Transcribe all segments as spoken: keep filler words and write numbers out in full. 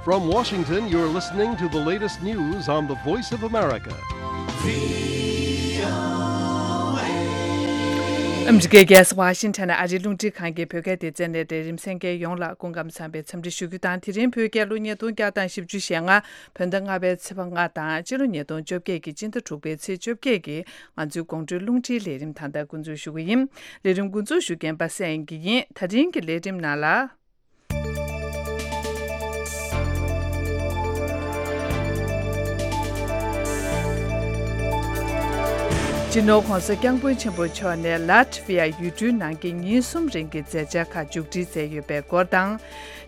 From Washington, you're listening to the latest news on the Voice of America. ཨ་མི་རི་ཀའི་རྒྱལ་ས་ཝ་ཤིང་ཊོན་ནས་ཨ་རིའི་རླུང་འཕྲིན་ཁང་གི་བོད་སྐད་སྡེ་ཚན་ནས་ལས་རིམ་གསན་མཁན་ཡོངས་ལ་སྐུ་ཁམས་བཟང་བའི་འཚམས་འདྲི་ཞུ་རྒྱུ་དང་། དེ་རིང་བོད་རྒྱལ་ལོ་ཉིས་སྟོང་བརྒྱ་དང་བཞི་བཅུ་ཞེ་ལྔ། བོད་ཟླ་ལྔ་པའི་ཚེས་པ་ལྔ་དང་། སྤྱི་ལོ་ཉིས་སྟོང་བཅོ་བརྒྱད་ཀྱི་སྤྱི་ཟླ་དྲུག་པའི་ཚེས་བཅོ་བརྒྱད་ཀྱི་ང་ཚོའི་དགོང་དྲོའི་རླུང་འཕྲིན་ལས་རིམ་ད་ལྟ་འགོ་འཛུགས་ཞུ་གི་ཡིན། ལས་རིམ་འགོ་འཛུགས་ཞུ་མཁན་པ་སངས་དབྱངས་སྐྱིད་ཡིན། ད་རིང་གི་ལས་རིམ་ནང་ལ། སྤྱི་ནོར་༸གོང་ས་༸སྐྱབས་མགོན་ཆེན་པོ་མཆོག་ནས་ལ་ཊ་ཝི་ཡ་ཡུལ་གྲུའི་ནང་གི་ཉིན་གསུམ་རིང་གི་མཛད་འཆར་ཁག་མཇུག་སྒྲིལ་མཛད་ཡོད་པའི་སྐོར་དང་།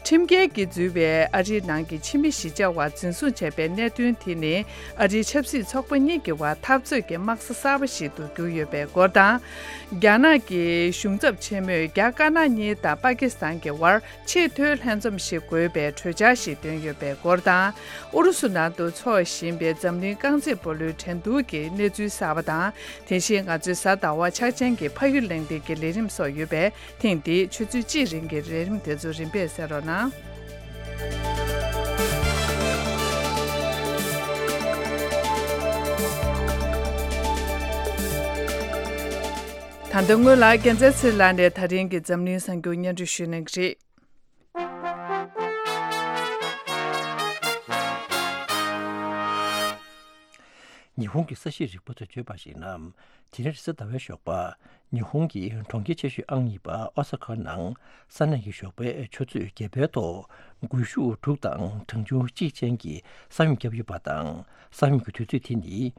ཁྲིམས་འགལ་གྱིས་འཛུལ་བའི་ཨ་རིའི་ནང་གི་ཕྱི་མི་གཞིས་ཆགས་བར་འཛིན་བཟུང་བྱས་པའི་གནད་དོན་དེ་ནི་ཨ་རིའི་ཆབ་སྲིད་ཚོགས་པ་གཉིས་ཀྱི་བར་འཐབ་རྩོད་ཀྱི་དམག་ས་གསར་པ་ཞིག་ཏུ་གྱུར་ཡོད་པའི་སྐོར་དང་། རྒྱ་ནག་གི་གཞུང་ཚབ་ཆེན་མོས་རྒྱ་དཀར་ནག་གཉིས་དང་པ་ཀི་སི་ཐན་གྱི་བར་ཆེས་མཐོའི་ལྷན་འཛོམས་ཤིག་དགོས་པའི་གྲོས་འཆར་ཞིག་བཏོན་ཡོད་པའི་སྐོར་དང་། ཨུ་རུ་སུ་ནང་དུ་འཚོགས་བཞིན་པའི་འཛམ་གླིང་རྐང་རྩེད་སྤོ་ལོའི་འགྲན་བསྡུར་གྱི་གནས་ཚུལ་གསར་པ་དང་། དེ་བཞིན་ང་ཚོའི་གཟའ་ཟླ་བ་འཆར་ཅན་གྱི་ཕ་ཡུལ་གླེང་སྟེགས་ཀྱི་ལས་རིམ་སོགས་ཡོད་པས། ཐེངས་འདིའི་ཆུ་ཚོད་གཅིག་རིང་གི་ལས་རིམ་དེ་ཚོ་རིམ་པས་གསན་རོགས་གནང་། ད་ལྟ་སྔོན་ལ་རྒྱལ་མཚན་ཚེ་ལགས་ནས་ད་རིང་གི་འཛམ་གླིང་གསར་འགྱུར་སྙན་སྒྲོན་ཞུ་གནང་གི་རེད། ཉི་ཧོང་གི་ས་གཤིས་རིག་པ་ཚོས་བརྗོད་པར་གཞིགས་ན། དེ་རིང་རེས་གཟའ་ཟླ་བའི་ཞོགས་པ། ཉི་ཧོང་གི་གྲོང་ཁྱེར་ཆེ་ཤོས་ཨང་གཉིས་པ་ཨོ་ས་ཁ་ནང་ས་གནས་ཀྱི་ཞོགས་པའི་ཆུ་ཚོད་བརྒྱད་པའི་ཐོག་སྒུལ་ཤུགས་དྲུག་དང་གྲངས་ཆུང་གཅིག་ཅན་གྱི་ས་ཡོམ་བརྒྱབ་ཡོད་པ་དང་། ས་ཡོམ་གྱི་དུས་ཚོད་དེ་ནི་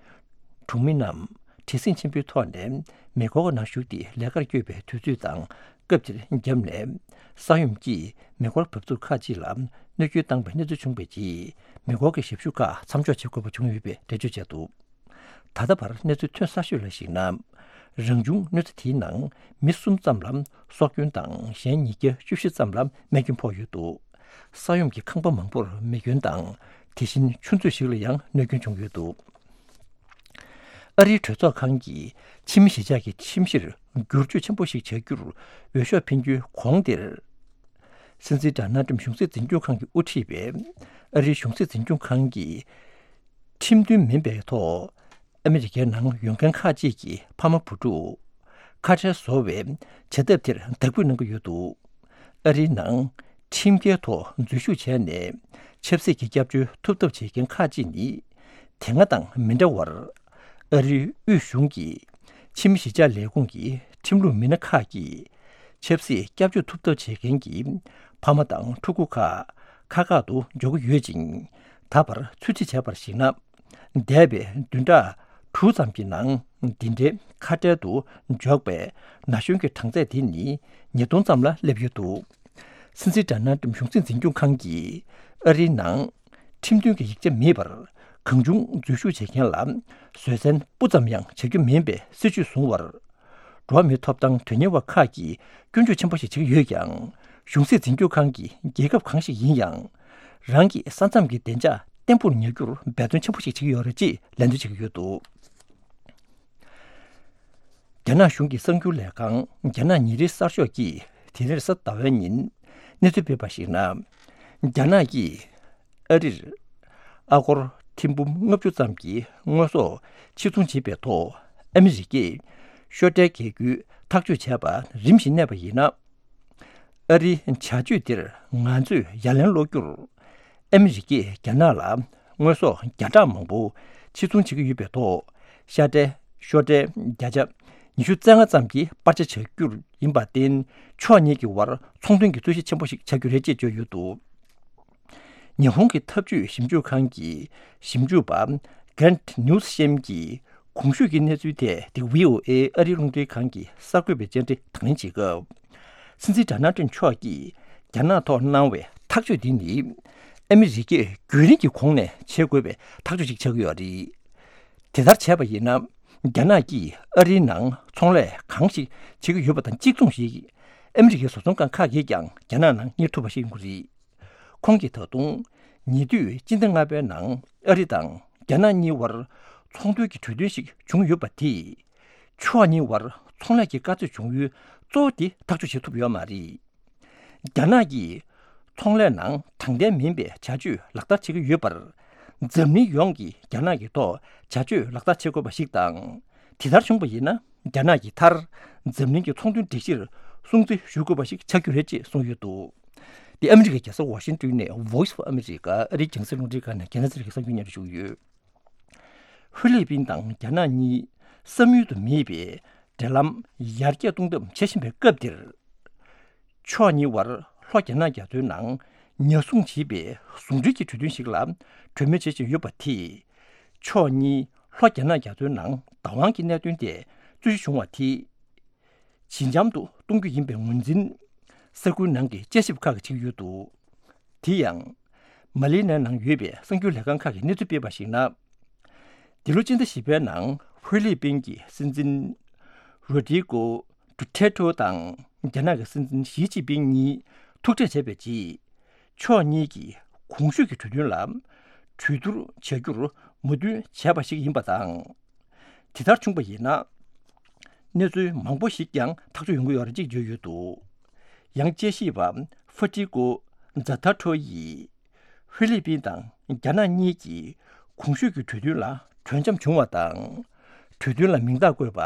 གྲོང་མི་རྣམས་བྲེལ་ཟིང་ཆེན་པོའི་ཐོག་ནས་མེ་འཁོར་ནང་ཞུགས་ཏེ་ལས་ཀར་བསྐྱོད་པའི་དུས་ཚོད་དང་སྐབས་དེར་བརྒྱབ་ནས། ས་ཡོམ་གྱིས་མེ་འཁོར་འབབ་ཚུགས་ཁག་ཅིག་ལ་གནོད་སྐྱོན་བཏང་བའི་གནས་ཚུལ་བྱུང་བའི་རྗེས། མེ་འཁོར་གྱི་ཞབས་ཞུ་ཁག་མཚམས་འཇོག་བྱེད་དགོས་པ་བྱུང་ཡོད་པའི་འགྲེལ་བརྗོད་བྱས་འདུག། ད་ལྟ་བར་གནས་ཚུལ་ཐོན་གསར་ཤོས་ལ་གཞིགས་ན། རང་བྱུང་གནོད་འཚེ་དེའི་ནང་མི་གསུམ་ཙམ་ལ་སྲོག་སྐྱོན་དང་། གཞན་ཉིས་བརྒྱ་བཅུ་བཞི་ཙམ་ལ་རྨས་སྐྱོན་ཕོག་ཡོད་འདུག། ས་ཡོམ་གྱི་ཁང་པ་མང་པོར་མེ་སྐྱོན་དང་། དེ་བཞིན་ཆུ་མཛོད་ཞིག་ལ་ཡང་གནོད་སྐྱོན་བྱུང་ཡོད་འདུག། ཨ་རིའི་གྲོས་ཚོགས་ཁང་གིས་ཕྱི་མི་གཞིས་ཆགས་ཀྱི་ཁྲིམས་གཞིར་བསྒྱུར་བཅོས་ཆེན་པོ་ཞིག་བྱ་རྒྱུར་འོས་ཤོག་འཕེན་རྒྱུའི་གོང་དེར། སྲིད་འཛིན་ཌོ་ནལ་ཊམ་གཞུང་སྲིད་འཛིན་སྐྱོང་ཁང་གིས་དབུ་ཁྲིད་པའི་ཨ་རིའི་གཞུང་སྲིད་འཛིན་སྐྱོང་ཁང་གིས། ཁྲིམས་མཐུན་མིན་པའི་ཐོག་ཨ་མི་རི་ཀའི་ནང་ཡོད་མཁན་ཁག་ཅིག་གི་ཕ་མ་བུ་ཕྲུག་ཁ་བྲལ་བཟོ་བའི་བྱ་ཐབས་དེར་དག་འབུད་གནང་གི་ཡོད་འདུག། ཨ་རིའི་ནང་ཁྲིམས་འགལ་ཐོག་འཛུལ་ཞུགས་བྱས་ནས་ཆབ་སྲིད་ཀྱི་སྐྱབས་བཅོལ་ཐོབ་ཐབས་བྱེད་མཁན་ཁག་ཅིག་ནི། དེ་སྔ་དང་མི་འདྲ་བར། ཨ་རིའི་དབུས་གཞུང་གི་ཕྱི་མི་གཞིས་ཆགས་ལས་ཁུངས་ཀྱི་ཁྲིམས་ལུགས་མི་སྣ་ཁག་གིས། ཆབ་སྲིད་སྐྱབས་བཅོལ་ཐོབ་ཐབས་བྱེད་མཁན་གྱི་ཕ་མ་དང་ཕྲུ་གུ་ཁག་ཁག་ཁག་ཏུ་འཇོག་གི་ཡོད་ཅིང་། ད་བར་ཚོད་རྩིས་བྱས་པར་གཞིགས་ན། འདས་པའི་བདུན་ཕྲག་དྲུག་ཙམ་གྱི་ནང་། འདི་འདྲའི་ཁ་བྲལ་དུ་འཇོག་པའི་ན་གཞོན་གྱི་གྲངས་ཚད་དེ་ནི་ཉིས་སྟོང་ཙམ་ལ་སླེབས་ཡོད་འདུག། སྲིད་འཛིན་ཌོ་ནལ་ཊམ་གཞུང་སྲིད་འཛིན་སྐྱོང་ཁང་གིས་ཨ་རིའི་ནང་ཁྲིམས་མཐུན་གྱི་ཡིག་ཆ་མེད་པར་གང་བྱུང་འཛུལ་ཞུགས་བྱེད་མཁན་ལ་བཟོད་བསྲན་སྤུ་ཙམ་ཡང་བྱ་རྒྱུ་མིན་པའི་སྲིད་བྱུས་བཟུང་བར། འགྲོ་བ་མིའི་ཐོབ་ཐང་དོན་གཉེར་བ་ཁག་གིས་སྐྱོན་བརྗོད་ཆེན་པོ་ཞིག་བྱེད་ཀྱི་ཡོད་ཀྱང་། གཞུང་སྲིད་འཛིན་སྐྱོང་ཁང་གིས་རྒྱལ་ཁབ་གང་ཞིག་ཡིན་ཡང་། རང་གི་ས་མཚམས་ཀྱི་བདེ་འཇགས་བརྟན་པོར་ཉར་རྒྱུར་འབད་བརྩོན་ཆེན་པོ་ཞིག་བྱེད་ཀྱི་ཡོད་རེད་ཅེས་ལན་འདེབས་བྱེད་ཀྱི་ཡོད་འདུག། རྒྱ་ནག་གཞུང་གི་གསར་འགྱུར་ལས་ཁང་རྒྱ་ནག་ཉིན་རེའི་གསར་ཤོག་གིས་དེ་རིང་རེས་གཟའ་ཟླ་བའི་ཉིན་གནས་ཚུལ་སྤེལ་བར་གཞིགས་ན། རྒྱ་ནག་གིས་ཨ་རིར་ཨ་སྒོར་ཐེར་འབུམ་ལྔ་བཅུ་ཙམ་གྱི་དངོས་ཟོག་ཕྱིར་ཚོང་བྱེད་པའི་ཐོག་ཨ་མི་རི་ཀས་ཤོག་ཁྲའི་རྒྱལ་རྒྱུའི་ཐག་གཅོད་བྱས་པ་རིམ་བཞིན་གནས་པ་ཡིན་ན། ཨ་རིའི་བྱ་སྤྱོད་འདིར་ང་ཚོས་ཡ་ལན་སློག་རྒྱུར། ཨ་མི་རི་ཀས་རྒྱ་ནག་ལ་དངོས་ཟོག་བརྒྱ་ཕྲག་མང་པོ་ཕྱིར་ཚོང་བྱེད་ཀྱི་ཡོད་པའི་ཐོག་ཤ་ཁྲའི་ཤོག་ཁྲའི་བརྒྱ་ཆ་ཉི་ཤུ་རྩ་ལྔ་ཙམ་གྱི་སྤར་ཆ་བྱ་རྒྱུར་ཡིན་པར་བརྟེན། ཕྱོགས་གཉིས་ཀྱི་བར་ཚོང་དོན་གྱི་རྩོད་གཞི་ཆེན་པོ་ཞིག་ཆགས་རྒྱུ་རེད་ཅེས་བརྗོད་ཡོད་འདུག། ཉི་ཧོང་གི་འཐབ་ཇུས་ཞིབ་འཇུག་ཁང་གི་ཞིབ་འཇུག་པ་Grant Newsham་གྱིས་གོང་ཞུས་ཀྱི་གནས་ཚུལ་ཐད་དེ་ཝི་ཨོ་ཨེ་ཨ་རིའི་རླུང་འཕྲིན་ཁང་གི་གསར་འགོད་པའི་བཅར་འདྲི་དང་ལེན་བྱེད་སྐབས། སྲིད་འཛིན་ཌོ་ནལ་ཊམ་མཆོག་གིས་རྒྱ་ནག་ཐོག་གནང་བའི་ཐག་གཅོད་འདི་ནི་ཨ་མི་རི་ཀས་རྒྱུན་རིང་གི་གོང་ནས་བྱེད་དགོས་པའི་ཐག་གཅོད་ཅིག་ཆགས་ཀྱི་ཡོད་རེད། དེ་ལྟར་བྱས་པ་ཡིན་ན། རྒྱ་ནག་གིས་ཨ་རིའི་ནང་ཚོང་ལས་གང་ཞིག་བྱེད་ཀྱི་ཡོད་པ་དང་གཅིག་མཚུངས་ཤིག་ཨ་མི་རི་ཀའི་བཟོ་ཚོང་ཁང་ཁག་གིས་ཀྱང་རྒྱ་ནག་ནང་གཉེར་ཐུབ་པ་ཞིག་ཡིན་དགོས་རེད། ཁོང་གིས་ད་དུང་ཉེ་དུས་སྤྱི་ཟླ་ལྔ་པའི་ནང་ཨ་རི་དང་རྒྱ་ནག་གཉིས་བར་ཚོང་དོན་གྱི་གྲོས་མཐུན་ཞིག་བྱུང་ཡོད་པ་དེས། ཕྱོགས་གཉིས་བར་ཚོང་ལས་ཀྱི་དཀའ་ཚེགས་བྱུང་ཡུལ་གཙོ་བོ་དེ་ཐག་གཅོད་བྱེད་ཐུབ་ཡོད་མ་རེད། རྒྱ་ནག་གིས་ ཚོང་ལས་ནང་དྲང་བདེན་མིན་པའི་བྱ་སྤྱོད་ལག་བསྟར་བྱེད་ཀྱི་ཡོད་པར། འཛམ་གླིང་ཡོངས་ཀྱིས་རྒྱ་ནག་གི་ཐོག་བྱ་སྤྱོད་ལག་བསྟར་བྱེད་དགོས་པ་ཞིག་དང་། དེ་ལྟར་བྱུང་བ་ཡིན་ན། རྒྱ་ནག་གིས་མཐར་འཛམ་གླིང་གི་ཚོང་དོན་སྒྲིག་གཞིར་སྲུང་བརྩི་ཞུ་དགོས་པ་ཞིག་ཆགས་རྒྱུ་རེད་ཅེས་གསུངས་ཡོད་འདུག་དེ་ཨ་མི་རི་ཀའི་རྒྱལ་ས་ཝ་ཤིང་ཏོན་ནས་Voice of America ཨ་རིའི་རྒྱང་སྲིང་རླུང་འཕྲིན་ཁང་ནས་རྒྱ་ནག་གསར་གྱི་གསར་འགྱུར་སྙན་སྒྲོན་ཞུ་གི་ཡོད། ཧྥི་ལི་པིན་དང་རྒྱ་ནག་གཉིས་བསམ་ཡུལ་དུ་མེད་པའི་འབྲེལ་ལམ་ཡར་རྒྱས་གཏོང་ཐབས་བྱེད་བཞིན་པའི་སྐབས་འདིར། ཕྱོགས་གཉིས་དབར་ལྷོ་རྒྱ་ནག་རྒྱ་མཚོའི་ནང་ཉར་སྲུང་བྱེད་པའི་ཟུང་འབྲེལ་གྱི་གྲོས་མཐུན་ཞིག་ལ་གྲོས་མོལ་བྱེད་བཞིན་ཡོད་པ་དེས། ཕྱོགས་གཉིས་ལྷོ་རྒྱ་ནག་རྒྱ་མཚོའི་ནང་བདག་དབང་གི་གནད་དོན་དེ་རྩོད་གཞི་བྱུང་བ་དེས། ཇེ་འཇམ་དུ་གཏོང་རྒྱུ་ཡིན་པའི་ངོས་འཛིན་ས་ཁུལ་ནང་གི་དཔྱད་ཞིབ་ཁག་གིས་བྱེད་ཀྱི་ཡོད་འདུག་དེ་ཡང་། མ་ལི་ནའི་ནང་ཡོད་པའི་གསར་འགྱུར་ལས་ཁང་ཁག་གིས་གནས་ཚུལ་སྤེལ་བར་གཞིགས་ན། འདི་ལོ་སྤྱི་ཟླ་བཞི་པའི་ནང་ཧྥི་ལི་པིན་གྱི་སྲིད་འཛིན་རོ་ཏྲི་ཀོ་ཌུ་ཐེ་ཏྲོ་དང་རྒྱ་ནག་གི་སྲིད་འཛིན་ཞི་ཅིན་ཕིང་གཉིས་ཐུག་འཕྲད་བྱས་པའི་རྗེས། ཕྱོགས་གཉིས་ཀྱིས་གོང་ཞུས་ཀྱི་གྲོས་མཐུན་ལ་གྲོས་བསྡུར་བྱ་རྒྱུར་མོས་མཐུན་བྱས་པ་ཞིག་ཡིན་པ་དང་། དེ་ལྟར་བྱུང་བ་ཡིན་ན། གནས་ཚུལ་མང་པོ་ཞིག་ཀྱང་ཐག་གཅོད་ཡོང་གི་ཡོད་རེད་ཅེས་བརྗོད་ཡོད་འདུག་ཡང་དཔྱད་ཞིབ་པ་ཧྥ་ཏི་ཀོ་ཛ་ཐ་ཁྲོ་ཡིས། ཧྥི་ལི་པིན་དང་རྒྱ་ནག་གཉིས་ཀྱིས་གོང་ཞུས་ཀྱི་གྲོས་མཐུན་ལ་གྲོས་འཆམ་བྱུང་བ་དང་། གྲོས་མཐུན་ལ་མིང་རྟགས་བཀོད་པ།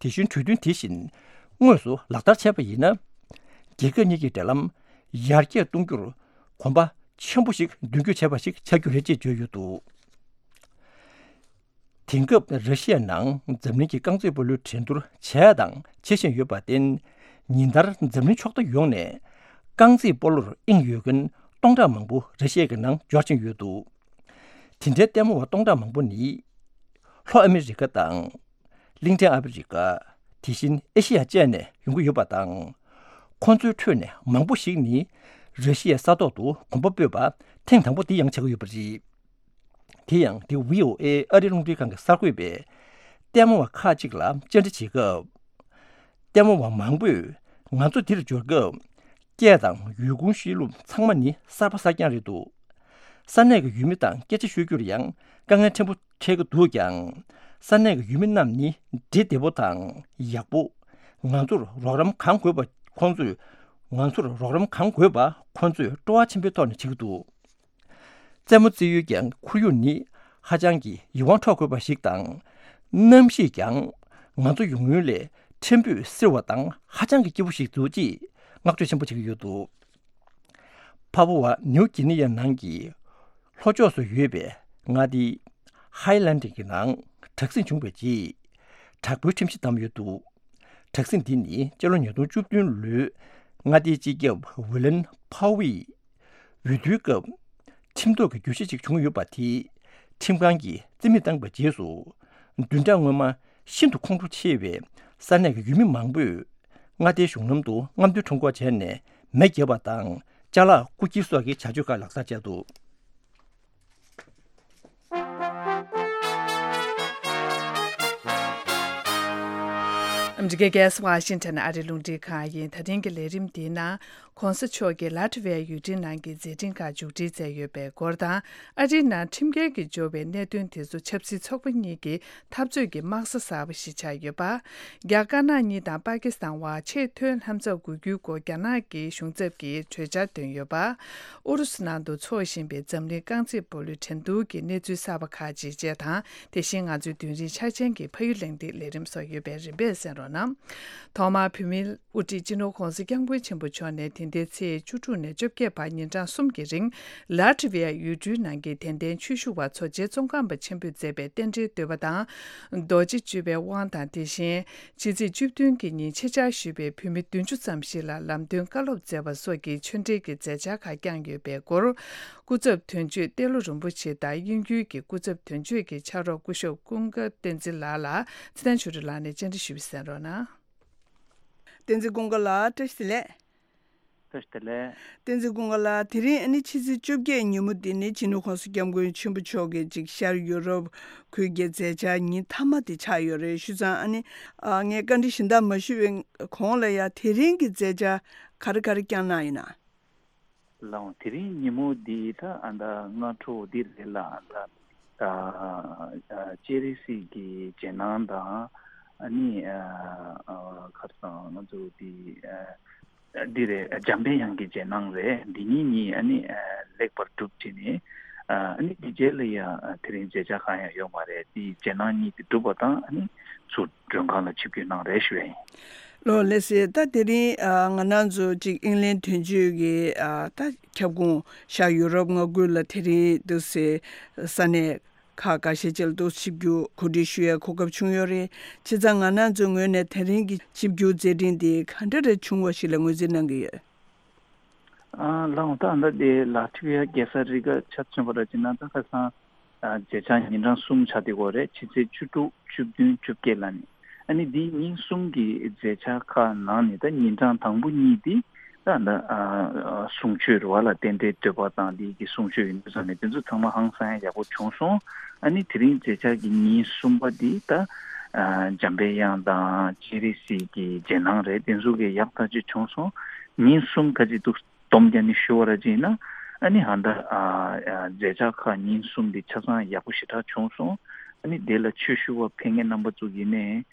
དེ་བཞིན་གྲོས་མཐུན་དེ་བཞིན་དངོས་སུ་ལག་བསྟར་བྱས་པ་ཡིན་ན། རྒྱལ་ཁབ་གཉིས་ཀྱི་འབྲེལ་ལམ་ཡར་རྒྱས་གཏོང་རྒྱུར་གོམ་པ་ཆེན་པོ་ཞིག་མདུན་སྐྱོད་བྱས་པ་ཞིག་ཆགས་རྒྱུ་རེད་ཅེས་བརྗོད་ཡོད་འདུག་དེང་སྐབས་ར་ཤི་ཡའི་ནང་འཛམ་གླིང་གི་རྐང་རྩེད་སྤོ་ལོའི་འགྲན་བསྡུར་བྱས་དང་བྱེད་བཞིན་ཡོད་པར་བརྟེན། ཉིན་ལྟར་འཛམ་གླིང་ཕྱོགས་མཐའ་ཡོངས་ནས་རྐང་རྩེད་སྤོ་ལོར་དབྱིངས་ཡོད་མཁན་སྟོང་ཕྲག་མང་པོ་ར་ཤི་ཡ་གི་ནང་འབྱོར་བཞིན་ཡོད་འདུག་དེ་འདྲའི་ལྟད་མོ་བ་སྟོང་ཕྲག་མང་པོ་ནི། ལྷོ་ཨ་མི་རི་ཀ་དང་། གླིང་ཕྲན་ཨ་ཕི་རི་ཀ། དེ་བཞིན་ཨེ་ཤི་ཡ་བཅས་ནས་ཡོང་གི་ཡོད་པ་དང་། ཁོང་ཚོའི་ཁྲོད་ནས་མང་པོ་ཞིག་ནི། ར་ཤི་ཡའི་ས་ཐོག་ཏུ་གོམ་པ་སྤོས་པ་ཐེངས་དང་པོ་དེ་ཡང་ཆགས་ཀྱི་ཡོད་པ་རེད། དེ་ཡང་དེ་ཝི་ཨོ་ཨེ་ཨ་རིའི་རླུང་འཕྲིན་ཁང་གི་གསར་འགོད་པས་ལྟད་མོ་བ་ཁག་ཅིག་ལ་བཅར་འདྲི་བྱེད་སྐབས། ལྟད་མོ་བ་མང་པོས་ང་ཚོ་འདིར་འབྱོར་སྐབས། སྐད་དང་ཡུལ་ཁུངས་བཤད་ལུགས་ཚང་མ་ནི་གསར་པ་གསར་རྐྱང་རེད་འདུག་ས་གནས་ཀྱི་ཡུལ་མི་དང་སྐད་ཆ་ཤོད་རྒྱུར་ཡང་དཀའ་ངལ་ཕྲན་བུ་འཕྲད་ཀྱི་འདུག་ཀྱང་། ས་གནས་ཀྱི་ཡུལ་མི་རྣམས་ནི་འདྲེ་བདེ་པོ་དང་ཡག་པོ། ང་ཚོར་རོགས་རམ་གང་དགོས་པ་ཁོང་ཚོས། ང་ཚོར་རོགས་རམ་གང་དགོས་པ་ཁོང་ཚོས་སྤྲོ་བ་ཆེན་པོའི་ཐོག་ནས་བྱེད་ཀྱི་འདུག་རྩེད་མོ་རྩེ་ཡུལ་གྱི་ཁོར་ཡུག་ནི་ཧ་ཅང་གི་ཡིད་དབང་འཕྲོག་དགོས་པ་ཞིག་དང་། གནམ་གཤིས་ཀྱང་ང་ཚོ་ཡོང་ཡུལ་ལས་ཕྲན་བུ་བསིལ་བ་དང་ཧ་ཅང་གི་སྐྱིད་པོ་ཞིག་འདུག་ཅེས་བསྔགས་བརྗོད་ཆེན་པོ་བྱེད་ཀྱི་ཡོད་འདུག་ཕ་ཕུ་ཝ་ནིའུ་གི་ནི་ཡའི་ནང་གི་ལྷོ་ཕྱོགས་སུ་ཡོད་པའི་མངའ་སྡེ་ཧའི་ལན་ཌི་གི་ནང་དྲག་ཟིང་བྱུང་བའི་རྗེས། དྲག་པོའི་ཁྲིམས་གཞི་བསྡམས་ཡོད་འདུག་དྲག་ཟིང་འདི་ནི་སྤྱི་ལོ་ཉིས་སྟོང་བཅུ་བདུན་ལོའི་མངའ་སྡེའི་སྤྱི་ཁྱབ་ཝི་ལན་ཕའོ་ཡིས་འོས་བསྡུའི་སྐབས་ཁྲིམས་ཐོག་གི་བརྗོད་གཞི་ཞིག་བྱུང་ཡོད་པ་དེ་ཁྲིམས་ཁང་གིས་རྩིས་མེད་བཏང་བའི་རྗེས་སུ། བདུན་ཕྲག་སྔོན་མ་ཤིན་ཏུ་ཁོང་ཁྲོ་ཆེ་བའི་ས་གནས་ཀྱི་ཡུལ་མི་མང་པོས་མངའ་སྡེའི་གཞུང་ལམ་དུ་རྔམ་སྟོན་ཁྲོམ་སྐོར་བྱས་ནས་མེ་བརྒྱབ་པ་དང་ཅ་ལག་རྐུ་འཁྱེར་སོགས་ཀྱི་བྱ་སྤྱོད་ཁག་ལག་བསྟར་བྱས་འདུག་ཨ་མི་རི་ཀའི་རྒྱལ་ས་ཝ་ཤིང་ཊོན་ཨ་རིའི་རླུང་འཕྲིན་ཁང་ཡིན། ད་ཐེངས་ཀྱི་ལས་རིམ་འདིའི་ནང་གོང་ས་མཆོག་གིས་ལ་ཏི་ཝི་ཡ་ཡུལ་གྲུའི་ནང་གི་མཛད་འཕྲིན་ཁག་མཇུག་སྒྲིལ་མཛད་ཡོད་པའི་སྐོར་དང་། ཨ་རིའི་ནང་ཁྲིམས་འགལ་གྱིས་སྦྱོར་བའི་གནད་དོན་དེ་ཚོ་ཆབ་སྲིད་ཚོགས་པ་གཉིས་ཀྱི་འཐབ་རྩོད་ཀྱི་དམག་ས་གསར་པ་ཞིག་ཆགས་ཡོད་པ། རྒྱ་དཀར་ནག་གཉིས་དང་པ་ཀི་སི་ཐན་བར་ཆེས་མཐོའི་ལྷན་ཚོགས་དགོས་རྒྱུའི་སྐོར་རྒྱ་ནག་གི་གཞུང་ཚབ་ཀྱིས་གྲོས་འཆར་བཏོན་ཡོད་པ། ཨུ་རུ་སུ་ནང་དུ་འཚོགས་བཞིན་པའི་འཛམ་གླིང་རྐང་རྩེད་སྤོ་ལོའི་འགྲན་བསྡུར་གྱི་གནས་ཚུལ་གསར་པ་ཁག་ཅིག་བཅས་དང་། དེ་བཞིན་ང་ཚོའི་རྡུལ་རིང་ཆ་ཅན་གྱི་ཕ་ཡུལ་གླེང་སྟེགས་ལས་རིམ་སོགས་ཡོད་པའི་རིམ་པས་གསན་རོགས་གནང་། ཐོག་མར་བོད་མིའི་དབུ་ཁྲིད་སྤྱི་ནོར་༸གོང་ས་༸སྐྱབས་མགོན་ཆེན་པོ་མཆོག་ནས་དེ་ཟླའི་ཚེས་བཅུ་དྲུག་ནས་བཅོ་བརྒྱད་བར་ཉིན་གྲངས་གསུམ་གྱི་རིང་། ལ་ཏི་ཝི་ཡ་ཡུལ་གྲུའི་ནང་གི་དད་ལྡན་ཆོས་ཞུ་བ་ཚོ་རྗེ་ཙོང་ཁ་པ་ཆེན་པོས་མཛད་པའི་རྟེན་འབྲེལ་བསྟོད་པ་དང་། རྡོ་རྗེ་གཅུས་པའི་དབང་དང་། དེ་བཞིན་ཕྱི་ཚེས་བཅུ་བདུན་གྱི་ཉིན་ཆེད་བཅར་ཞུས་པའི་བོད་མི་བདུན་ཅུ་ཙམ་ཞིག་ལ་ལམ་སྟོན་བཀའ་སློབ་སྩལ་བ་སོགས་ཀྱི་ཆོས་འབྲེལ་གྱི་མཛད་འཆར་ཁག་བསྐྱངས་ཡོད་པའི་སྐོར། སྐུ་ཚབ་དོན་གཅོད་ཏེ་ལོ་རིན་པོ་ཆེ་དང་། དབྱིན་ཡུལ་གྱི་སྐུ་ཚབ་དོན་གཅོད་ཀྱི་ཕྱག་རོགས་སྐུ་ཞབས་ཀུན་དགའ་བསྟན་འཛིན་ལགས་ལ་ཚེ་བརྟན་ཆོས་སྒྲོན་ལགས་ནས་བཅར་འདྲི་ཞུས་པ་གསན་རོགས་གནང་། བསྟན་འཛིན་ཀུན་དགའ་ལགས། བཀྲ་ཤིས་བདེ་ལེགས། བཀྲ་ཤིས་བདེ་ལེགས། བསྟན་འཛིན་ཀུན་དགའ་ལགས། དེ་རིང་ཨ་ནི་ཕྱི་ཚེས་བཅོ་བརྒྱད་ཉིན་མོ་འདི་ནི་སྤྱི་ནོར་༸གོང་ས་༸སྐྱབས་མགོན་ཆེན་པོ་མཆོག་གིས་ཅིག་ཤར་ཡུ་རོབ་ཁུལ་གྱི་མཛད་འཆར་ཉིན་མཐའ་མ་དེ་ཆགས་ཡོད་རེད། བྱས་ཙང་ཨ་ནི་ཨ་ངས་བཀའ་འདྲི་གཞན་དག་མ་ཞུས་པའི་གོང་ལ་ཡ་དེ་རིང་གི་མཛད་འཆར་ག་རེ་ག་རེ་བསྐྱངས་གནང་ཡིན་ན། ལགས་འོང་། དེ་རིང་ཉིན་མོ་འདི་ད་ཨ་ད་སྔ་དྲོ་འདི་རེད་ལ། ཨ་ད་ཨ་སྤྱན་རས་གཟིགས་ཀྱི་རྗེས་གནང་དང་། ཨ་ནི་ཨ་ཨ་ཁར་སང་ང་ཚོ་འདི་ཨ་ འདི་རེད། འཇམ་པའི་དབྱངས་ཀྱི་རྗེས་གནང་རེད། འདི་གཉིས་གཉིས་ཨ་ནི་ལེགས་པར་གྲུབ་བྱས་ནས། ཨ་ནི་འདི་རྗེས་ལ་ཡང་དེ་རིང་མཛད་འཆར་གང་ཡང་ཡོད་མ་རེད། འདི་རྗེས་གནང་གཉིས་དེ་གྲུབ་པ་དང་ཨ་ནི་ཚུར་མགྲོན་ཁང་ལ་ཆིབས་བསྒྱུར་གནང་རེད་ཞུ་ཡ་ཡིན། ལགས་ལགས་སེ། ད་དེ་རིང་ཨ་ང་རང་ཚོ་ཅིག་ཨིང་ལན་དོན་གཅོད་ཀྱི་ཨ་ད་ཁྱབ་ཁོངས་ཤར་ཡུ་རོབ་མངའ་ཁུལ་ལ་དེ་རིང་འདུག་སེ་ས་གནས་ཁག་འགའ་ཤས་ཅིག་ལ་འདུག་ཆིབས་བསྒྱུར་གོ་སྒྲིག་ཞུ་ཡའི་གོ་སྐབས་བྱུང་ཡོད་རེད། བྱས་ཙང་ང་རང་ཚོའི་ངོས་ནས་དེ་རིང་གི་ཆིབས་བསྒྱུར་མཛད་འཕྲིན་འདི་ག་འདྲ་རེ་བྱུང་བ་ཞིག་ལ་ངོས་འཛིན་གནང་གི་ཡོད། ཨ་ལགས་འོང་། ད་ལྟ་དེ་ལ་ཐི་བི་ཡ་རྒྱལ་ས་རི་ག་ཆ་མཚོན་པ་ར་ཅིག་ན་ད་ཁ་སང་ཨ་མཛད་འཆར་ཉིན་གྲངས་གསུམ་ཆགས་བསྡད་ཡོད་རེད། ཕྱི་ཚེས་བཅུ་དྲུག་བཅུ་བདུན་བཅོ་བརྒྱད་ལ་ནི། ཨ་ནི་འདི་ཉིན་གསུམ་གྱི་མཛད་འཆར་ཁག་ནང་ནས་ད་ཉིན་གྲངས་དང་པོ་གཉིས་འདི་ད་ད་ཨ་གསུང་ཆོས་རེད་བ། ལ་རྟེན་འབྲེལ་བསྟོད་པ་དང་འདི་གི་གསུང་ཆོས་ཡིན་དུས་ཙང་ནས་དེ་ཚོ་ཚང་མ་ཧང་སང་ཡ་ཡག་པོ་བྱུང་སོང་། ཨ་ནི་དེ་རིང་མཛད་འཆར་གྱི་ཉིན་གསུམ་པ་འདི་ད་ཨ་འཇམ་པའི་དབྱངས་དང་སྤྱན་རས་གཟིགས་ཀྱི་རྗེས་གནང་རེད། དེ་ཚོ་གི་ཡག་ཐག་ཆོད་བྱུང་སོང་། ཉིན་གསུམ་ཁ་ཅིག་འདུག་སྡོམ་རྒྱག་ནས་ཞུ་བ་ར་ཅིག་ཡིན་ན། ཨ་ནི་ཧ་ད་ཨ་ཨ་མཛད་འཆར་ཁག་ཉིན་གསུམ་འདི་ཆ་ཚང་ཡག་པོ་ཞེ་དྲག་བྱུང་སོང་། ཨ་ནི་དེ་ལ་ཆོས་ཞུ་བ་ཕེབས་མཁན་རྣམ་པ་ཚོ་གིས་ནས་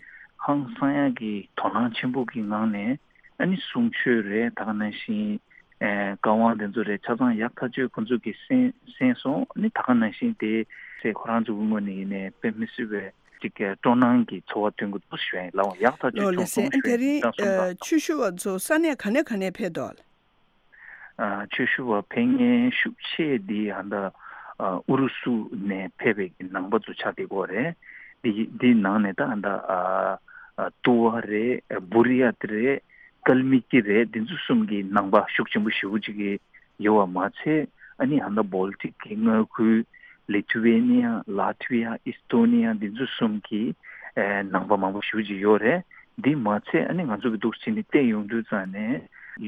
ཧང་སང་ཡག་གི་དོ་སྣང་ཆེན་པོ་གི་ངང་ནས་ཨ་ནི་གསུང་ཆོས་རེད། ད་ག་ནང་བཞིན་ཨ་བཀའ་དབང་དེ་ཚོ་རེད། ཆ་ཚང་ཡག་ཐག་ཆོད་ཁོང་ཚོ་གིས་གསན་གསན་སོང་། ཨ་ནི་ད་ག་ནང་བཞིན་དེ་ཚེ་ཁོ་རང་ཚོ་གི་ངོས་ནས་ཡིན་ནས་དཔེ་མི་སྲིད་པའི་ཅིག་སྤྲོ་སྣང་གི་ཚོར་བ་སྟོན་གྱི་འདུག་ཞུ་ཡ་ཡིན། ལགས་འོང་། ཡག་ཐག་ཆོད་ལགས་ལགས་བྱུང་སེ། སོང་ཨ་ཞུ་ཡ་དེ་ཡིན། རིང་ཨ་ཆོས་ཞུ་བ་ཚོ་ས་གནས་ག་ནས་ག་ནས་ཕེབས་འདུག་ཨ་ཆོས་ཞུ་བ་ཕེབས་མཁན་ཤུགས་ཆེ་འདི་ཧ་ད་ཨུ་རུ་སུ་ནས་ཕེབས་པའི་གི་ནང་པ་ཚོ་ཆགས་བསྡད་ཡོད་རེད། འདི་འདི་ནང་ནས་ད་ཧ་ད་ཨ་ཨ་ཏུ་བ་རེད། བུ་རི་ཡ་ཏི་རེད། ཀལ་མི་ཀི་རེད། འདི་ཚོ་གསུམ་གི་ནང་པ་ཤུགས་ཆེན་པོ་ཞེ་པོ་ཅིག་གི་ཡོད་པ་མ་ཚད། ཨ་ནི་ཧ་ད་བོལ་ཏིག་གི་མངའ་ཁུལ་ལི་ཐུ་ཝེ་ནི་ཡ། ལ་ཐི་ཝི་ཡ། ཨིས་ཏོ་ནི་ཡ། འདི་ཚོ་གསུམ་གི་ཨེ་ནང་པ་མང་པོ་ཞེ་པོ་ཅིག་ཡོད་རེད། འདི་མ་ཚད་ཨ་ནི་ང་ཚོ་གི་འདུག་སེ་བྱས་ནས་བལྟས་ཡོང་དུས་ཙང་ནས་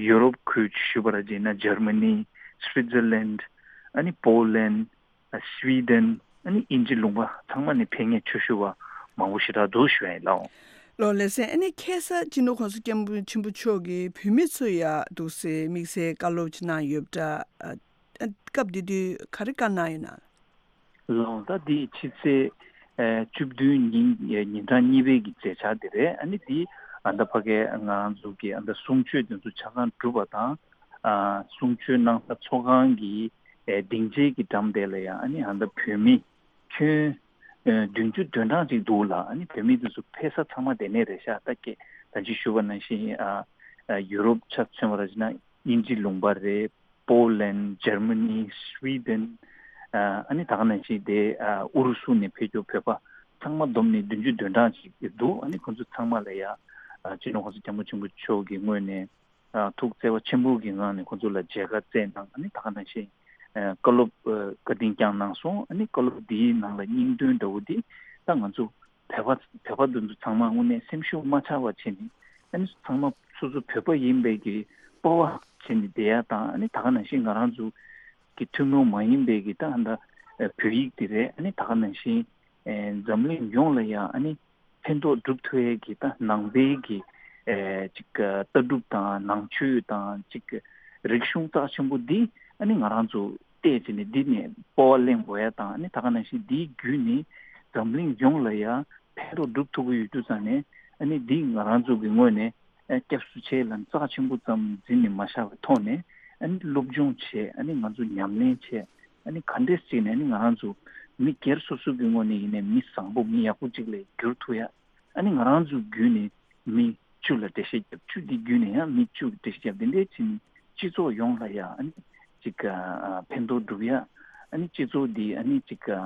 ཡུ་རོབ་ཁུལ་ཞུ་བ་ར་བྱས་ན་འཇར་མ་ནི། སུའི་ཛར་ལན། ཨ་ནི་པོ་ལན། ཨ་སུའི་ཌེན། ཨ་ནི་དབྱིན་ཇི་ལུང་པ་ཚང་མ་ནས་ཕེབས་མཁན་ཆོས་ཞུ་བ་མང་པོ་ཞེ་དྲག་འདུག་ཞུ་ཡ་ཡིན། ལགས་འོང་། ལགས་ལགས་སེ། ཨ་ནི་ཁ་སང་སྤྱི་ནོར་གོང་ས་སྐྱབས་མགོན་ཆེན་པོ་མཆོག་གིས་བོད་མི་ཚོ་ཡ་འདུག་སེ་དམིགས་བསལ་བཀའ་སློབ་ཅིག་གནང་ཡོད་པ་འདྲ། ཨ་སྐབས་དེ་དུས་ག་རེ་བཀའ་གནང་ཡོད་ན། ལགས་འོང་། ད་འདི་ཕྱི་ཚེས་ཨ་བཅུ་བདུན་ཉིན་ཉིན་གྲངས་གཉིས་པའི་གི་མཛད་འཆར་དེ་རེད། ཨ་ནི་འདི་ཨ་ད་ཕ་གའི་ང་རང་ཚོ་གི་ཨ་ད་གསུང་ཆོས་དེ་ཚོ་ཆ་ཚང་གྲུབ་པ་དང་། ཨ་གསུང་ཆོས་གནང་ས་ཚོགས་ཁང་གི་ཨ་སྡིངས་ཆའི་གི་འགྲམ་དེ་ལ་ཡང་ཨ་ནི་ཨ་ད་བོད་མི་ཁྱོན་ཨ་བདུན་ཅུ་དོན་གྲངས་ཅིག་འདུག་ལ། ཨ་ནི་བོད་མི་དེ་ཚོ་ཕེབས་ས་ཚང་མ་དེ་ནས་རེད་ཤག་ད་ཀྱེ་ད་ཅི་ཞུ་བ་ནང་བཞིན་ཨ་ཨ་ཡུ་རོབ་ཆ་མཚོན་པ་ར་བྱས་ན་དབྱིན་ཇི་ལུང་པ་རེད། པོ་ལན། འཇར་མ་ནི། སུའི་ཌེན། ཨ་ནི་ད་ག་ནང་བཞིན་དེ་ཨ་ཨུ་རུ་སུ་ནས་ཕེབས་རྒྱུ་བོད་པ་ཚང་མ་བསྡོམས་ནས་བདུན་ཅུ་དོན་གྲངས་ཅིག་འདུག་ཨ་ནི་ཁོང་ཚོ་ཚང་མ་ལ་ཡ་ཨ་སྤྱི་ནོར་གོང་ས་སྐྱབས་མགོན་ཆེན་པོ་མཆོག་གི་ངོས་ནས་ཨ་ཐུགས་བརྩེ་བ་ཆེན་པོ་གི་ངང་ནས་ཁོང་ཚོ་ལ་མཇལ་ཁ་བསྩལ་གནང་། ཨ་ནི་ད་ག་ནང་བཞིན་ཨ་བཀའ་སློབ་ཨ་བཀའ་དྲིན་བསྐྱངས་གནང་སོང་། ཨ་ནི་བཀའ་སློབ་འདིའི་ནང་ལ་སྙིང་དོན་འདྲ་བོ་འདི་ད་ང་ཚོ་བོད་པ་བོད་པ་འདི་ཚོ་ཚང་མ་དངོས་གནས་སེམས་ཤུགས་མ་ཆག་པ་བྱས་ནས། ཨ་ནི་ཚང་མ་སོ་སོ་བོད་པ་ཡིན་པའི་གི་སྤོབས་པ་བྱས་ནས་བསྡད་ཡ་དང་། ཨ་ནི་ད་ག་ནང་བཞིན་ང་རང་ཚོ་གི་ཐུན་མོང་མ་ཡིན་པའི་གི་ད་ཨ་ད་བོད་ཡིག་དེ་རེད། ཨ་ནི་ད་ག་ནང་བཞིན་ཨེ་འཛམ་གླིང་ཡོངས་ལ་ཡ་ཨ་ནི་ཕན་ཐོགས་སྒྲུབ་ཐུབ་ཡས་ཀྱི་ད་ནང་པའི་གི་ཨེ་ཅིག་ལྟ་གྲུབ་དང་ནང་ཆོས་དང་ཅིག་རིག་གཞུང་རྩ་ཆེན་པོ་འདི་ཨ་ནི་ང་རང་ཚོ་བལྟས་བྱས་ནས་འདི་ནས་སྤོབས་པ་གླེང་དགོས་ཡ་དང་། ཨ་ནི་ད་ག་ནང་བཞིན་འདིའི་བརྒྱུད་ནས་འཛམ་གླིང་ཡོངས་ལ་ཡ་ཕན་ཐོགས་སྒྲུབ་ཐུབ་ཀྱི་ཡོད་དུས་ཙང་ནས། ཨ་ནི་འདི་ང་རང་ཚོ་གི་ངོས་ནས་ཨ་སྐྱབས་སུ་མཆི་ལ་རྩ་ཆེན་པོ་ཙམ་འཛིན་ནས་མ་བཞག་པའི་ཐོག་ནས། ཨ་ནི་སློབ་སྦྱོང་བྱས། ཨ་ནི་ང་ཚོ་ཉམས་ལེན་བྱས། ཨ་ནི་ག་འདྲས་བྱས་ནས་ཨ་ནི་ང་རང་ཚོ་མི་སྒེར་སོ་སོ་གི་ངོས་ནས་ཡིན་ནའི་མི་བཟང་པོ་མི་ཡག་པོ་ཅིག་ལ་འགྱུར་ཐུབ་ཡ། ཨ་ནི་ང་རང་ཚོ་བརྒྱུད་ནས་མི་བཅུ་ལ་འགྲེལ་བཤད་བརྒྱབ། བཅུ་འདི་བརྒྱུད་ནས་ཡང་མི་བཅུ་འགྲེལ་བཤད་བརྒྱབ། འདི་འདྲས་བྱས་ནས་སྤྱི་ཚོགས་ཡོངས་ལ་ཡང་ཨ་ནི་ཅིག་ཨ་ཕན་ཐོགས་སྒྲུབ་ཡ། ཨ་ནི་སྤྱི་ཚོགས་འདི་ཨ་ནི་ཅིག་ཨ་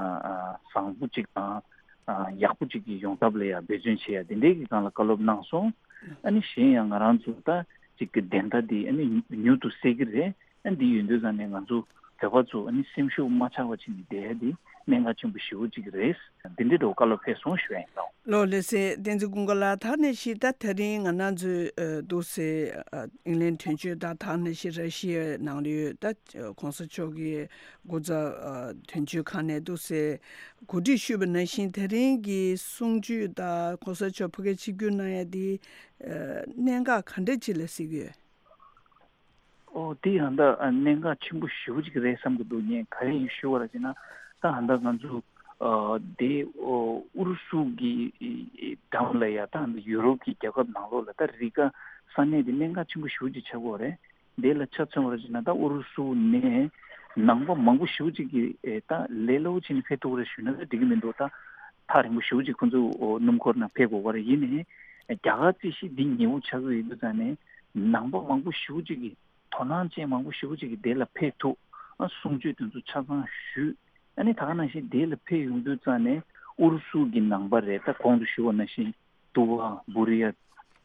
བཟང་པོ་ཅིག་དང་ཨ་ཡག་པོ་ཅིག་གི་ཡོང་ཐབས་ལ་ཡང་འབད་བརྩོན་བྱེད་ཡ། འདི་འདྲས་ཀྱི་སྒང་ལ་བཀའ་སློབ་གནང་སོང་། ཨ་ནི་གཞན་ཡང་ང་རང་ཚོ་ད་ཅིག་གི་བདེན་མཐའ་འདི་ཨ་ནི་མྱུར་དུ་གསལ་གྱི་རེད། ཨ་འདི་ཡོད་དུས་ཙང་ནས་ང་ཚོ་བོད་པ་ཚོ་ཨ་ནི་སེམས་ཤུགས་མ་ཆག་པ་བྱས་ནས་བསྡད་ཡ་འདི་གནད་འགག་ཆེན་པོ་ཞེ་པོ་ཅིག་རེད། འདི་འདྲའི་འགྲོ་བཀའ་སློབ་ཕེབས་སོང་ཞུ་ཡ་ཡིན། ལགས་ལགས་ལགས་སེ། བསྟན་འཛིན་ཀུན་དགའ་ལགས། ད་ནས་ཤི་ད་དེ་རིང་ང་རང་ཚོའི་ཨ་འདུག་སེ་ཨ་ཨིང་ལན་དོན་གཅོད་དང་ད་ནས་ཤི་ར་ཤི་ཡའི་ནང་ལ་ཡོད་ད་གོང་ས་མཆོག་གི་སྐུ་ཚབ་ཨ་དོན་གཅོད་ཁང་ནས་འདུག་སེ་གོ་སྒྲིག་ཞུས་པ་ནང་བཞིན་དེ་རིང་གི་གསུང་ཆོས་དང་གོང་ས་མཆོག་ཕ་གིར་ཆིབས་བསྒྱུར་གནང་ཡ་དེ་ཨ་གནད་འགག་ག་འདྲ་ཅིག་ལ་གཟིགས་ཡོད། ཨོ་དེ་ཡང་ད་ཨ་གནད་འགག་ཆེན་པོ་ཞེ་པོ་ཅིག་རེད་བསམ་གྱི་འདུག་ངས་ག་རེ་ཡིན་ཞུ་བ་ར་ཅེ་ན། ད་ཨ་ད་ང་ཚོ་ཨ་དེ་ཨོ་ཨུ་རུ་སུ་གི་འགྲམ་ལ་ཡ་ད་ཨ་ད་ཡུ་རོབ་ཀྱི་རྒྱལ་ཁབ་ནང་ལོགས་ལ་ད་རི་ག་ ས་གནས་དེ་གནད་འགག་ཆེན་པོ་ཞེ་པོ་ཅིག་ཆགས་ཀྱི་ཡོད་རེད། དེ་ལ་ཆ་མཚོན་པར་བྱས་ན་ད་ཨུ་རུ་སུ་ནས་ནང་པ་མང་པོ་ཞེ་པོ་ཅིག་གིས་ཨེ་ད་ལས་སླ་པོ་བྱས་ནས་ཕེབས་ཐུབ་ཀྱི་རེད་ཞུས་ན་ད་འགྲིག་གི་མི་འདུག་ད་ཐག་རིང་པོ་ཞེ་པོ་ཅིག་ཁོང་ཚོ་སྣུམ་འཁོར་ནང་ཕེབས་དགོས་ཀྱི་རེད། ཡིན་ནའི་རྒྱ་གར་རྩིས་གཞི་འདི་ཉེ་པོ་ཆགས་ཀྱི་ཡོད་དུས་ཙང་ནས་ནང་པ་མང་པོ་ཞེ་པོ་ཅིག་གིས་དོ་སྣང་ཅན་མང་པོ་ཞེ་པོ་ཅིག་གིས་དེ་ལ་ཕེབས་ཐུབ། ཨ་གསུང་ཆོས་དེ་ཚོ་ཆ་ཚང་ཞུས། ཨ་ནི་ད་ག་ནང་བཞིན་དེ་ལ་ཕེབས་ཡོང་དུས་ཙང་ནས་ཨུ་རུ་སུ་གི་ནང་པ་རེད། ད་གོང་དུ་ཞུས་པ་ནང་བཞིན་ཏུ་བ། བུ་རི་ཡ།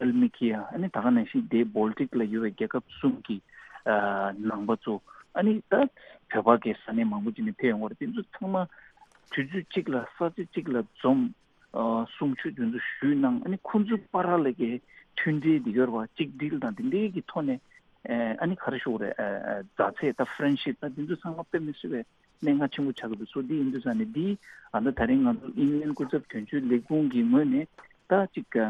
ཨལ་མི་ཁི་ཡ། ཨ་ནི་ད་ག་ནང་བཞིན་དེ་བོལ་ཊིག་ལ་ཡོད་པའི་རྒྱལ་ཁབ་གསུམ་གྱི་ཨ་ནང་པ་ཚོ། ཨ་ནི་ད་བོད་པ་གི་ས་གནས་མང་པོ་ཅིག་ནས་ཕེབས་ཡོང་བ་རེད། དེ་ཚོ་ཚང་མ་དུས་ཚོད་གཅིག་ལ་ས་ཆ་གཅིག་ལ་འཛོམས། ཨ་གསུང་ཆོས་དེ་ཚོ་ཞུས་གནང་། ཨ་ནི་ཁོང་ཚོའི་བར་ལ་གི་མཐུན་སྒྲིལ་དེ་ཡོད་རེད་བ། གཅིག་སྒྲིལ་དང་དེ་འདྲའི་གི་ཐོག་ནས་ཨ་ནི་ག་རེ་ཞུ་དགོས་རེད། ཨ་མཛའ་བརྩེ་དང་ཧྥ་རེན་ཤིབ་དང་དེ་ཚོ་ཚང་མ་དཔེ་མི་སྲིད་པའི་གནད་འགག་ཆེན་པོ་ཆགས་ཀྱི་འདུག་སོ་འདི་ཡིན་དུས་ཙང་ནས་འདི་ཨ་ད་ད་རིང་ང་ཚོ་ཨིན་ལན་སྐུ་ཚབ་དོན་གཅོད་ལས་ཁུངས་ཀྱི་ངོས་ནས་ད་ཅིག་ཨ་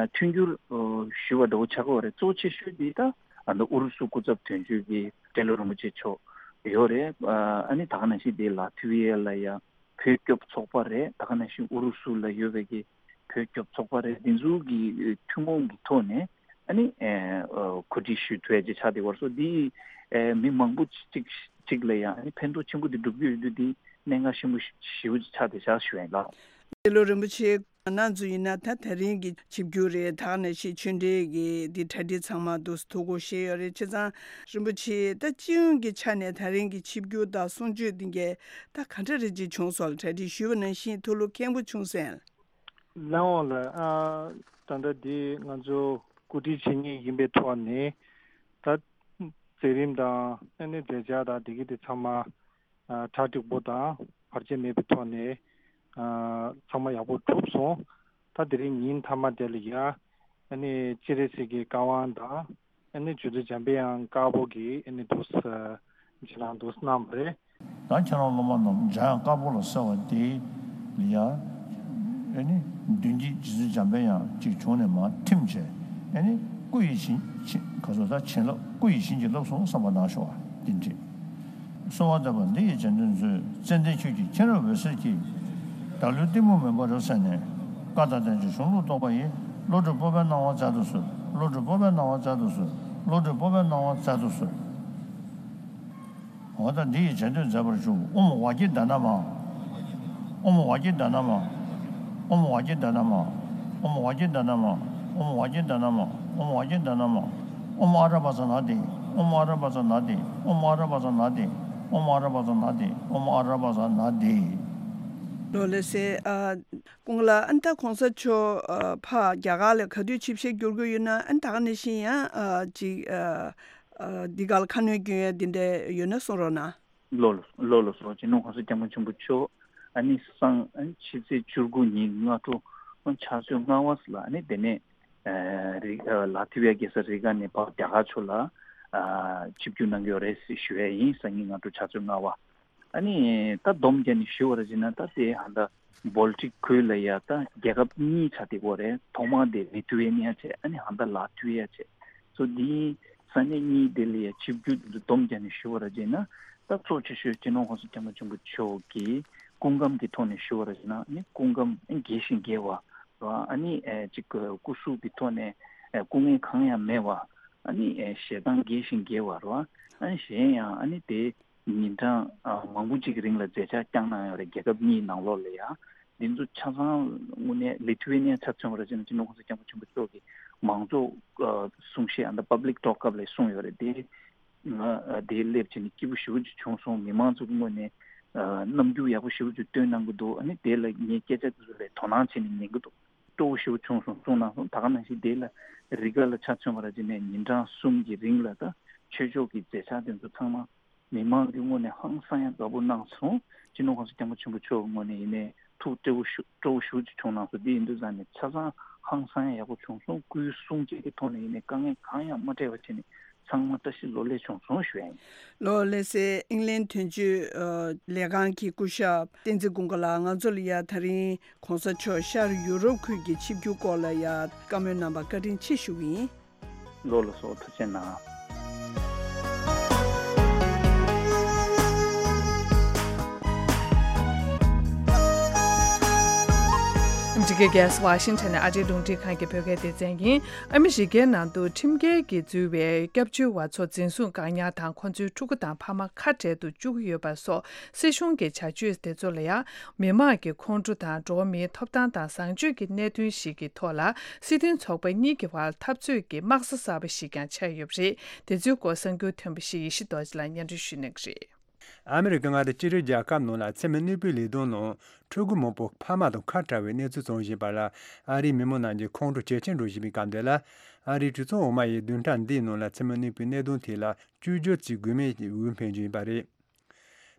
མཐུན་འགྱུར་ཨ་ཞུ་བ་འདྲ་བོ་ཆགས་ཀྱི་ཡོད་རེད། གཙོ་ཆེ་ཤོས་འདི་ད་ཨ་ད་ཨུ་རུ་སུ་སྐུ་ཚབ་དོན་གཅོད་ཀྱི་ཏེ་ལོ་རིན་པོ་ཆེ་མཆོག་ཡོད་རེད། ཨ་ནི་ད་ག་ནང་བཞིན་འདི་ལ་ཐི་ཝི་ཨེ་ལ་ཡ་བོད་སྐྱོབ་ཚོགས་པ་རེད། ད་ག་ནང་བཞིན་ཨུ་རུ་སུ་ལ་ཡོད་པའི་གི་བོད་སྐྱོབ་ཚོགས་པ་རེད། འདི་ཚོ་གི་ཐུན་མོང་གི་ཐོག་ནས་ཨ་ནི་ཨ་གོ་སྒྲིག་ཞུ་ཐུབ་ཡ་ཅིག་ཆགས་བསྡད་ཡོད་རེད། སོ་འདི་ཨ་མི་མང་པོ་ཅིག་ཅིག་ལ་ཡང་ཨ་ནི་ཕན་ཐོགས་ཆེན་པོ་འདི་སྒྲུབ་ཀྱི་ཡོད་དུས་འདི་གནད་འགག་ཆེན་པོ་ཞེ་པོ་ཅིག་ཆགས་བསྡད་ཤག་ཞུ་ཡ་ཡིན་ལགས། ཏེ་ལོ་རིན་པོ་ཆེ་ང་རང་ཚོ་ཡིན་ན་ད་ད་རིང་གི་ཆིབས་བསྒྱུར་རེད། ད་ག་ནང་བཞིན་ཆོས་འབྲེལ་གྱི་འདི་གྲ་སྒྲིག་ཚང་མ་འདུག་ཐུགས་ཁུར་བཞེས་ཡོད་རེད། བྱས་ཙང་རིན་པོ་ཆེ་ད་སྤྱི་ཡོངས་ཀྱི་ཆ་ནས་ད་རིང་གི་ཆིབས་བསྒྱུར་དང་གསུང་ཆོས་འདི་གས་ད་ག་འདྲ་རེ་ཅིག་བྱུང་སོང་ལ། གྲ་སྒྲིག་ཞུས་པ་ནང་བཞིན་ཐུགས་སློབ་ཁེངས་པོ་བྱུང་སོང་ལགས། ལགས་འོང་ལགས། ཨ་ད་ལྟ་འདི་ང་ཚོ་གོ་སྒྲིག་བྱེད་མཁན་ཡིན་པའི་ཐོག་ནས་ད་མཛད་རིམ་དང་ཨ་ནི་མཛད་འཆར་དང་འདི་གི་དེ་ཚང་མ་ཨ་གྲ་འགྲིག་པོ་དང་བར་ཆད་མེད་པའི་ཐོག་ནས་ཨ་ཚང་མ་ཡག་པོ་གྲུབ་སོང་། ད་དེ་རིང་ཉིན་མཐའ་མ་དེ་ལ་ཡ་ཨ་ནི་སྤྱན་རས་གཟིགས་ཀྱི་བཀའ་དབང་དང་ཨ་ནི་རྗེ་བཙུན་འཇམ་དཔལ་དབྱངས་དཀར་པོ་གིས་ཨ་ནི་འདུག་སེ་རྗེས་གནང་འདུག་སེ་གནང་བ་རེད། ད་ཁྱེད་རང་སློབ་མ་རྣམས་འཇམ་དབྱངས་དཀར་པོ་ལ་གསོལ་བ་འདེབས་ལ་ཡ། ཨ་ནི་མདུན་བསྐྱེད་རྗེ་བཙུན་འཇམ་དཔལ་དབྱངས་གཅིག་བྱུང་ནས་མར་ཐིམ་བྱས། ཨ་ནི་སྐུ་ཡི་བྱིན་གྱིས་ག་ཚོད་ད་བྱིན་རླབས་སྐུ་ཡི་བྱིན་གྱིས་བརླབས་སོང་བསམ་པ་གནང་ཤོག་ཨ་དེ་འདྲས། གསོལ་བ་འདེབས་པ་འདི་ཡི་རྗེས་ཟློས་མཛོད། ཙན་དན་ཆོས་ཀྱི་མཁྱེན་རབ་འོད་ཟེར་གྱིས། བདག་བློའི་གཏི་མུག་མུན་པ་རབ་བསལ་ནས། བཀའ་དང་བསྟན་བཅོས་གཞུང་ལུགས་རྟོགས་པ་ཡི། བློ་གྲོས་སྤོབས་པའི་སྣང་བ་སྩལ་དུ་གསོལ། བློ་གྲོས་སྤོབས་པའི་སྣང་བ་སྩལ་དུ་གསོལ། བློ་གྲོས་སྤོབས་པའི་སྣང་བ་སྩལ་དུ་གསོལ། འོ་ད་འདི་ཡི་རྗེས་ཟློས་མཛད་པར་ཞུ། ཨོཾ་ཝཱ་ཀྱི་ཌཱ་ན་མ། ཨོཾ་ཝཱ་ཀྱི་ཌཱ་ན་མ། ཨོཾ་ཝཱ་ཀྱི་ཌཱ་ན་མ། ཨོཾ་ཝཱ་ཀྱི་ཌཱ་ན་མ། ཨོཾ་ཝཱ་ཀྱི་ཌཱ་ན་མ། ཨོཾ་ཝཱ་ཀྱི་ཌཱ་ན་མ། ཨོཾ་ཨ་ར་བ་ཙ་ན་དྷཱིཿ། ཨོཾ་ཨ་ར་བ་ཙ་ན་དྷཱིཿ། ཨོཾ་ཨ་ར་བ་ཙ་ན་དྷཱིཿ། ཨོཾ་ཨ་ར་བ་ཙ་ན་དྷཱིཿ། ཨོཾ་ཨ་ར་བ་ཙ་ན་དྷཱིཿ། ལོ་ལེགས་སེ། ཨ་ཀུན་དགའ་ལགས། ཨ་ནི་ད་གོང་ས་མཆོག་ཨ་ཕར་རྒྱ་གར་ལ་ག་དུས་ཆིབས་ཞལ་བསྒྱུར་དགོས་ཡོད་ན། ཨ་ནི་ད་ག་ནང་བཞིན་ཡང་ཨ་ཅིག་ཨ་ཨ་འདི་ག་ལ་ཁ་སྣོན་སྐྱོན་ཡ་འདི་འདྲ་ཡོད་ན་གསུང་རོགས་གནང་། ལོ་ལོ་ལོ་ལོ་སོ། སྤྱི་ནོར་༸གོང་ས་༸སྐྱབས་མགོན་ཆེན་པོ་མཆོག་ཨ་ནི་སང་ཨ་ནི་ཕྱི་ཚེས་བཅུ་དགུ་ཉིན་སྔ་དྲོ་ཨ་ཕྱག་ཚོད་ལྔ་པ་ལ་ཨ་ནི་དེ་ནས་ཨ་རི་ཨ་ལ་ཐི་ཝི་ཡ་རྒྱལ་ས་རི་ག་ནས་ཕར་རྒྱ་གར་ཕྱོགས་ལ་ཨ་ཆིབས་བསྒྱུར་གནང་གི་ཡོད་རེད་ཞུ་ཡ་ཡིན། སང་ཉིན་སྔ་དྲོ་ཕྱག་ཚོད་ལྔ་པ། ཨ་ནི་ད་སྡོམ་རྒྱག་ནས་ཞུ་བ་ར་བྱས་ན་ད་དེ་ཧ་ད་བོལ་ཊིག་ཁུལ་ལ་ཡ་ད་རྒྱལ་ཁབ་གཉིས་ཆགས་བསྡད་ཡོད་རེད། ཐོག་མ་དེ་ལི་ཐུ་ཝེ་ནི་ཡ་བྱས། ཨ་ནི་ཧ་ད་ལ་ཐུ་ཝེ་ཡ་བྱས། སོ་འདིའི་ས་གནས་གཉིས་དེ་ལ་ཡ་ཆིབས་བསྒྱུར་དེ་ཚོ་སྡོམ་རྒྱག་ནས་ཞུ་བ་ར་བྱས་ན་ད་གཙོ་ཆེ་ཤོས་སྤྱི་ནོར་༸གོང་ས་༸སྐྱབས་མགོན་ཆེན་པོ་མཆོག་གི་སྐུ་ཁམས་ཀྱི་ཐོག་ནས་ཞུ་བ་ར་བྱས་ན་ཨ་ནི་སྐུ་ཁམས་རྒྱས་ཤིང་རྒྱས་པ་ར། ཨ་ནི་ཨེ་ཅིག་སྐུ་གཟུགས་ཀྱི་ཐོག་ནས་ཨེ་སྐུ་ངལ་གང་ཡང་མེད་པ། ཨ་ནི་ཨེ་ཞལ་ཐང་རྒྱས་ཤིང་རྒྱས་པ་ར། ཨ་ནི་གཞན་ཡང་ཨ་ནི་དེ་ཉིན་གྲངས་ཨ་མང་པོ་ཅིག་གི་རིང་ལ་མཛད་འཆར་བསྐྱངས་གནང་ཡོད་རེད། རྒྱལ་ཁབ་གཉིས་ནང་ལོགས་ལ་ཡ། འདི་ཚོ་ཆ་ཚང་དངོས་གནས་ལི་ཐུ་ཝེ་ནི་ཡ་ཆ་མཚོན་པ་ར་བྱས་ན་སྤྱི་ནོར་༸གོང་ས་༸སྐྱབས་མགོན་ཆེན་པོ་མཆོག་གིས་མང་གཙོ་ཨ་གསུང་བཤད་ཨ་ད་པབ་ལིག་ཊོག་སྐབས་ལ་གསུངས་ཡོད་རེད་དེ། ང་ཨ་དེ་སླེབས་བྱས་ནས་སྐྱིད་པོ་ཞེ་པོ་ཅིག་བྱུང་སོང་། མི་མང་ཚོ་གི་ངོས་ནས་ཨ་རྣམ་འགྱུར་ཡག་པོ་ཞེ་པོ་ཅིག་སྟོན་གནང་གི་འདུག་ཨ་ནི་དེ་ལ་ངའི་སྐད་ཆ་དེ་ཚོ་ལ་དོ་སྣང་བྱས་ནས་ཉན་གི་འདུག་སྤྲོ་པོ་ཞེ་པོ་བྱུང་སོང་གསུངས་གནང་སོང་། ད་ག་ནང་བཞིན་དེ་ལ་རི་ག་ལ་ཆ་མཚོན་པ་ར་བྱས་ནས་ཉིན་གྲངས་གསུམ་གྱི་རིང་ལ་ད་ཆོས་ཕྱོགས་ཀྱི་མཛད་འཆར་དེ་ཚོ་ཚང་མ་མི་མང་གི་ངོས་ནས་ཧང་སང་ཡག་དགའ་པོ་གནང་སོང་། སྤྱི་ནོར་༸གོང་ས་༸སྐྱབས་མགོན་ཆེན་པོ་མཆོག་གི་ངོས་ནས་ཡིན་ནའི་ཐུགས་སྤྲོ་པོ་ཞུ་སྤྲོ་པོ་ཞེ་པོ་ཅིག་བྱུང་གནང་སོང་། དེ་ཡིན་དུས་ཙང་ནས་ཆ་ཚང་ཧང་སང་ཡག་ཡག་པོ་བྱུང་སོང་། སྐུའི་གསུང་བཤད་ཀྱི་ཐོག་ནས་ཡིན་ནའི་དཀའ་ངལ་གང་ཡང་མ་འཕྲད་པ་བྱས་ནས་ཚང་མ་བཀྲ་ཤིས་ལོ་ལེགས་བྱུང་སོང་ཞུ་ཡ་ཡིན། ལོ་ལེགས་སེ། ཨིང་ལན་དོན་གཅོད་ཨ་ལས་ཁང་གི་སྐུ་ཞབས་བསྟན་འཛིན་ཀུན་དགའ་ལགས། ང་ཚོ་ལ་ཡ་ད་རིང་གོང་ས་མཆོག་ཤར་ཡུ་རོབ་ཁུལ་གྱི་ཆིབས་བསྒྱུར་སྐོར་ལ་ཡ་བཀའ་མོལ་གནང་བར་བཀའ་དྲིན་ཆེ་ཞུ་གི་ཡིན། ལོ་ལ་སོགས་ཐུགས་རྗེ་གནང་། གི་རྒྱལ་ས་ཝ་ཤིང་ཊོན་ནས་ཨ་རིའི་རླུང་འཕྲིན་ཁང་གི་བོད་སྐད་སྡེ་ཚན་ཡིན། ཨ་མི་རི་ཀའི་ནང་དུ་ཁྲིམས་འགལ་གྱིས་འཛུལ་བའི་སྐྱབས་བཅོལ་བ་ཚོ་འཛིན་བཟུང་བཀག་ཉར་དང་ཁོ་ཚོའི་ཕྲུ་གུ་དང་ཕ་མ་ཁ་བྲལ་དུ་བཅུག་གི་ཡོད་པ་སོགས་སྲིད་གཞུང་གི་བྱ་སྤྱོད་དེ་ཚོ་ལ་ཡང་མི་དམངས་ཀྱི་ཁོང་ཁྲོ་དང་འགྲོ་བ་མིའི་ཐོབ་ཐང་དང་བཟང་སྤྱོད་ཀྱི་གནད་དོན་ཞིག་གི་ཐོག་ལ་སྲིད་དོན་ཚོགས་པ་གཉིས་ཀྱི་བར་འཐབ་རྩོད་ཀྱི་དམག་ས་གསར་པ་ཞིག་ཀྱང་ཆགས་ཡོད་པ་རེད། དེ་ཚོའི་སྐོར་གསར་འགྱུར་ཐོན་པ་ཞིག་ཡེ་ཤེས་རྡོ་རྗེ་ལགས་སྙན་སྒྲོན་ཞུ་གནང་གི་རེད། ཨ་མི་རི་ཀ་མངའ་སྡེ་གཅིག་སྒྲིལ་རྒྱལ་ཁབ་ནང་ལ་མཚན་མོ་གནས་སྤོའི་ལས་དོན་ནང་ཕྲུ་གུ་མང་པོ་ཕ་མ་དང་ཁ་བྲལ་བའི་གནས་ཚུལ་བྱུང་བཞིན་པ་ལ་ཨ་རིའི་མི་མང་རྣམས་ཀྱི་ཁོང་ཁྲོ་ཇེ་ཆེར་འགྲོ་བཞིན་པའི་སྐབས་འདི་ལ། ཨ་རིའི་གྲོས་ཚོགས་འོག་མ་ཡིས་བདུན་ཕྲག་འདིའི་ནང་ལ་མཚན་མོ་གནས་སྤོའི་གནད་དོན་ཐད་ལ་བཅོས་བསྒྱུར་བྱེད་དགོས་མིན་འོས་འཕེན་བཞིན་པ་རེད།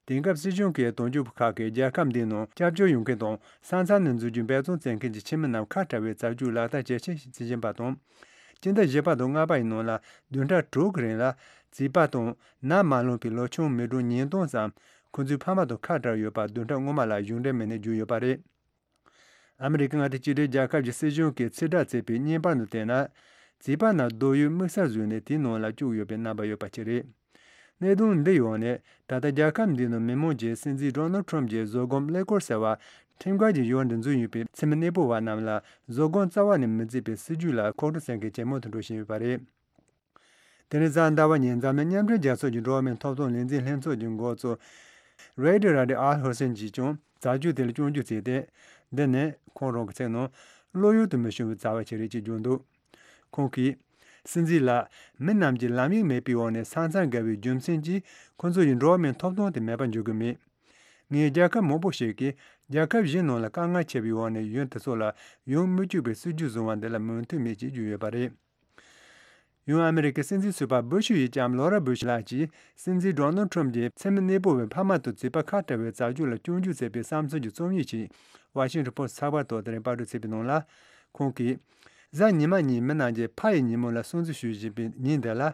དེང་སྐབས་སྲིད་གཞུང་གིས་དོན་གཅོད་པ་ཁག་གིས་རྒྱལ་ཁབ་འདིའི་ནང་སྐྱབས་བཅོལ་ཡོང་མཁན་དང་ས་མཚམས་ནས་འཛུལ་རྒྱུའི་འབད་བརྩོན་བྱེད་མཁན་གྱི་ཁྱིམ་མི་རྣམས་ཁ་བྲལ་བའི་རྩ་འཛུགས་ལག་བསྟར་ཇེ་ཆེར་བྱེད་བཞིན་པ་དང་། སྤྱི་ཟླ་བཞི་པ་དང་ལྔ་པ་ཡི་ནང་ལ་བདུན་ཕྲག་དྲུག་གི་རིང་ལ་བྱིས་པ་དང་ནད་མ་ལངས་པའི་ལོ་ཆུང་མི་གྲངས་ཉིས་སྟོང་ཙམ་ཁོ་ཚོའི་ཕ་མ་དང་ཁ་བྲལ་ཡོད་པ་བདུན་ཕྲག་སྔོན་མ་ལ་གཞུང་འབྲེལ་མི་སྣས་བརྗོད་ཡོད་པ་རེད། ཨ་མི་རི་ཀ་མངའ་སྡེ་གཅིག་སྒྲིལ་རྒྱལ་ཁབ་ཀྱི་སྲིད་གཞུང་གིས་ཕྱིར་བསྒྲགས་བྱས་པའི་བརྙན་པར་དུ་བལྟས་ན། བྱིས་པ་རྣམས་རྡོ་ཡུའི་དམིགས་བསལ་བཟོས་ནས་དེའི་ནང་ལ་བཅུག་ཡོད་པའི་རྣམ་པ་ཡོད་པ་ཅིག་རེད། གནད་དོན་འདི་ཡོང་ནས་ད་ལྟ་རྒྱལ་ཁབ་འདིའི་ནང་མི་མང་གིས་སྲིད་འཛིན་ཌོ་ནལ་ཁྲོམ་གྱི་བཟོད་སྒོམ་ཀླད་ཀོར་ཟེར་བ་ཁྲིམས་འགལ་གྱི་ཡོང་འདི་འཛུལ་ཡོད་པའི་མཚན་མོ་གནས་སྤོ་བ་རྣམས་ལ་བཟོད་སྒོམ་རྩ་བ་ནས་མི་བརྩི་བའི་སྲིད་ཇུས་ལ་ཁོང་ཁྲོ་སེམས་ཁྲལ་ཇེ་མང་དུ་འགྲོ་བཞིན་ཡོད་པ་རེད། དེ་ནི་གཟའ་ཟླ་བ་ཉིན་འཛམ་གླིང་མཉམ་འབྲེལ་རྒྱལ་ཚོགས་ཀྱི་འགྲོ་བ་མིའི་ཐོབ་ཐང་ལས་འཛིན་ལྷན་ཚོགས་ཀྱི་འགོ་གཙོ་རེ་ཌི་ར་ཌི་ཨལ་ཧུ་སེན་གྱིས་ཀྱང་བྱ་སྤྱོད་དེ་ལ་སྐྱོན་བརྗོད་བྱས་ཏེ། འདི་ནི་ཁོང་རང་གི་ཚིག་ནང་བློ་ཡུལ་དུ་མི་ཤོང་བའི་བྱ་བ་ཞིག་རེད་ཅེས་བརྗོད་འདུག་ཁོང་གིས། སྲིད་འཛིན་ལགས། མི་རྣམས་ཀྱིས་ལམ་ཡིག་མེད་པའི་འོག་ནས་ས་མཚམས་བརྒལ་བའི་རྒྱུ་མཚན་གྱིས་ཁོ་ཚོ་ཡི་འགྲོ་བ་མིའི་ཐོབ་ཐང་དེ་མེད་པར་འཇོག་གི་མེད། ངས་རྒྱལ་ཁབ་མང་པོ་ཞིག་གིས་རྒྱལ་ཁབ་གཞན་ནང་ལ་དཀའ་ངལ་ཆེ་བའི་འོག་ནས་ཡུལ་དེ་ཚོ་ལ་ཡོང་མི་བཅུག་པའི་སྲིད་ཇུས་བཟུང་བ་འདི་ལ་མོས་མཐུན་མེད་ཅེས་བརྗོད་ཡོད་པ་རེད། ཡང་ཨ་མི་རི་ཀའི་སྲིད་འཛིན་ཟུར་པ་བུ་ཤུ་ཡི་ལྕམ་ལོ་ར་བུ་ཤུ་ལགས་ཀྱིས་སྲིད་འཛིན་ཌོ་ནལ་ཁྲོམ་གྱིས་མཚན་མོ་གནས་སྤོ་བའི་ཕ་མ་དང་བྱིས་པ་ཁ་བྲལ་བའི་བྱ་སྤྱོད་ལ་སྐྱོན་བརྗོད་བྱས་པའི་བསམ་ཚུལ་གྱི་རྩོམ་ཡིག་ཅིག་ཝ་ཤིང་ཊོན་པོ་སི་ཊི་ཚགས་པར་ཐོག་དེ་རིང་པར་སྐྲུན་བྱས་པའི་ནང་ལ། ཁོང་གིས། གཟའ་ཉི་མ་ཉིན་མི་རྣམས་ཀྱིས་ཕ་ཡི་ཉིན་མོ་ལ་སྲུང་བརྩི་ཞུ་བཞིན་པའི་ཉིན་འདི་ལ།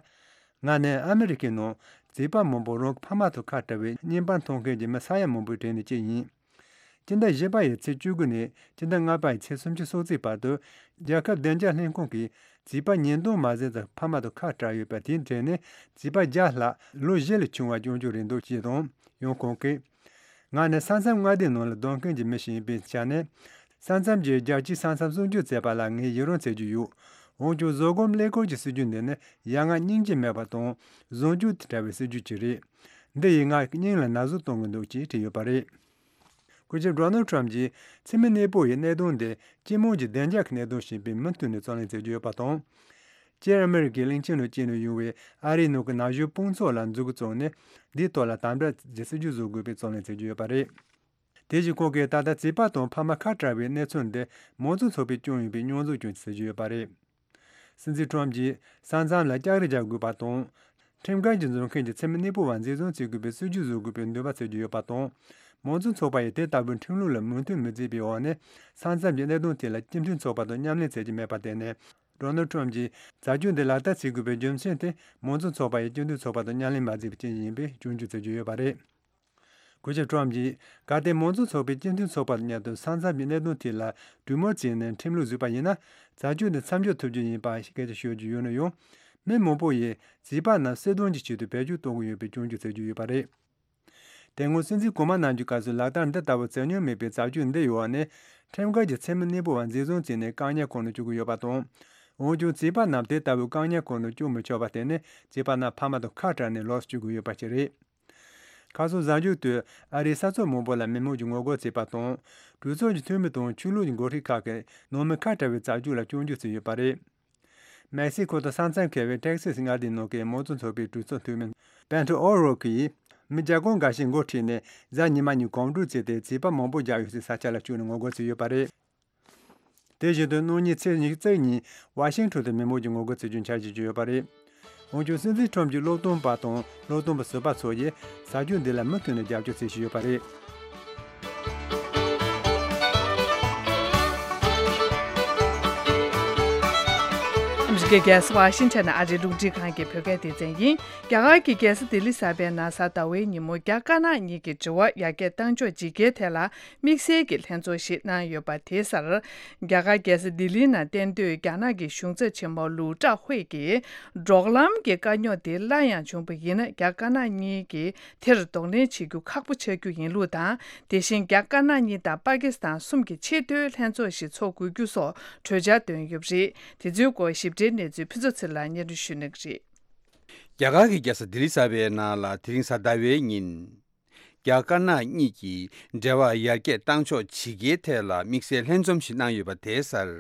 ང་ནི་ཨ་མི་རི་ཀའི་ནང་བྱིས་པ་མང་པོ་རང་གི་ཕ་མ་དང་ཁ་བྲལ་བའི་བརྙན་པར་མཐོང་མཁན་གྱི་མི་ས་ཡ་མང་པོའི་གྲས་ནས་གཅིག་ཡིན། སྤྱི་ཟླ་བཞི་པ་ཡི་ཚེས་བཅུ་དགུ་ནས་སྤྱི་ཟླ་ལྔ་པ་ཡི་ཚེས་སུམ་ཅུ་སོ་གཅིག་བར་དུ་རྒྱལ་ཁབ་བདེ་འཇགས་ལྷན་ཁང་གིས་བྱིས་པ་ཉིས་སྟོང་མ་ཟིན་ཙམ་ཕ་མ་དང་ཁ་བྲལ་ཡོད་པ་དེའི་གྲས་ནས་བྱིས་པ་བརྒྱ་ལྷག་ལོ་བཞི་ལས་ཆུང་བ་སྐྱོན་བརྗོད་རེད་འདུག་ཅེས་དང་། ཡང་ཁོང་གིས། ང་ནི་ས་མཚམས་མངའ་སྡེའི་ནང་ལ་སྡོད་མཁན་གྱི་མི་ཞིག་ཡིན་པའི་ཆ་ནས། ས་མཚམས་ཀྱི་རྒྱལ་སྤྱིའི་ས་མཚམས་སྲུང་སྐྱོབ་བྱས་པ་ལ་ངས་ཡི་རང་བྱེད་ཀྱི་ཡོད། འོན་ཀྱང་བཟོད་སྒོམ་ཀླད་ཀོར་གྱི་སྲིད་ཇུས་འདི་ནི་ཡ་ང་སྙིང་རྗེ་མེད་པ་དང་བཟང་སྤྱོད་དང་བྲལ་བའི་སྲིད་ཇུས་ཅིག་རེད། འདི་ཡིས་ང་སྙིང་ལ་ན་ཟུག་གཏོང་གི་འདུག་ཅེས་བྲིས་ཡོད་པ་རེད། སྐུ་ཞབས་ཌོ་ནལ་ཁྲོམ་གྱིས་མཚན་མོ་གནས་སྤོ་ཡི་གནད་དོན་འདི་སྤྱི་དམངས་ཀྱི་བདེ་འཇགས་ཀྱི་གནད་དོན་ཞིག་ཡིན་པས་མུ་མཐུད་ནས་རྩོད་ལེན་བྱེད་ཀྱི་ཡོད་པ་དང་། སྤྱིར་ཨ་མི་རི་ཀའི་གླིང་ཆེན་ནང་སྐྱེས་ནས་ཡོང་བའི་ཨ་རིའི་ནང་གི་ན་གཞོན་དཔུང་ཚོགས་ལ་མཛུབ་གུ་བཙུགས་ནས་འདིའི་ཐོག་ལ་དམ་དྲག་གི་སྲིད་ཇུས་བཟོ་དགོས་པའི་རྩོད་ལེན་བྱེད་ཀྱི་ཡོད་པ་རེད། དེ་བཞིན་ཁོང་གིས་ད་ལྟ་བྱིས་པ་དང་ཕ་མ་ཁ་བྲལ་བའི་གནས་ཚུལ་འདི་མང་གཙོ་ཚོགས་པས་བསྐྱངས་ཡོད་པའི་མྱོང་ཚོར་ཀྱང་ཟེར་གྱི་ཡོད་པ་རེད། སྲིད་འཛིན་ཁྲོམ་གྱིས་ས་མཚམས་ལ་ལྕགས་རི་རྒྱག་དགོས་པ་དང་། ཁྲིམས་འགལ་གྱིས་འཛུལ་མཁན་གྱི་མཚན་མོ་གནས་སྤོ་བ་འཛིན་བཟུང་བྱེད་དགོས་པའི་སྲིད་ཇུས་བཟོ་དགོས་པའི་འདུན་པ་བྱེད་ཀྱི་ཡོད་པ་དང་། མང་གཙོ་ཚོགས་པ་ཡིས་དེ་ལྟ་བུའི་ཁྲིམས་ལུགས་ལ་མོས་མཐུན་མི་བྱེད་པའི་འོག་ནས་ས་མཚམས་ཀྱི་གནད་དོན་དེ་ལ་སྤྱི་མཐུན་ཚོགས་པ་དང་མཉམ་ལས་བྱེད་ཀྱི་མེད་པར་བརྟེན་ནས། ཌོ་ནལ་ཁྲོམ་གྱིས་བྱ་སྤྱོད་འདི་ལག་བསྟར་བྱེད་དགོས་པའི་རྒྱུ་མཚན་དེ་མང་གཙོ་ཚོགས་པ་ཡིས་སྤྱི་མཐུན་ཚོགས་པ་དང་མཉམ་ལས་མ་བྱས་པའི་རྐྱེན་ཡིན་པའི་སྐྱོན་བརྗོད་བྱེད་ཀྱི་ཡོད་པ་རེད། སྐུ་ཞབས་ཁྲོམ་གྱིས་གལ་ཏེ་མང་གཙོ་ཚོགས་པས་སྤྱི་མཐུན་ཚོགས་པ་དང་མཉམ་དུ་ས་མཚམས་ཀྱི་གནད་དོན་དེ་ལ་གྲོས་མོལ་བྱས་ནས་ཁྲིམས་ལུགས་བཟོས་པ་ཡིན་ན། བྱ་སྤྱོད་འདི་མཚམས་འཇོག་ཐུབ་རྒྱུ་ཡིན་པ་སྐད་ཆ་ཤོད་ཀྱི་ཡོད་ན་ཡང་། མི་མང་པོ་ཡིས་བྱིས་པ་རྣམས་སྲིད་དོན་གྱི་ཆེད་དུ་བེད་སྤྱོད་གཏོང་གི་ཡོད་པའི་སྐྱོན་བརྗོད་བྱེད་ཀྱི་ཡོད་པ་རེད། དེ་སྔོན་སྲིད་འཛིན་གོང་མ་རྣམས་ཀྱི་སྐབས་སུ་ལག་བསྟར་འདི་ལྟ་བུ་བྱེད་མྱོང་མེད་པའི་བྱ་སྤྱོད་འདི་ཡོད་པ་ནི། ཁྲིམས་འགལ་གྱི་མཚན་མོ་གནས་སྤོ་བ་འཛིན་བཟུང་བྱས་ནས་བཀག་ཉར་ཁང་ནང་བཅུག་གི་ཡོད་པ་དང་། འོན་ཀྱང་བྱིས་པ་རྣམས་དེ་ལྟ་བུའི་བཀག་ཉར་ཁང་ནང་བཅུག་མི་ཆོག་པ་དེ་ནི་བྱིས་པ་རྣམས་ཕ་མ་དང་ཁ་བྲལ་ནས་ལོགས་སུ་བཅུག་གི་ཡོད་པ་ཞིག་རེད། ཁ་སང་གཟའ་མཇུག་ཏུ་ཨ་རིའི་ས་ཕྱོགས་མང་པོ་ལ་མི་མང་གིས་ངོ་རྒོལ་བྱས་པ་དང་། གྲོས་ཚོགས་ཀྱི་འཐུས་མི་དང་ཆོས་ལུགས་ཀྱི་འགོ་ཁྲིད་ཁག་གིས་ནང་མི་ཁ་བྲལ་བའི་བྱ་སྤྱོད་ལ་སྐྱོན་བརྗོད་བྱས་ཡོད་པ་རེད། མེག་སི་ཁོ་དང་ས་མཚམས་འཁེལ་བའི་ཏེག་སེ་སི་མངའ་སྡེའི་ནང་གི་མང་གཙོ་ཚོགས་པའི་གྲོས་ཚོགས་འཐུས་མི་པེ་ཏོ་ཨོ་རོ་ཁི་ཡིས་མི་བརྒྱ་སྐོར་འགའ་ཞིག་འགོ་ཁྲིད་ནས་གཟའ་ཉི་མ་ཉིན་གོམ་བགྲོད་བྱས་ཏེ་བྱིས་པ་མང་པོ་བརྒྱབ་ཡོད་སའི་ས་ཆ་ལ་བཅུག་ནས་ངོ་རྒོལ་བྱས་ཡོད་པ་རེད། དེ་བཞིན་དུ་གནངས་ཉིན་ཚེས་ཉི་ཤུ་རྩ་གཉིས་ཉིན་ཝ་ཤིང་ཊོན་དུ་མི་མང་གིས་ངོ་རྒོལ་བྱེད་རྒྱུའི་འཆར་གཞི་བརྗོད་ཡོད་པ་རེད། འོན་ཀྱང་སྲིད་འཛིན་ཁྲོམ་གྱི་བློ་སྟོན་པ་དང་བློ་སྟོན་པ་ཟུར་པ་ཚོ་ཡིས་བྱ་སྤྱོད་འདི་ལ་མུ་མཐུད་ནས་རྒྱབ་སྐྱོར་བྱེད་བཞིན་ཡོད་པ་རེད། ཨ་མི་རི་ འདི་རྒྱལ་ས་ཝ་ཤིང་ཊོན་ཨ་རིའི་རླུང་འཕྲིན་ཁང་གི་བོད་སྐད་སྡེ་ཚན་ཡིན། རྒྱ་གར་གྱི་རྒྱལ་ས་ལྡི་ལི་གསར་པའི་ནང་གཟའ་ཟླ་བའི་ཉིན་མོ་རྒྱ་དཀར་ནག་གཉིས་ཀྱི་འབྲེལ་བ་ཡར་རྒྱས་གཏང་ཕྱོགས་ཇི་དགེའི་ཐད་ལ་དམིགས་བསལ་གྱི་ལྷན་ཚོགས་ཤིག་གནང་ཡོད་པ་དེའི་སར། རྒྱ་གར་རྒྱལ་ས་ལྡི་ལིའི་ནང་གཏན་སྡོད་རྒྱ་ནག་གི་གཞུང་ཚབ་ཆེན་མོ་ལུའུ་ཀྲའོ་ཧུའེ་ཀྱིས། འབྲོག་ལམ་གྱི་དཀའ་རྙོག་དེ་སླར་ཡང་བྱུང་བ་ཡིན་ན། རྒྱ་དཀར་ནག་གཉིས་ཀྱིས་དེར་གདོང་ལེན་བྱེད་རྒྱུ་ཁག་པོ་ཆགས་རྒྱུ་ཡིན་ལུགས་དང་། དེ་བཞིན་རྒྱ་དཀར་ནག་གཉིས་དང་པ་ཀི་སི་ཐན་གསུམ་གྱི་ཆེས་མཐོའི་ལྷན་ཚོགས་ཤིག་འཚོགས་དགོས་རྒྱུ་སོགས་གྲོས་འཆར་བཏོན་ཡོད་པ་རེད། དེ་ཚོའི་སྐོར་ཞིབ་ཕྲའི་གནས་ཚུལ་ཕུན་ཚོགས་ཚེ་རིང་ལགས་སྙན་སྒྲོན་ཞུ་གནང་གི་རེད། རྒྱ་གར་གྱི་རྒྱལ་ས་ལྡི་ལི་གསར་པའི་ནང་ལ་དེ་རིང་གཟའ་ཟླ་བའི་ཉིན། རྒྱ་དཀར་ནག་གཉིས་ཀྱི་འབྲེལ་བ་ཡར་རྒྱས་གཏང་ཕྱོགས་ཇི་དགེའི་ཐད་ལ་དམིགས་བསལ་ལྷན་འཛོམས་ཤིག་གནང་ཡོད་པ་དེའི་སར།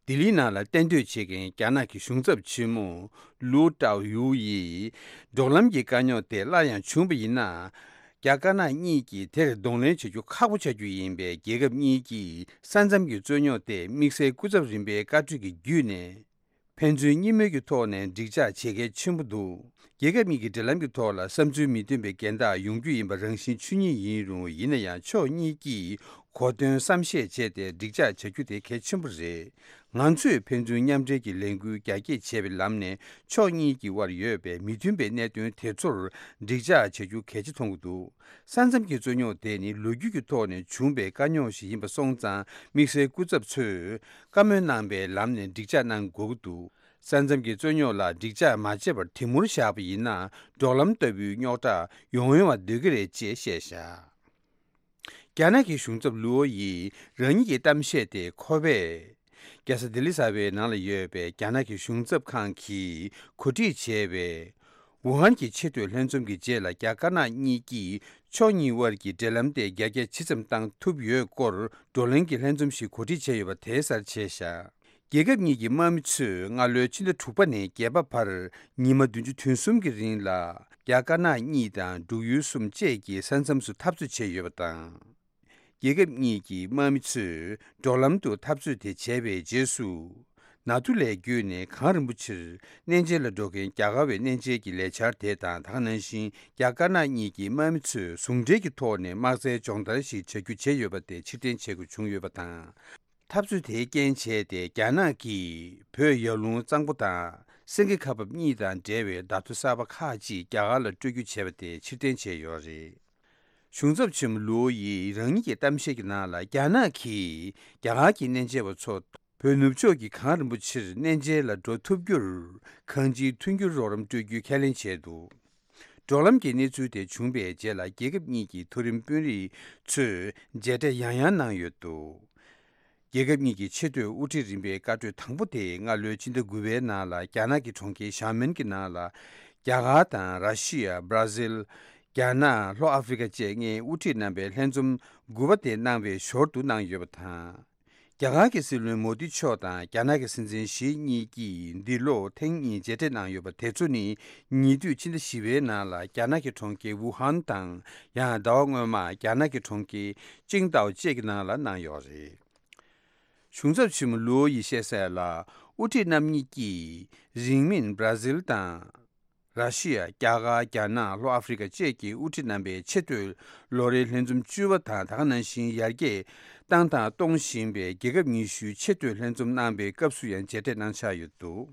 ལྡི་ལིའི་ནང་ལ་གཏན་སྡོད་བྱེད་མཁན་རྒྱ་ནག་གི་གཞུང་ཚབ་ཆེན་མོ་ལུའུ་ཀྲའོ་ཧུའེ་ཡིས། འབྲོག་ལམ་གྱི་དཀའ་རྙོག་དེ་སླར་ཡང་བྱུང་བ་ཡིན་ན། རྒྱ་དཀར་ནག་གཉིས་ཀྱིས་དེར་གདོང་ལེན་བྱ་རྒྱུ་ཁག་པོ་ཆགས་རྒྱུ་ཡིན་པས། རྒྱལ་ཁབ་གཉིས་ཀྱིས་ས་མཚམས་ཀྱི་རྩོད་རྙོག་དེ་དམིགས་བསལ་སྐུ་ཚབ་རིམ་པའི་བཀའ་གྲོས་ཀྱི་བརྒྱུད་ནས། ཕན་ཚུན་གཉིས་མོས་ཀྱི་ཐོག་ནས་འགྲིག་འཇགས་བྱེད་གལ་ཆེན་པོ་འདུག་རྒྱལ་ཁབ་གཉིས་ཀྱི་འབྲེལ་ལམ་གྱི་ཐོག་ལ་བསམ་ཚུལ་མི་མཐུན་པའི་འགལ་ཟླ་ཡོང་རྒྱུ་ཡིན་པ་རང་བཞིན་ཆོས་ཉིད་ཡིན་རུང་། ཡིན་ན་ཡང་ཕྱོགས་གཉིས་ཀྱིས་གོ་དོན་བསམ་ཤེས་བྱས་ཏེ་འགྲིག་འཇགས་བྱ་རྒྱུ་དེ་གལ་ཆེན་པོ་རེད། ང་ཚོས་ཕན་ཚུན་མཉམ་འབྲེལ་གྱི་ལས་འགུལ་རྒྱ་སྐྱེད་བྱས་པའི་ལམ་ནས། ཕྱོགས་གཉིས་ཀྱི་དབར་ཡོད་པའི་མི་མཐུན་པའི་གནད་དོན་དེ་ཚོར་འགྲིག་འཇགས་བྱ་རྒྱུ་གལ་ཆེ་མཐོང་གི་འདུག་ས་མཚམས་ཀྱི་རྩོད་རྙོག་དེ་ནི་ལོ་རྒྱུས་ཀྱི་ཐོག་ནས་བྱུང་བའི་དཀའ་རྙོག་ཞིག་ཡིན་པ་སོང་ཙང་། དམིགས་བསལ་སྐུ་ཚབ་ཚོས་བཀའ་མོལ་གནང་པའི་ལམ་ནས་འགྲིག་འཇགས་གནང་དགོས་ཀྱི་འདུག་ས་མཚམས་ཀྱི་རྩོད་རྙོག་ལ་འགྲིག་འཇགས་མ་བྱས་པར་དེ་མུར་བཞག་པ་ཡིན་ན། འབྲོག་ལམ་ལྟ་བུའི་རྙོག་དྲ་ཡོང་ཡོང་བ་སྡོད་ཀྱི་རེད་ཅེས་བཤད་བཞག་རྒྱ་ནག་གི་གཞུང་ཚབ་ལུའོ་ཡིས་རང་ཉིད་ཀྱི་གཏམ་བཤད་དེ་ཁོ་པས། རྒྱལ་ས་ལྡི་ལི་གསར་པའི་ནང་ལ་ཡོད་པའི་རྒྱ་ནག་གི་གཞུང་ཚབ་ཁང་གིས་གོ་སྒྲིག་བྱས་པའི། ཝུ་ཧན་གྱི་ཆེས་མཐོའི་ལྷན་འཛོམས་ཀྱི་རྗེས་ལ། རྒྱ་དཀར་ནག་གཉིས་ཀྱིས་ཕྱོགས་གཉིས་དབར་གྱི་འབྲེལ་ལམ་དེ་རྒྱ་སྐྱེད་ཇི་ཙམ་བཏང་ཐུབ་ཡོད་སྐོར་བགྲོ་གླེང་གི་ལྷན་འཛོམས་ཤིག་གོ་སྒྲིག་བྱས་ཡོད་པ་དེའི་སར་བྱས་བཞག་རྒྱལ་ཁབ་གཉིས་ཀྱི་དམག་མི་ཚོས་སྔ་ལོའི་ཕྱི་ཟླ་དྲུག་པ་ནས་བརྒྱད་པ་བར་ཉི་མ་བདུན་ཅུ་དོན་གསུམ་གྱི་རིང་ལ། རྒྱ་དཀར་ནག་གཉིས་དང་འབྲུག་ཡུལ་གསུམ་བཅས་ཀྱི་ས་མཚམས་སུ་འཐབ་རྩོད་བྱས་ཡོད་པ་དང་། རྒྱལ་ཁབ་གཉིས་ཀྱི་དམག་མི་ཚོས་འབྲོག་ལམ་དུ་འཐབ་རྩོད་དེ་བྱས་པའི་རྗེས་སུ། ནཱ་ཐུ་ལས་བརྒྱུད་ནས་གངས་རིན་པོ་ཆེར་གནས་མཇལ་ལ་འགྲོ་མཁན་རྒྱ་གར་བའི་གནས་མཇལ་གྱི་ལས་འཆར་དེ་དང་། ད་ག་ནང་བཞིན་རྒྱ་དཀར་ནག་གཉིས་ཀྱི་དམག་མི་ཚོས་ཟུང་འབྲེལ་གྱི་ཐོག་ནས་དམག་རྩལ་སྦྱོང་བརྡར་ཞིག་བྱ་རྒྱུ་བྱས་ཡོད་པ་དེ་ཕྱིར་འཐེན་བྱེད་དགོས་བྱུང་ཡོད་པ་དང་། འཐབ་རྩོད་དེའི་རྐྱེན་བྱས་ཏེ། རྒྱ་ནག་གིས་བོད་ཡར་ཀླུང་གཙང་པོ་དང་སེང་གེ་ཁ་འབབ་གཉིས་དང་འབྲེལ་བའི་བརྡ་ཐོ་གསར་པ་ཁག་ཅིག་རྒྱ་གར་ལ་སྤྲོད་རྒྱུ་བྱས་པ་དེ་ཕྱིར་འཐེན་བྱས་ཡོད་རེད། གཞུང་ཚབ་ཆེན་མོ་ལུའོ་ཡིས་རང་ཉིད་ཀྱི་གཏམ་བཤད་ཀྱི་ནང་ལ། རྒྱ་ནག་གིས་རྒྱ་གར་གྱི་གནས་མཇལ་བ་ཚོ་བོད་ནུབ་ཕྱོགས་ཀྱི་གངས་རིན་པོ་ཆེར་གནས་མཇལ་ལ་འགྲོ་ཐུབ་རྒྱུར་གང་ཅིའི་མཐུན་འགྱུར་རོགས་རམ་སྤྲོད་རྒྱུའི་ཁས་ལེན་བྱས་འདུག་འབྲོག་ལམ་གྱི་གནས་ཚུལ་དེ་བྱུང་བའི་རྗེས་ལ། རྒྱལ་ཁབ་གཉིས་ཀྱི་མཐོ་རིམ་དཔོན་རིགས་ཚོས་མཇལ་འཕྲད་ཡང་ཡང་གནང་ཡོད་འདུག་རྒྱལ་ཁབ་གཉིས་ཀྱི་ཆེས་མཐོའི་དབུ་ཁྲིད་རིམ་པའི་བཀའ་གྲོས་དང་པོ་དེ་སྔ་ལོའི་ཕྱི་ཟླ་དགུ་པའི་ནང་ལ། རྒྱ་ནག་གི་གྲོང་ཁྱེར་ཞའོ་མེན་གྱི་ནང་ལ། རྒྱ་གར་དང་། ར་ཤི་ཡ། བྷ་ར་ཟིལ། རྒྱ་ནག། ལྷོ་ཨ་ཧྥེ་རི་ཁ་བཅས་ལྔའི་དབུ་ཁྲིད་རྣམ་པའི་ལྷན་འཛོམས་དགུ་པ་དེ་གནང་བའི་ཞོར་དུ་གནང་ཡོད་པ་དང་། རྒྱ་གར་གྱི་སྲིད་བློན་མོ་དི་མཆོག་དང་རྒྱ་ནག་གི་སྲིད་འཛིན་ཞི་གཉིས་ཀྱིས་འདི་ལོ་ཐེངས་གཉིས་མཇལ་འཕྲད་གནང་ཡོད་པ་དེ་ཚོ་ནི། ཉེ་དུས་ཕྱི་ཟླ་བཞི་པའི་ནང་ལ་རྒྱ་ནག་གི་གྲོང་ཁྱེར་ཝུ་ཧན་དང་། ཡང་ཟླ་བ་སྔོན་མ་རྒྱ་ནག་གི་གྲོང་ཁྱེར་ཅིང་ཏའོ་བཅས་ཀྱི་ནང་ལ་གནང་ཡོད་རེད། གཞུང་ཚབ་ཆེན་མོ་ལུའོ་ཡིས་བཤད་གསལ་ལ། དབུ་ཁྲིད་རྣམ་གཉིས་ཀྱིས་རིང་མིན་བྷ་ར་ཟིལ་དང་། ར་ཤི་ཡ། རྒྱ་གར། རྒྱ་ནག། ལྷོ་ཨ་ཧྥེ་རི་ཁ་བཅས་ཀྱི་དབུ་ཁྲིད་རྣམ་པའི་ཆེས་མཐོའི་ལོ་རེའི་ལྷན་འཛོམས་བཅུ་པ་དང་། ད་ག་ནང་བཞིན་ཡར་རྒྱས་བཏང་དང་གཏོང་བཞིན་པའི་རྒྱལ་ཁབ་ཉི་ཤུའི་ཆེས་མཐོའི་ལྷན་འཛོམས་གནང་པའི་སྐབས་སུ་ཡང་མཇལ་འཕྲད་གནང་འཆར་ཡོད་འདུག་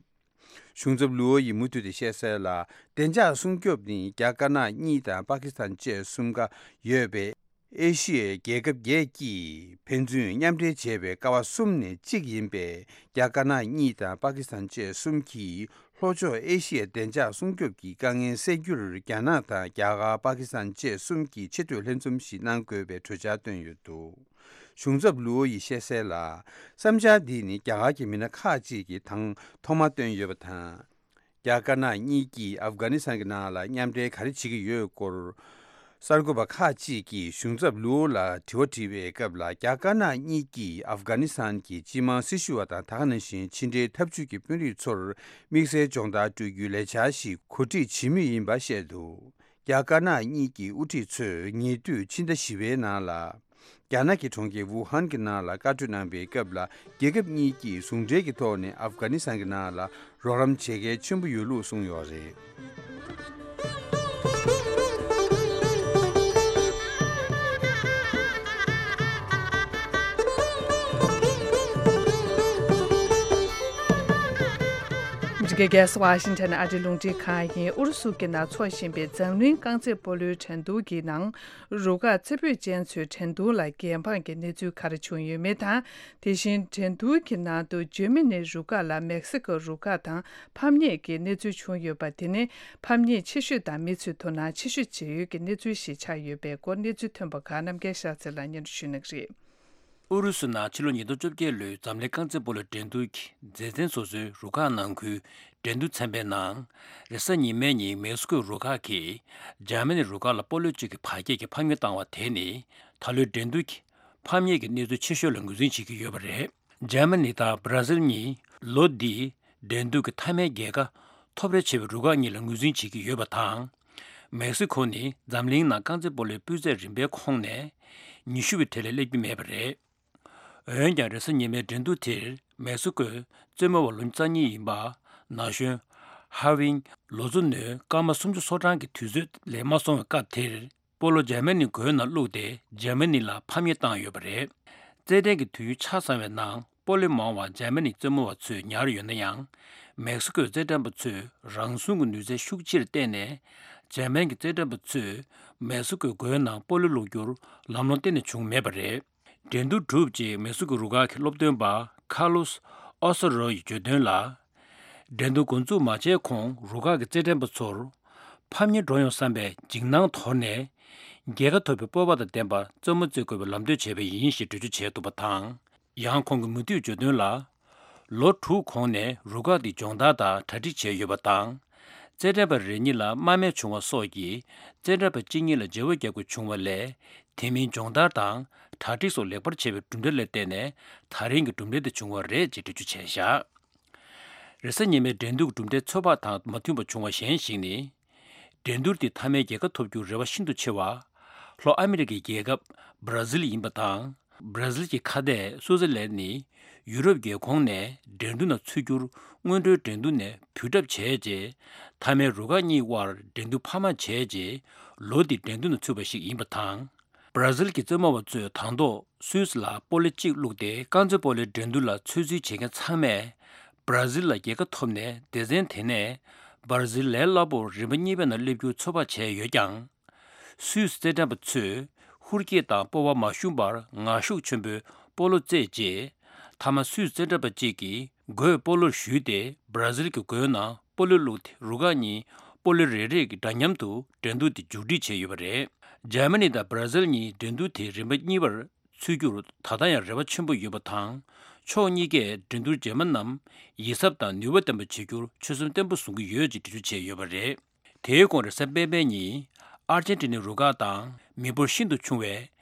གཞུང་ཚབ་ལུའོ་ཡིས་མུ་མཐུད་དེ་བཤད་གསལ་ལ། བདེ་འཇགས་སྲུང་སྐྱོབ་ནི་རྒྱ་དཀར་ནག་གཉིས་དང་པ་ཀི་སི་ཐན་བཅས་གསུམ་ཀ་ཡོད་པའི་ཨེ་ཤི་ཡའི་རྒྱལ་ཁབ་བརྒྱད་ཀྱིས་ཕན་ཚུན་མཉམ་འབྲེལ་བྱས་པའི་ཀ་བ་གསུམ་ནས་གཅིག་ཡིན་པའི་རྒྱ་དཀར་ནག་གཉིས་དང་པ་ཀི་སི་ཐན་བཅས་གསུམ་གྱིས། ལྷོ་ཕྱོགས་ཨེ་ཤི་ཡའི་བདེ་འཇགས་སྲུང་སྐྱོབ་ཀྱི་དཀའ་ངལ་སེལ་རྒྱུར། རྒྱ་ནག་དང་རྒྱ་གར། པ་ཀི་སི་ཐན་བཅས་གསུམ་གྱིས་ཆེས་མཐོའི་ལྷན་འཛོམས་ཤིག་གནང་དགོས་པའི་གྲོས་འཆར་བཏོན་ཡོད་འདུག་གཞུང་ཚབ་ལུའོ་ཡིས་བཤད་གསལ་ལ། བསམ་འཆར་འདི་ནི་རྒྱ་གར་གྱི་མི་སྣ་ཁག་ཅིག་གིས་དང་ཐོག་མ་བཏོན་ཡོད་པ་དང་། རྒྱ་དཀར་ནག་གཉིས་ཀྱིས་ཨབ་གྷ་ནི་སི་ཐན་གྱི་ནང་ལ་མཉམ་འབྲེལ་ག་རེ་བྱེད་ཀྱི་ཡོད་སྐོར། གསར་འགོད་པ་ཁག་ཅིག་གིས་གཞུང་ཚབ་ལུའོ་ལ་དྲི་བ་དྲིས་པའི་སྐབས་ལ། རྒྱ་དཀར་ནག་གཉིས་ཀྱིས་ཨབ་གྷ་ནི་སི་ཐན་གྱི་སྤྱི་དམངས་སྲི་ཞུ་བ་དང་། ད་ག་ནང་བཞིན་ཕྱི་འབྲེལ་འཐབ་ཇུས་ཀྱི་དཔོན་རིགས་ཚོར་དམིགས་བསལ་སྦྱོང་བརྡར་སྤྲོད་རྒྱུའི་ལས་འཆར་ཞིག་གོ་སྒྲིག་བྱེད་མུས་ཡིན་པ་བཤད་འདུག་རྒྱ་དཀར་ནག་གཉིས་ཀྱི་དབུ་ཁྲིད་ཚོས་ཉེ་དུས་ཕྱི་ཟླ་བཞི་པའི་ནང་ལ། རྒྱ་ནག་གི་གྲོང་ཁྱེར་ཝུ་ཧན་གྱི་ནང་ལ་བཀའ་གྲོས་གནང་པའི་སྐབས་ལ། རྒྱལ་ཁབ་གཉིས་ཀྱིས་ཟུང་འབྲེལ་གྱི་ཐོག་ནས་ཨབ་གྷ་ནི་སི་ཐན་གྱི་ནང་ལ་རོགས་རམ་བྱེད་གལ་ཆེན་པོ་ཡོད་ལུགས་གསུངས་ཡོད་རེད། འདི་ག་ས་ཝ་ཤིང་ཊོན་ཨ་རིའི་རླུང་འཕྲིན་ཁང་ཡིན། ཨུ་རུ་སུ་གྱི་ནང་འཚོགས་བཞིན་པའི་འཛམ་གླིང་རྐང་རྩེད་སྤོ་ལོའི་འགྲན་བསྡུར་གྱི་ནང་རུ་ཁག་རྩེ་ཕུད་ཅན་ཚོའི་འགྲན་བསྡུར་ལ་འགལ་འཕངས་ཀྱི་གནས་ཚུལ་ག་རེ་བྱུང་ཡོད་མེད་དང་། དེ་བཞིན་འགྲན་བསྡུར་གྱི་ནང་དུ་འཇར་མ་ནི་རུ་ཁག་ལ་མེག་སི་ཀོ་རུ་ཁག་དང་ཕམ་ཉེས་ཀྱི་གནས་ཚུལ་བྱུང་ཡོད་པ་དེ་ནི་ཕམ་ཉེས་ཆེ་ཤོས་དང་མི་ཚོའི་དོ་སྣང་ཆེ་ཤོས་བྱེད་ཡུལ་གྱི་གནས་ཚུལ་ཞིག་ཆགས་ཡོད་པའི་སྐོར་གནས་ཚུལ་ཐོན་པ་ཁག་རྣམ་རྒྱལ་ཤར་རྩེ་ལགས་སྙན་སྒྲོན་ཞུ་གནང་གི་རེད། ཨུ་རུ་སུ་ནང་ཕྱི་ལོ་ཉིས་སྟོང་བཅོ་བརྒྱད་ལོའི་འཛམ་གླིང་རྐང་རྩེད་སྤོ་ལོའི་འགྲན་བསྡུར་གྱི་མཛེས་ཚན་སོ་སོའི་རུ་ཁག་ནང་ཁུལ་འགྲན་བསྡུར་ཚན་པའི་ནང་། རེས་གཟའ་ཉི་མའི་ཉིན་མེག་སི་ཀོའི་རུ་ཁག་གིས་འཇར་མ་ནི་རུ་ཁག་ལ་སྤོ་ལོ་གཅིག་གི་བར་ཁྱད་ཀྱིས་ཕམ་ཉེས་བཏང་བ་དེ་ནི་ད་ལོའི་འགྲན་བསྡུར་གྱི་ཕམ་ཉེས་ཀྱི་གནས་ཚུལ་ཆེ་ཤོས་ལ་ངོས་འཛིན་བྱེད་ཀྱི་ཡོད་པ་རེད། འཇར་མ་ནི་དང་བྷ་ར་ཟིལ་གཉིས་ལོ་འདིའི་འགྲན་བསྡུར་གྱི་མཐའ་མའི་རྒྱལ་ཁ་ཐོབ་རེ་ཆེ་བའི་རུ་ཁག་གཉིས་ལ་ངོས་འཛིན་བྱེད་ཀྱི་ཡོད་པ་དང་། མེག་སི་ཁོ་ནི་འཛམ་གླིང་ནང་རྐང་རྩེད་སྤོ་ལོའི་སྤུས་ཚད་རིམ་པའི་ཁོངས་ནས་ཉི་ཤུ་པའི་གྲས་ལས་སླེབས་ཀྱི་མེད་པ་རེད། འོན་ཀྱང་རེས་གཟའ་ཉི་མའི་འགྲན་བསྡུར་དེར་མེག་སི་ཀོའི་རྩེད་མོ་བ་ལོ་ཉི་ཤུ་རྩ་གཉིས་ཡིན་པ་ན་གཞོན་ཧ་ཝིང་ལོ་ཚོད་ནི་སྐར་མ་སུམ་ཅུ་སོ་གྲངས་ཀྱི་དུས་ཚོད་ལས་མ་སོང་བའི་སྐབས་དེར། སྤོ་ལོ་འཇར་མ་ནིའི་མགོའི་ནང་བླུགས་ཏེ་འཇར་མ་ནི་ལ་ཕམ་ཉེས་བཏང་ཡོད་པ་རེད། རྩེད་འགྲན་གྱི་དུས་ཡུན་ཆ་ཚང་བའི་ནང་སྤོ་ལོ་མང་བ་འཇར་མ་ནིའི་རྩེད་མོ་བ་ཚོས་ཉར་ཡོད་ན་ཡང་། མེག་སི་ཀོའི་རྩེད་འགྲན་པ་ཚོས་རང་སྲུང་གི་ནུས་རྩལ་ཤུགས་ཆེར་བསྟན་ནས་འཇར་མན་གྱི་རྩེད་འགྲན་པ་ཚོས་མེག་སི་ཀོའི་མགོའི་ནང་སྤོ་ལོ་བླུགས་རྒྱུར་ལམ་ལྷོང་གཏན་ནས་བྱུང་མེད་པ་རེད། འགྲན་བསྡུར་གྲུབ་རྗེས་མེག་སི་ཀོའི་རུ་ཁག་གི་སློབ་སྟོན་པ་ཁ་ལོས་ཨོ་སོ་རོ་ཡིས་བརྗོད་དོན་ལ། འགྲན་བསྡུར་འགོ་འཛུགས་མ་བྱས་གོང་རུ་ཁག་གི་རྩེད་འགྲན་པ་ཚོར་ཕམ་ཉེས་འགྲོ་ཡོང་བསམ་པའི་འཇིགས་སྣང་དོར་ནས། རྒྱལ་ཁ་ཐོབ་པའི་སྤོབས་པ་དང་ལྡན་པར་རྩེད་མོ་རྩེ་དགོས་པའི་ལམ་སྟོན་བྱས་པ་ཡིན་ཞེས་འགྲེལ་བརྗོད་བྱས་འདུག་པ་དང་། ཡང་ཁོང་གིས་མུ་མཐུད་བརྗོད་དོན་ལ། ལོ་དྲུག་གོང་ནས་རུ་ཁག་འདི་སྦྱོང་བརྡར་དང་གྲ་སྒྲིག་བྱས་ཡོད་པ་དང་། རྩེད་འགྲན་པ་རེ་གཉིས་ལ་དམའ་འབེབས་བྱུང་བ་སོགས་ཀྱིས་རྩེད་འགྲན་པ་གཅིག་གཉིས་ལ་བརྗེ་བོ་རྒྱག་དགོས་བྱུང་བ་ལས། དེ་མིན་སྦྱོང་བརྡར་དང་གྲ་སྒྲིག་སོགས་ལེགས་པར་བྱས་པའི་གྲུབ་འབྲས་ལ་བརྟེན་ནས་ད་རིང་གི་གྲུབ་འབྲས་དེ་བྱུང་བ་རེད་ཅེས་འགྲེལ་བརྗོད་བྱས་བཞག་རེས་གཟའ་ཉི་མའི་འགྲན་བསྡུར་གྲུབ་འབྲས་ཚོད་དཔག་དང་མ་མཐུན་པ་བྱུང་བ་གཞན་ཞིག་ནི། འགྲན་བསྡུར་དེ་མཐའ་མའི་རྒྱལ་ཁ་ཐོབ་རྒྱུར་རེ་བ་ཤིན་ཏུ་ཆེ་བ། ལྷོ་ཨ་མི་རི་ཀའི་རྒྱལ་ཁབ་བྷ་ར་ཟིལ་ཡིན་པ་དང་། བྷ་ར་ཟིལ་གྱི་ཁ་གཏད་སུའུ་ཙེར་ལན་ནི་ཡུ་རོབ་རྒྱལ་ཁོངས་ནས་འགྲན་བསྡུར་ནང་ཚུད་རྒྱུར་སྔོན་འགྲོའི་འགྲན་བསྡུར་ནས་འབུད་གྲབས་བྱས་རྗེས། མཐའ་མའི་རུ་ཁག་གཉིས་དབར་འགྲན་བསྡུར་འཕར་མ་བྱས་རྗེས། ལོ་འདིའི་འགྲན་བསྡུར་ནང་ཚུད་པ་ཞིག་ཡིན་པ་དང་། བྷ་ར་ཟིལ་གྱི་རྩེད་མོ་བ་ཚོས་དང་ཐོག་སུད་སི་ལ་སྤོ་ལོ་གཅིག་བླུགས་ཏེ་རྐང་རྩེད་སྤོ་ལོའི་འགྲན་བསྡུར་ལ་ཚོད་འཛིན་བྱེད་མཁན་ཚང་མས་བྷ་ར་ཟིལ་ལ་རྒྱལ་ཁ་ཐོབ་ནས་སྡེ་ཚན་དེ་ནས་བྷ་ར་ཟིལ་ལས་སླ་པོར་རིམ་པ་གཉིས་པའི་ནང་སླེབས་རྒྱུ་ཚོད་དཔག་བྱས་ཡོད་ཀྱང་། སུད་སི་རྩེད་འགྲན་པ་ཚོས་ཧུར་སྐྱེད་དང་སྤོབས་པ་མ་ཞུམ་པར་ངར་ཤུགས་ཆེན་པོས་སྤོ་ལོ་རྩེད་རྗེས། མཐའ་མ་སུད་སི་རྩེད་འགྲན་པ་གཅིག་གིས་མགོས་སྤོ་ལོར་གཞུས་ཏེ་བྷ་ར་ཟིལ་གྱི་མགོའི་ནང་སྤོ་ལོ་བླུགས་ཏེ་རུ་ཁག་གཉིས་སྤོ་ལོ་རེ་རེ་གི་འདྲ་མཉམ་དུ་འགྲན་བསྡུར་དེ་མཇུག་སྒྲིལ་བྱས་ཡོད་པ་རེད། འཇར་མ་ནི་དང་བྷ་ར་ཟིལ་གཉིས་འགྲན་བསྡུར་དེའི་རིམ་པ་གཉིས་པར་ཚུད་རྒྱུར་ད་ལྟ་ཡང་རེ་བ་ཆེན་པོ་ཡོད་པ་དང་། ཕྱོགས་གཉིས་ཀས་འགྲན་བསྡུར་རྗེས་མ་རྣམས་ཡིད་གཟབ་དང་ནུས་པ་ལྡན་པ་བྱེད་རྒྱུར་ཆོད་སེམས་བརྟན་པོ་བཟུང་གི་ཡོད་ཅེས་འགྲེལ་བརྗོད་བྱས་ཡོད་པ་རེད། དེའི་གོང་རེས་གཟའ་སྤེན་པའི་ཉིན་ཨར་ཇན་ཏི་ནའི་རུ་ཁག་དང་མི་འབོར་ཤིན་ཏུ་ཆུང་བའི་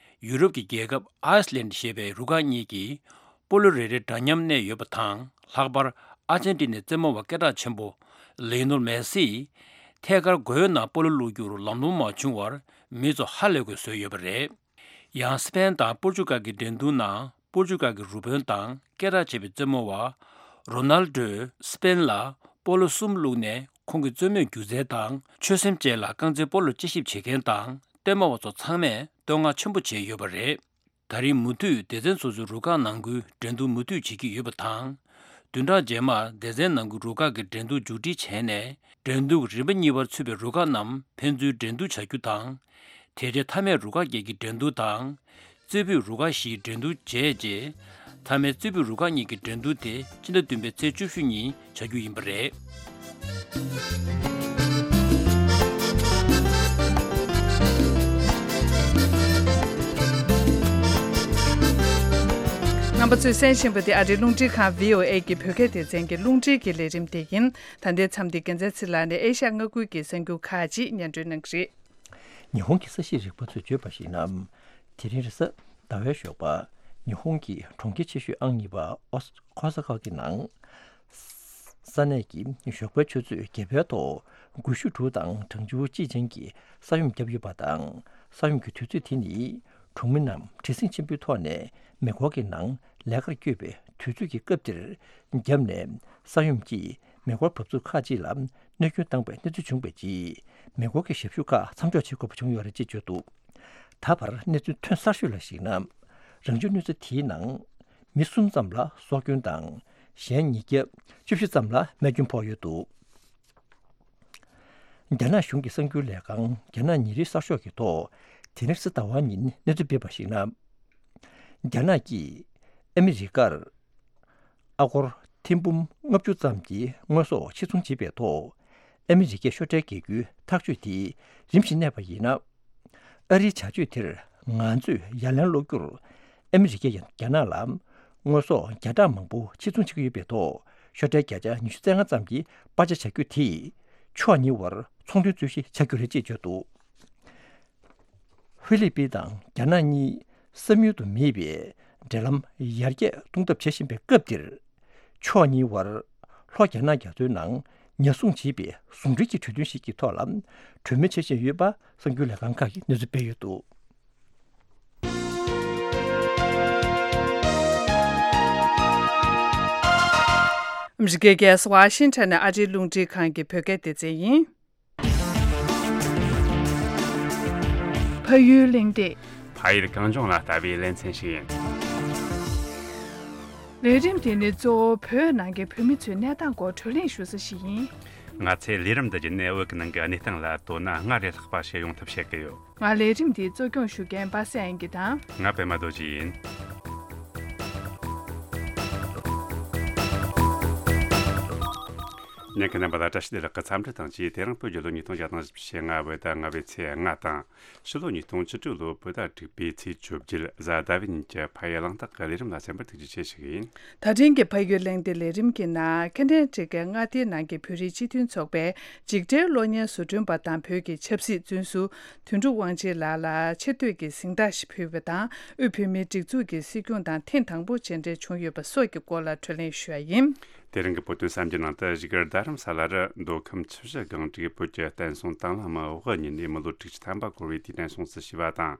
ཡུ་རོབ་ཀྱི་རྒྱལ་ཁབ་ཨའི་སི་ལན་ཞེས་པའི་རུ་ཁག་གཉིས་ཀྱིས་སྤོ་ལོ་རེ་རེ་འདྲ་མཉམ་གནས་ཡོད་པ་དང་། ལྷག་པར་ཨར་ཇན་ཏི་ནའི་རྩེད་མོ་བ་སྐད་གྲགས་ཆེན་པོ་ལིའོ་ནེལ་མེ་སིས་ཐད་ཀར་མགོའི་ནང་སྤོ་ལོ་བླུགས་རྒྱུར་ལམ་ལྷོང་མ་བྱུང་བར་མི་ཚོ་ཧ་ལས་པའི་བཟོས་ཡོད་པ་རེད། ཡང་སི་པེན་དང་པོར་ཅུ་གལ་གྱི་འགྲན་བསྡུར་ནང་པོར་ཅུ་གལ་གྱི་རུ་དཔོན་དང་སྐད་གྲགས་ཆེ་བའི་རྩེད་མོ་བ་རོ་ནལ་ཌོས་སི་པེན་ལ་སྤོ་ལོ་གསུམ་བླུགས་ནས་ཁོང་གི་རྩེད་མོའི་སྒྱུ་རྩལ་དང་ཆོད་སེམས་བཅས་ལ་རྐང་རྩེད་སྤོ་ལོར་དཔྱད་ཞིབ་བྱེད་མཁན་དང་ལྟད་མོ་བ་ཚོ་ཚང་མས་བསྟོད་བསྔགས་ཆེན་པོ་བྱས་ཡོད་པ་རེད། ད་རིང་མུ་མཐུད་སྡེ་ཚན་སོ་སོའི་རུ་ཁག་ནང་ཁུལ་འགྲན་བསྡུར་མུ་མཐུད་བྱེད་ཀྱི་ཡོད་པ་དང་། བདུན་ཕྲག་རྗེས་མར་སྡེ་ཚན་ནང་གི་རུ་ཁག་གི་འགྲན་བསྡུར་མཇུག་སྒྲིལ་བྱས་ནས་འགྲན་བསྡུར་རིམ་པ་གཉིས་པར་ཚུད་པའི་རུ་ཁག་རྣམས་ཕན་ཚུན་འགྲན་བསྡུར་བྱ་རྒྱུ་དང་། དེ་རྗེས་མཐའ་མའི་རུ་ཁག་བརྒྱད་ཀྱི་འགྲན་བསྡུར་དང་། རྩེ་ཕུད་རུ་ཁག་བཞིའི་འགྲན་བསྡུར་བྱས་རྗེས། མཐའ་མའི་རྩེ་ཕུད་རུ་ཁག་གཉིས་ཀྱི་འགྲན་བསྡུར་དེ་སྤྱི་ཟླ་བདུན་པའི་ཚེས་བཅུ་བཞི་ཉིན་བྱ་རྒྱུ་ཡིན་པ་རེད། རྣམ་པ་ཚོས་གསན་བཞིན་པ་དེ་ཨ་རིའི་རླུང་འཕྲིན་ཁང་བྷི་ཨོ་ཨེ་གི་བོད་སྐད་སྡེ་ཚན་གྱི་རླུང་འཕྲིན་གྱི་ལས་རིམ་དེ་ཡིན། ད་ལྟའི་མཚམས་འདིར་རྒྱལ་མཚན་ཚེ་ལགས་ནས་ཨེ་ཤ་ཡ་མངའ་ཁུལ་གྱི་གསར་འགྱུར་ཁག་ཅིག་སྙན་སྒྲོན་གནང་གི་རེད། ཉི་ཧོང་གི་ས་གཤིས་རིག་པ་ཚོས་བརྗོད་པར་གཞིགས་ན། དེ་རིང་རེས་གཟའ་ཟླ་བའི་ཞོགས་པ། ཉི་ཧོང་གི་གྲོང་ཁྱེར་ཆེ་ཤོས་ཨང་གཉིས་པ་ཨོ་ཁོ་ས་ཁ་གི་ནང་། ས་གནས་ཀྱི་ཞོགས་པའི་ཆུ་ཚོད་བརྒྱད་པའི་ཐོག་དགུ་བཅུ་དྲུག་དང་གྲངས་ཆུང་གཅིག་ཅན་གྱི་ས་ཡོམ་བརྒྱབ་ཡོད་པ་དང་། ས་ཡོམ་གྱི་དུས་ཚོད་དེ་ནི་གྲོང་མི་རྣམས་བྲེལ་ཟིང་ཆེན་པོའི་ཐོག་ནས་མེ་འཁོར་གྱི་ནང་ལས་ཀར་བསྐྱོད་པའི་དུས་ཚོད་ཀྱི་སྐབས་དེར་བརྒྱབ་ནས། ས་ཡོམ་གྱིས་མེ་འཁོར་འབབ་ཚུགས་ཁག་ཅིག་ལ་གནོད་སྐྱོན་བཏང་པའི་གནས་ཚུལ་བྱུང་བའི་རྗེས། མེ་འཁོར་གྱི་ཞབས་ཞུ་ཁག་མཚམས་འཇོག་བྱེད་དགོས་པ་བྱུང་ཡོད་རེད་ཅེས་བརྗོད་འདུག་ད་བར་གནས་ཚུལ་ཐོན་གསར་ཤོས་ལ་གཞིགས་ན། རང་བྱུང་གནོད་འཚེ་དེའི་ནང་མི་གསུམ་ཙམ་ལ་སྲོག་སྐྱོན་དང་ གཞན་ཉིས་བརྒྱ་བཅུ་བཞི་ཙམ་ལ་རྨས་སྐྱོན་ཕོག་ཡོད་འདུག། རྒྱ་ནག་གཞུང་གི་གསར་འགྱུར་ལས་ཁང་རྒྱ་ནག་ཉིན་རེའི་གསར་ཤོག་གི་ཐོག་དེ་རིང་གཟའ་ཟླ་བ་ཉིན་གནས་ཚུལ་སྤེལ་བར་གཞིགས་ན། རྒྱ་ནག་གིས་ཨ་མི་རི་ཀར་ཨ་སྒོར་ཐེར་འབུམ་ལྔ་བཅུ་ཙམ་གྱི་དངོས་ཟོག་ཕྱིར་ཚོང་བྱས་པའི་ཐོག་ཨ་མི་རི་ཀའི་ཤོག་ཁྲའི་རྒྱལ་རྒྱུའི་ཐག་གཅོད་དེ་རིམ་བཞིན་གནས་པ་ཡིན་ན། ཨ་རིའི་བྱ་སྤྱོད་དེར་ང་ཚོས་ཡ་ལན་སློག་རྒྱུར་ཨ་མི་རི་ཀས་རྒྱ་ནག་ལ་དངོས་ཟོག་བརྒྱ་ཕྲག་མང་པོ་ཕྱིར་ཚོང་བྱེད་ཀྱི་ཡོད་པའི་ཐོག་ཤོག་ཁྲའི་བརྒྱ་ཆ་ཉི་ཤུ་རྩ་ལྔ་ཙམ་གྱིས་པར་ཆས་བྱ་རྒྱུ་དེས་ཕྱོགས་གཉིས་བར་ཚོང་དོན་རྩོད་གཞི་ཆགས་རྒྱུ་རེད་ཅེས་བརྗོད་འདུག། ཧྥི་ལི་པིན་དང་རྒྱ་ནག་གཉིས་བསམ་ཡུལ་དུ་མེད་པའི་འབྲེལ་ལམ་ཡར་རྒྱས་གཏོང་ཐབས་བྱེད་བཞིན་པའི་སྐབས་འདིར། ཕྱོགས་གཉིས་བར་ལྷོ་རྒྱ་ནག་རྒྱ་མཚོའི་ནང་ཉ་ཟུང་བྱིས་པའི་ཟུང་འབྲེལ་གྱི་གྲོས་མཐུན་ཞིག་གི་ཐོག་ལ་གྲོས་མོལ་བྱེད་བཞིན་ཡོད་པ་གསར་འགྱུར་ལས་ཁང་ཁག་གིས་གནས་ཚུལ་སྤེལ་ཡོད་འདུག། ཨ་མི་རི་ཀའི་རྒྱལ་ས་ཝ་ཤིང་ཊོན་ནས་ཨ་རིའི་རླུང་འཕྲིན་ཁང་གི་བོད་སྐད་སྡེ་ཚན་ཡིན། ཕ་ཡུལ་གླེང་སྟེགས། ཕ་ཡུལ་གངས་ལྗོངས་ལ་ལྟ་བའི་ལེ་ཚན་ཞིག་ཡིན། ལས་རིམ་དེ་ནི་གཙོ་བོ་བོད་ནང་གི་བོད་མི་ཚོའི་གནས་སྟངས་སྐོར་བགྲོ་གླེང་ཞུ་ས་ཞིག་ཡིན། ང་ཚོའི་ལས་རིམ་འདི་བརྒྱུད་ནས་བོད་ཀྱི་ནང་གི་གནས་སྟངས་ལ་དོ་སྣང་སྔར་ལས་ལྷག་པ་བྱེད་ཡོང་ཐབས་བྱེད་ཀྱི་ཡོད། ང་ལས་རིམ་འདི་གཙོ་སྐྱོང་ཞུ་མཁན་པ་སངས་དབྱངས་སྐྱིད་དང་། ང་པད་མ་རྡོ་རྗེ་ཡིན། ཉན་མཁན་རྣམ་པ་ལ་བཀྲ་ཤིས་བདེ་ལེགས་ཀྱི་འཚམས་འདྲི་དང་བཅས། དེ་རིང་བོད་རྒྱལ་ལོ་ཉིས་སྟོང་བརྒྱ་དང་བཞི་བཅུ་ཞེ་ལྔ་བོད་ཟླ་ལྔ་པའི་ཚེས་ལྔ་དང་། ཕྱི་ལོ་ཉིས་སྟོང་བཅུ་དྲུག་ལོ་བོད་ཟླ་དྲུག་པའི་ཚེས་བཅོ་བརྒྱད་གཟའ་ཟླ་བའི་ཉིན་གྱི་ཕ་ཡུལ་གླེང་སྟེགས་ཀྱི་ལས་རིམ་ལ་གསན་པར་ཐུགས་རྗེ་ཆེ་ཞུ་གི་ཡིན། ད་ཐེངས་ཀྱི་ཕ་ཡུལ་གླེང་སྟེགས་ལས་རིམ་གྱི་ནང་ཁེ་ནེ་ཌ་གི་མངའ་སྡེའི་ནང་གི་བོད་རིགས་སྤྱི་མཐུན་ཚོགས་པའི་འཇིགས་བྲལ་གློག་བརྙན་བཟོ་སྐྲུན་པ་དང་བོད་ཀྱི་ཆབ་སྲིད་བཙོན་ཟུར་དོན་གྲུབ་དབང་ཆེན་ལགས་ལ་ཆེ་བསྟོད་ཀྱི་གཟེངས་རྟགས་ཤིག་ཕུལ་བ་དང་། དབུས་བོད་མིའི་སྒྲིག་འཛུགས་ཀྱི་སྲིད་སྐྱོང་དང་ཐེངས་དང་པོ་མཇལ་འཕྲད་བྱུང་ཡོད་པ་སོགས་ཀྱི་སྐོར་ལ་བགྲོ་གླེང་ཞུ་བ་ཡིན། དེ་རིང་གི་བོད་དོན་གསར་འགྱུར་ནང་དུ། བཞུགས་སྒར་རྡ་རམ་ས་ལ་རུ་མདོ་ཁམས་ཆུ་བཞི་སྒང་དྲུག་བོད་ཀྱི་བསྟན་སྲུང་དང་བླངས་དམག་དབུ་བརྙེས་ནས་མི་ལོ་དྲུག་ཅུ་ཐམ་པ་འཁོར་བའི་དུས་དྲན་སྲུང་བརྩི་ཞུས་པ་དང་།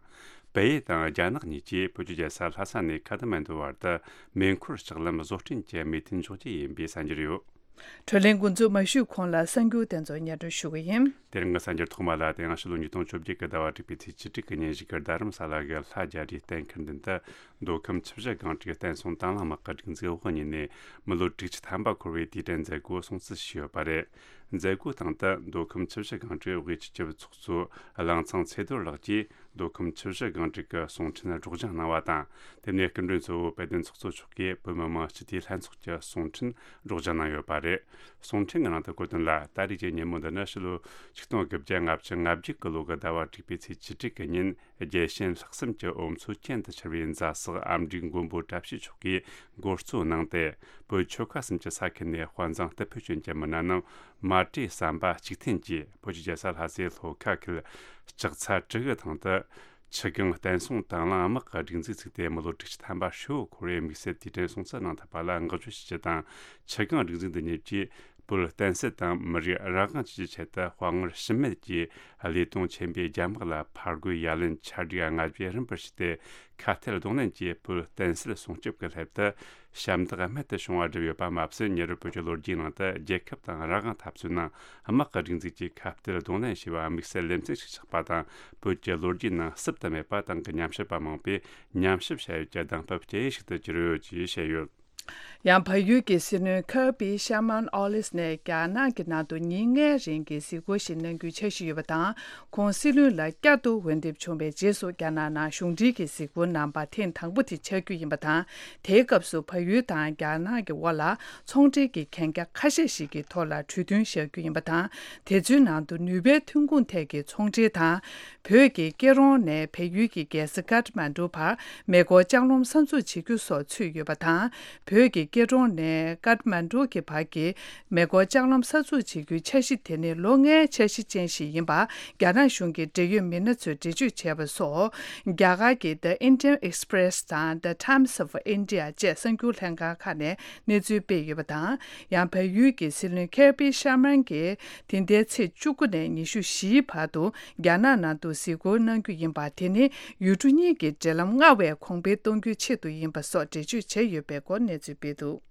བལ་ཡུལ་དང་རྒྱ་ནག་གཉིས་ཀྱིས་བོད་ཀྱི་རྒྱལ་ས་ལྷ་ས་ནས་ཁ་ཐ་མན་ཌུ་བར་དུ་མེ་འཁོར་ལྕགས་ལམ་བཟོ་སྐྲུན་གྱི་མོས་མཐུན་འཇོག་རྒྱུ་ཡིན་པའི་གསར་འགྱུར་ཡོད། བགྲོ་གླེང་འགོ་འཛུགས་མ་ཞུས་གོང་ལ་གསར་འགྱུར་དེ་ཚོ་སྙན་སྒྲོན་ཞུ་གི་ཡིན། དེ་རིང་གི་གསར་འགྱུར་ཐོག་མ་ལ། དེ་ཡང་ཕྱི་ལོ་ཉིས་སྟོང་བཅོ་བརྒྱད་ཀྱི་ཟླ་བ་དྲུག་པའི་ཚེས་བཅུ་དྲུག་གི་ཉིན། བཞུགས་སྒར་རྡ་རམ་ས་ལ་གི་ལྷ་རྒྱ་རིའི་གཏན་འཁེལ་མདུན་དུ། མདོ་ཁམས་ཆུ་བཞི་སྒང་དྲུག་བསྟན་སྲུང་དང་བླངས་དམག་གི་སྒྲིག་འཛུགས་དབུ་བརྙེས་ནས་མི་ལོ་དྲུག་ཅུ་ཐམ་པ་འཁོར་བའི་དུས་དྲན་མཛད་སྒོ་སྲུང་བརྩི་ཞུས་ཡོད་པ་རེད། མཛད་སྒོའི་སྟེང་དུ་མདོ་ཁམས་ཆུ་བཞི་སྒང་དྲུག་དབུས་སྤྱི་ཁྱབ་ཚོགས་གཙོ་གླང་ཚང་ཚེ་རྡོར་ལགས་ཀྱིས། མདོ་ཁམས་ཆུ་བཞི་སྒང་དྲུག་གི་གསུང་འཕྲིན་སྒྲོག་སྦྱང་གནང་བ་དང་། དེ་ནས་སྐུ་མགྲོན་གཙོ་བོ་དཔལ་ལྡན་ཚོགས་གཙོ་མཆོག་གིས་བོད་མི་མང་སྤྱི་འཐུས་ལྷན་ཚོགས་ཀྱི་གསུང་འཕྲིན་སྒྲོག་སྦྱང་གནང་ཡོད་པ་རེད། གསུང་འཕྲིན་གྱི་ནང་དུ་བཀོད་དོན་ལ། ད་རེས་ཀྱི་ཉིན་མོ་འདི་ནི་ཕྱི་ལོ་ཆིག་སྟོང་དགུ་བརྒྱ་ལྔ་བཅུ་ང་བརྒྱད་ཀྱི་ལོ་གི་ཟླ་བ་དྲུག་པའི་ཚེས་བཅུ་དྲུག་གི་ཉིན། རྒྱལ་ཞེན་ལྷག་བསམ་གྱི་འོ་མཚོ་གྱེན་དུ་འཆར་བའི་མཛའ་བསགས་ཨ་མྲའི་མགོན་པོ་བཀྲ་ཤིས་མཆོག་གིས་འགོ་གཙོ་གནང་སྟེ། བོད་ཆོལ་ཁ་གསུམ་གྱི་ས་ཁུལ་ནས་དཔའ་མཛངས་རྟུལ་ཕོད་ཅན་གྱི་མི་སྣ་རྣམས་མ་གྲོས་བསམ་པ་གཅིག་མཐུན་གྱིས་བོད་ཀྱི་རྒྱལ་ས་ལྷ་སའི་ལྷོ་ཁ་ཁུལ་ལྕགས་ཚ་གྲི་གུ་ཐང་དུ། ཆུ་སྒང་བསྟན་སྲུང་དང་བླངས་དམག་གི་སྒྲིག་འཛུགས་བཙུགས་ཏེ་མི་ལོ་དྲུག་ཅུ་ཐམ་པ་ཧྲིལ་བོ་འཁོར་བའི་དམིགས་བསལ་དུས་དྲན་སྲུང་བརྩི་གནང་ཐུབ་པ་ལ་བསྔགས་བརྗོད་ཞུ་རྒྱུ་དང་། ཆུ་སྒང་སྒྲིག་འཛུགས་འདི་ཉིད་ཀྱིས་བོད་བསྟན་སྲིད་དང་མི་རིགས་རང་དབང་བཅས་ཀྱི་ཆེད་དུ་དཔའ་ངར་ཞུམ་མེད་ཀྱིས་བློས་གཏོང་ཆེན་པོས་རྒྱ་དམག་ལ་ཕར་རྒོལ་ཡ་ལན་ཆ་བགོས་ལྔ་བརྒྱ་རིམ་པར་བྱས་ཏེ། ཁ་གཏད་གདོང་ལེན་གྱིས་བོད་བསྟན་སྲིད་སྲུང་སྐྱོབ་ཀྱི་སླད་དུ་ཞབས་འདེགས་རྨད་དུ་བྱུང་བ་བསྒྲུབས་ཡོད་པ་མ་ཟད། ཉེ་རབས་བོད་ཀྱི་ལོ་རྒྱུས་ནང་དུ་རྒྱལ་ཁབ་དང་རང་དབང་འཐབ་རྩོད་ནང་དམག་གི་སྒྲིག་འཛུགས་ཀྱིས་ཁ་གཏད་གདོང་ལེན་བྱས་པ་དམིགས་བསལ་ལེ་ཚན་ཞིག་ཆགས་པ་དང་། བོད་ཀྱི་ལོ་རྒྱུས་ནང་བསུབ་ཏུ་མེད་པ་དེང་གི་ཉམས་ཞིབ་པ་མང་པོས་ཉམས་ཞིབ་བྱ་ཡུལ་གྱི་གདམ་དཔེ་སྐྱེལ་ཡུལ་ཞིག་ཏུ་གྱུར་ཡོད་ཅེས་བཤད་ཡོད། ཡང་བལ་ཡུལ་གྱི་སྲིད་བློན་ཁར་པི་ཤར་མན་ཨོ་ལིས་ནས་རྒྱ་ནག་གི་ནང་དུ་ཉིན་ལྔའི་རིང་གི་གཟིགས་སྐོར་ཞིག་གནང་རྒྱུའི་འཆར་གཞི་ཡོད་པ་དང་། ཁོང་སྲིད་བློན་ལ་བསྐྱར་དུ་འོས་འདེམས་བྱུང་བའི་རྗེས་སུ་རྒྱ་ནག་ནང་གཞུང་འབྲེལ་གྱི་གཟིགས་སྐོར་གནང་པ་ཐེངས་དང་པོ་དེ་ཆགས་རྒྱུ་ཡིན་པ་དང་། དེའི་སྐབས་སུ་བལ་ཡུལ་དང་རྒྱ་ནག་གི་དབར་ལ་ཚོང་འབྲེལ་གྱི་གན་རྒྱ་ཁ་ཤས་ཤིག་གི་ཐོག་ལ་གྲོས་མཐུན་བཞག་རྒྱུ་ཡིན་པ་དང་། དེ་ཚོའི་ནང་དུ་ནུས་པའི་ཐོན་ཁུངས་ཐད་ཀྱི་ཚོང་འབྲེལ་དང་། བོད་ཀྱི་སྐྱིད་གྲོང་ནས་བལ་ཡུལ་གྱི་རྒྱལ་ས་ཀཏ་མན་ཌུ་བར་མེ་འཁོར་ལྕགས་ལམ་གསར་འཛུགས་བྱེད་རྒྱུ་སོགས་ཚུད་ཡོད་པ་དང་། བོད་ཀྱི་སྐྱིད་གྲོང་ནས་ཀཏ་མན་ཌུ་གྱི་བར་གྱི་མེ་འཁོར་ལྕགས་ལམ་གསར་འཛུགས་བྱེད་རྒྱུའི་འཆར་གཞི་དེ་ནི་ལོ་ལྔའི་འཆར་གཞི་ཅན་ཞིག་ཡིན་པ་རྒྱ་ནག་གཞུང་གི་འབྲེལ་ཡོད་མི་སྣ་ཚོས་འགྲེལ་བརྗོད་བྱས་པ་སོགས། རྒྱ་གར་གྱི་The Indian Express དང་The Times of India བཅས་གསར་འགྱུར་ལྷན་ཁང་ཁག་ནས་གནས་ཚུལ་སྤེལ་ཡོད་པ་དང་། ཡང་བལ་ཡུལ་གྱི་སྲིད་བློན་ཁར་པི་ཤར་མན་གྱིས་དེ་ཟླའི་ཚེས་བཅུ་དགུ་ནས་ཉི་ཤུ་བཞིའི་བར་དུ་རྒྱ་ནག་ནང་དུ་གཟིགས་སྐོར་གནང་རྒྱུ་ཡིན་པ། དེ་ནི་ཡུལ་གྲུ་གཉིས་ཀྱི་འབྲེལ་ལམ་སྔར་བས་གོང་འཕེལ་གཏོང་རྒྱུའི་ཆེད་དུ་ཡིན་པ་སོགས་འགྲེལ་བརྗོད་བྱས་ཡོད་པའི་སྐོར་གནས་ཚུལ་སྤེལ་འདུག།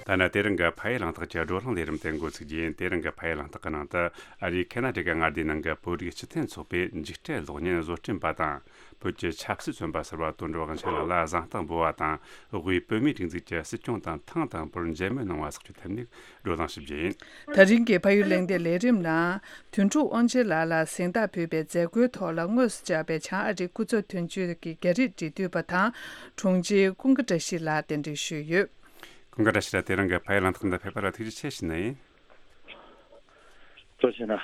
ད་ནི་དེ་རིང་གི་ཕ་ཡུལ་གླེང་སྟེགས་ཀྱི་བགྲོ་གླེང་ལས་རིམ་དེ་འགོ་ཚུགས་རྒྱུ་ཡིན། དེ་རིང་གི་ཕ་ཡུལ་གླེང་སྟེགས་ཀྱི་ནང་དུ་ཨ་རིའི་ཁེ་ན་ཌ་གི་མངའ་སྡེའི་ནང་གི་བོད་རིགས་སྤྱི་མཐུན་ཚོགས་པའི་འཇིགས་བྲལ་གློག་བརྙན་བཟོ་སྐྲུན་པ་དང་། བོད་ཀྱི་ཆབ་སྲིད་བཙོན་པ་ཟུར་པ་དོན་གྲུབ་དབང་ཆེན་ལགས་ལ་གཟེངས་རྟགས་འབུལ་བ་དང་། དབུས་བོད་མིའི་སྒྲིག་འཛུགས་ཀྱི་སྲིད་སྐྱོང་དང་ཐེངས་དང་པོར་མཇལ་མོལ་གནང་བ་སོགས་ཀྱི་ཐད་ནས་བགྲོ་གླེང་ཞིབ་རྒྱུ་ཡིན། ད་རིང་གི་ཕ་ཡུལ་གླེང་སྟེགས་ལས་རིམ་ནང་། དོན་གྲུབ་དབང་ཆེན་ལགས་ལ་གཟེངས་རྟགས་ཕུལ་བའི་མཛད་སྒོའི་ཐོག་ལ་དངོས་སུ་བཅར་བའི་བྱང་ཨ་རིའི་སྐུ་ཚབ་དོན་གཅོད་ཀྱི་རྒྱ་རིགས་འབྲེལ་མཐུད་པ་དང་། དྲུང་ཆེ་ཀུན་དགའ་བཀྲ་ཤིས་ལགས་གདན་འདྲེན་ཞུས་ཡོད། ཀུན་དགའ་བཀྲ་ཤིས་ལགས། དེ་རིང་གི་ཕ་ཡུལ་གླེང་སྟེགས་འདི་ཕེབས་པ་ལ་ཐུགས་རྗེ་ཆེ་ཞུ་ནི་ཡིན། གཙོ་ཆེ་ན།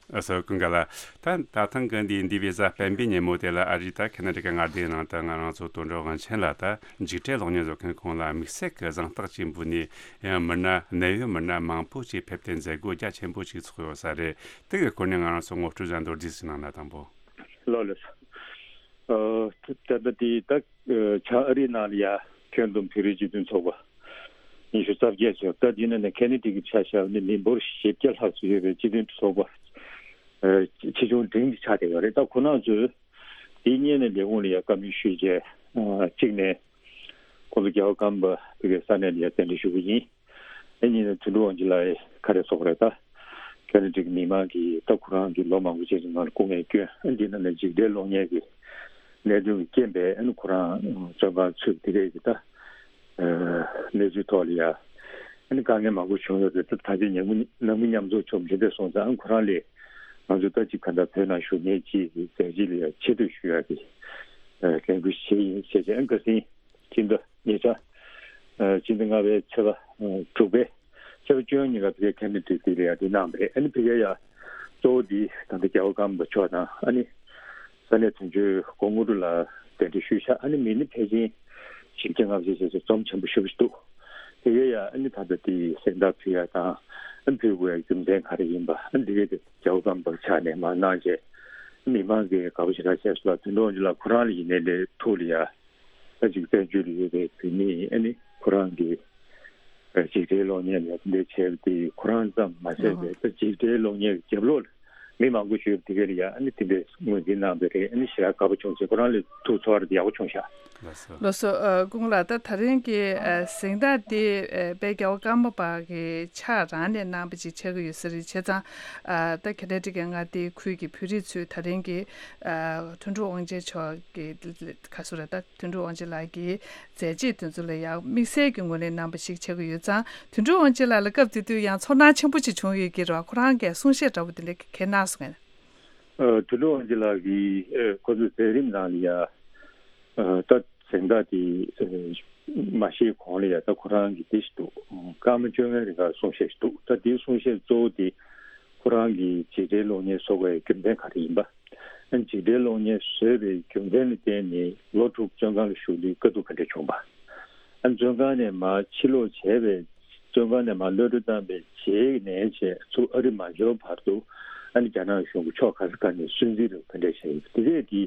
ཨ་སོ་ཀུན་དགའ་ལགས། ད་ད་ཐེངས་ཀྱི་འདི་འདི་བི་ཟ་སྤེན་པའི་ཉིན་མོ་དེ་ལ་ཨ་རི་དང་ཁེ་ན་ཌ་གི་མངའ་སྡེའི་ནང་དུ་ང་རང་ཚོ་དོན་གྲུབ་དབང་ཆེན་ལགས་དང་འཇིགས་བྲལ་གློག་བརྙན་བཟོ་མཁན་ཁོང་ལ་དམིགས་བསལ་གྱི་གཟེངས་རྟགས་ཅིག་འབུལ་ནས། ཡང་མི་སྣ་གནད་ཡོད་མི་སྣ་མང་པོ་ཅིག་ཕེབས་ཏེ་མཛད་སྒོ་རྒྱ་ཆེན་པོ་ཅིག་ཚོགས་ཡོད་ས་རེད། དེ་གི་སྐོར་ནས་ང་རང་ཚོ་ངོ་སྤྲོད་ཅིག་མདོར་བསྡུས་ཤིག་གནང་ན་དང་པོ། ལགས་ལགས། ཨ་ད་ལྟ་དེ་ད་བྱང་ཨ་རིའི་ནང་ལ་ཡ་ཁྱོན་བསྡོམས་བོད་རིགས་སྤྱི་མཐུན་ཚོགས་པ་ཉི་ཤུ་རྩ་བརྒྱད་ཙམ། ད་དེ་ནང་ནས་ཁེ་ན་ཌ་གི་ཆ་བཞག་ན་མི་འབོར་བཞི་བརྒྱ་ལྷག་ཙམ་ཡོད་པའི་སྤྱི་མཐུན་ཚོགས་པ་ཆེ་ཆུང་འབྲིང་གི་ཆ་དེ་ཡོད་རེད། ད་ཁོ་རང་ཚོས་དེའི་སྔོན་ནས་ལས་ཁུངས་ལ་ཡ་བཀའ་མོལ་ཞུས་རྗེས། གཅིག་ནས་ཁོ་ཚོ་རྒྱལ་བ་ཀརྨ་པ་བོད་ཀྱི་ས་གནས་ལ་ཡ་གདན་འདྲེན་ཞུ་གི་ཡིན། ཨ་ནི་དོན་གྲུབ་དབང་ཆེན་ལགས་ཁ་རེ་སོགས་རེད། ད་ཁེ་ན་ཌ་གི་མི་མང་གིས་ད་ཁོ་རང་གི་ལོ་མང་པོ་ཅིག་གི་ནང་ལ་སྐུ་ངལ་བསྐྱོན། ཨ་འདི་ནང་ནས་འཇིགས་བྲལ་གློག་བརྙན་གྱི་གནད་དོན་གྱི་རྐྱེན་པས་ཨ་ནི་ཁོ་རང་བཙོན་ཁང་ཚུད་པ་དེ་གས་ཀྱི་ད་གནས་ཚུལ་ཐོག་ལ་ཡ་ཨ་ནི་དཀའ་ངལ་མང་པོ་བྱུང་ཡོད་རེད། ད་ད་ཆ་ནང་མི་ནང་མི་མཉམ་འཛོམས་བྱུང་མི་འདྲ་སོང་ཙང་ཨ་ཁོ་རང་ལས་ང་ཚོ་ད་ཅིག་ག་འདྲ་བོད་ནང་བཞུགས་མཁན་ཅིག་གི་མཛད་རྗེས་ལ་ཡ་ཆེ་བསྟོད་ཞུ་ཡ་གི་ལས་འགུལ་བྱས་ཡིན་ཟེར་བྱས། ཨ་ཁ་སང་སྤྱི་ཟླ་ཉེ་ཆར། ཨ་སྤྱི་ཟླ་ལྔ་པའི་ཚེས་པ་ཨ་དྲུག་པའི་ཚེས་པ་བཅུ་གཉིས་ལ་ཕ་གིའི་ཁེ་ན་ཌ་དེ་ལ་ཡ་དེ་གནང་བ་རེད། ཨ་ནི་ཕ་གིར་ཡ་གཙོ་བོ་དེ་ད་ལྟ་རྒྱལ་བ་ཀརྨ་པ་མཆོག་དང་ཨ་ནི་ས་གནས་དོན་གཅོད་སྐུ་ངོ་དངོས་གྲུབ་ལགས་གདན་འདྲེན་ཞུས་ཤག་ཨ་ནི་མི་ནི་ཕལ་ཆེར་བཞི་བརྒྱ་ལྔ་བཅུ་ཞེ་ཅིག་འཛོམས་ཆེན་པོ་ཞེ་པོ་ཞིག་འདུག་ཕ་གིར་ཡ་ཨ་ནི་ད་ལྟ་དེ་གཟེངས་རྟགས་ཕུལ་ཡ་དང་ཨ་ནི་ཕུལ་དགོས་ཡ་རྒྱུ་མཚན་ག་རེ་ཡིན་པ། ཨ་ནི་དེ་གས་དེ་རྒྱལ་བ་ཀརྨ་པ་ཕྱག་ནས་མར་གནང་རྗེས་མི་མང་གིས་དགའ་པོ་ཞེ་དྲག་བྱས་སོང་ལ། དོན་གྲུབ་དབང་ཆེན་ལགས་ཁོ་རང་ལ་ཡིན་ནའི་ལས་ཐུགས་ལ་ཡ། ད་ཅིག་བཙན་བྱོལ་ལ་ཡོད་པའི་བོད་མི་ཨ་ནི་ཁོ་རང་གི་ཨ་འཇིགས་བྲལ་གློག་བརྙན་ལ་འདི་འདྲ་བྱས་པ་དེ་ཁོ་རང་ཙམ་མ་ཟད་པའི་ད་འཇིགས་བྲལ་གློག་བརྙན་གྱི་རྒྱབ་ལོགས་ལ་མི་མང་པོ་ཞིག་ཡོད་པ་དེ་ག་ལ་ཡ་ཨ་ནི་དེ་འདྲའི་ངོས་འཛིན་གནང་བ་རེད། ཨ་ནི་ཞེ་དྲག་དགའ་པོ་བྱུང་ཟེར། ཁོ་རང་ལ་ཐུགས་ཚོར་ཡག་པོ་བྱུང་ཤག་ལགས་སོ། ལགས་སོ། ཨ་སྐུ་ངོ་ལགས། ད་ད་རིང་གི་ཨ་གཟེངས་རྟགས་དེ་ཨ་དཔལ་རྒྱལ་བ་ཀརྨ་པ་གི་ཕྱག་རང་ནས་གནང་བ་ཅིག་ཆགས་ཀྱི་ཡོད་ས་རེད། བྱས་ཙང་ཨ་ད་ཁེ་ན་ཌ་གི་མངའ་སྡེའི་ཁུལ་གྱི་བོད་རིགས་ཚོས་ད་རིང་གི་ཨ་དོན་གྲུབ་དབང་ཆེན་མཆོག་གི་ག་ཚོད་རེད། ད་དོན་གྲུབ་དབང་ཆེན་ལགས་ཀྱི་མཛད་རྗེས་དེ་ཚོ་ལ་ཡང་དམིགས་བསལ་གྱི་ངོས་ནས་གནང་བ་ཞིག་ཆགས་ཀྱི་ཡོད་ཙང་། དོན་གྲུབ་དབང་ཆེན་ལགས་ལ་སྐབས་དེ་དུས་ཡང་ཚོར་སྣང་ཆེན་པོ་ཅིག་བྱུང་ཡོད་ཀྱི་རེད་བ། ཁོ་རང་གིས་གསུང་བཤད་འདྲ་བོ་དེ་འདྲ་གནང་སོང་ངས། ཨ་དོན་གྲུབ་དབང་ཆེན་ལགས་ཀྱིས་ཨ་ཁོ་ཚོའི་མཛད་རིམ་ནང་ལ་ཡ་ཨ་ད་གཟེངས་རྟགས་དེ་ཨ་མ་བཞེས་གོང་ལ་ཡ་ད་ཁོ་རང་གི་དེ་ཞིག་འདུག་ཀརྨ་བཅོ་ལྔའི་རིང་ག་གསུང་བཤད་ཞིག་འདུག་ད་དེའི་གསུང་བཤད་གཙོ་བོ་དེ་ཁོ་རང་གིས་འཇིགས་བྲལ་གློག་བརྙན་བཟོ་དགོས་ཡའི་རྒྱུ་མཚན་ག་རེ་ཡིན་པ། ཨ་འཇིགས་བྲལ་གློག་བརྙན་བཟོས་པའི་རྒྱུ་མཚན་ལ་བརྟེན་ནས་ལོ་དྲུག་བཙོན་ཁང་ལ་བཞུགས་དུས་དཀའ་སྡུག་ག་འདྲ་བྱུང་བ། ཨ་བཙོན་ཁང་ནས་མར་ཕྱིར་ལོག་བྱས་པའི་བཙོན་ཁང་ནས་མར་གློད་གྲོལ་བཏང་བའི་རྗེས་ནས་བྱས་ཚུར་ཨ་རི་མ་འབྱོར་བར་དུ་ཨ་ནི་རྒྱ་ནག་གཞུང་གི་ཕྱོགས་ག་ས་ག་ནས་སུན་གཙེར་རེད་ག་འདྲ་བྱས་ཡོད་པ་དེ་གས་དེ་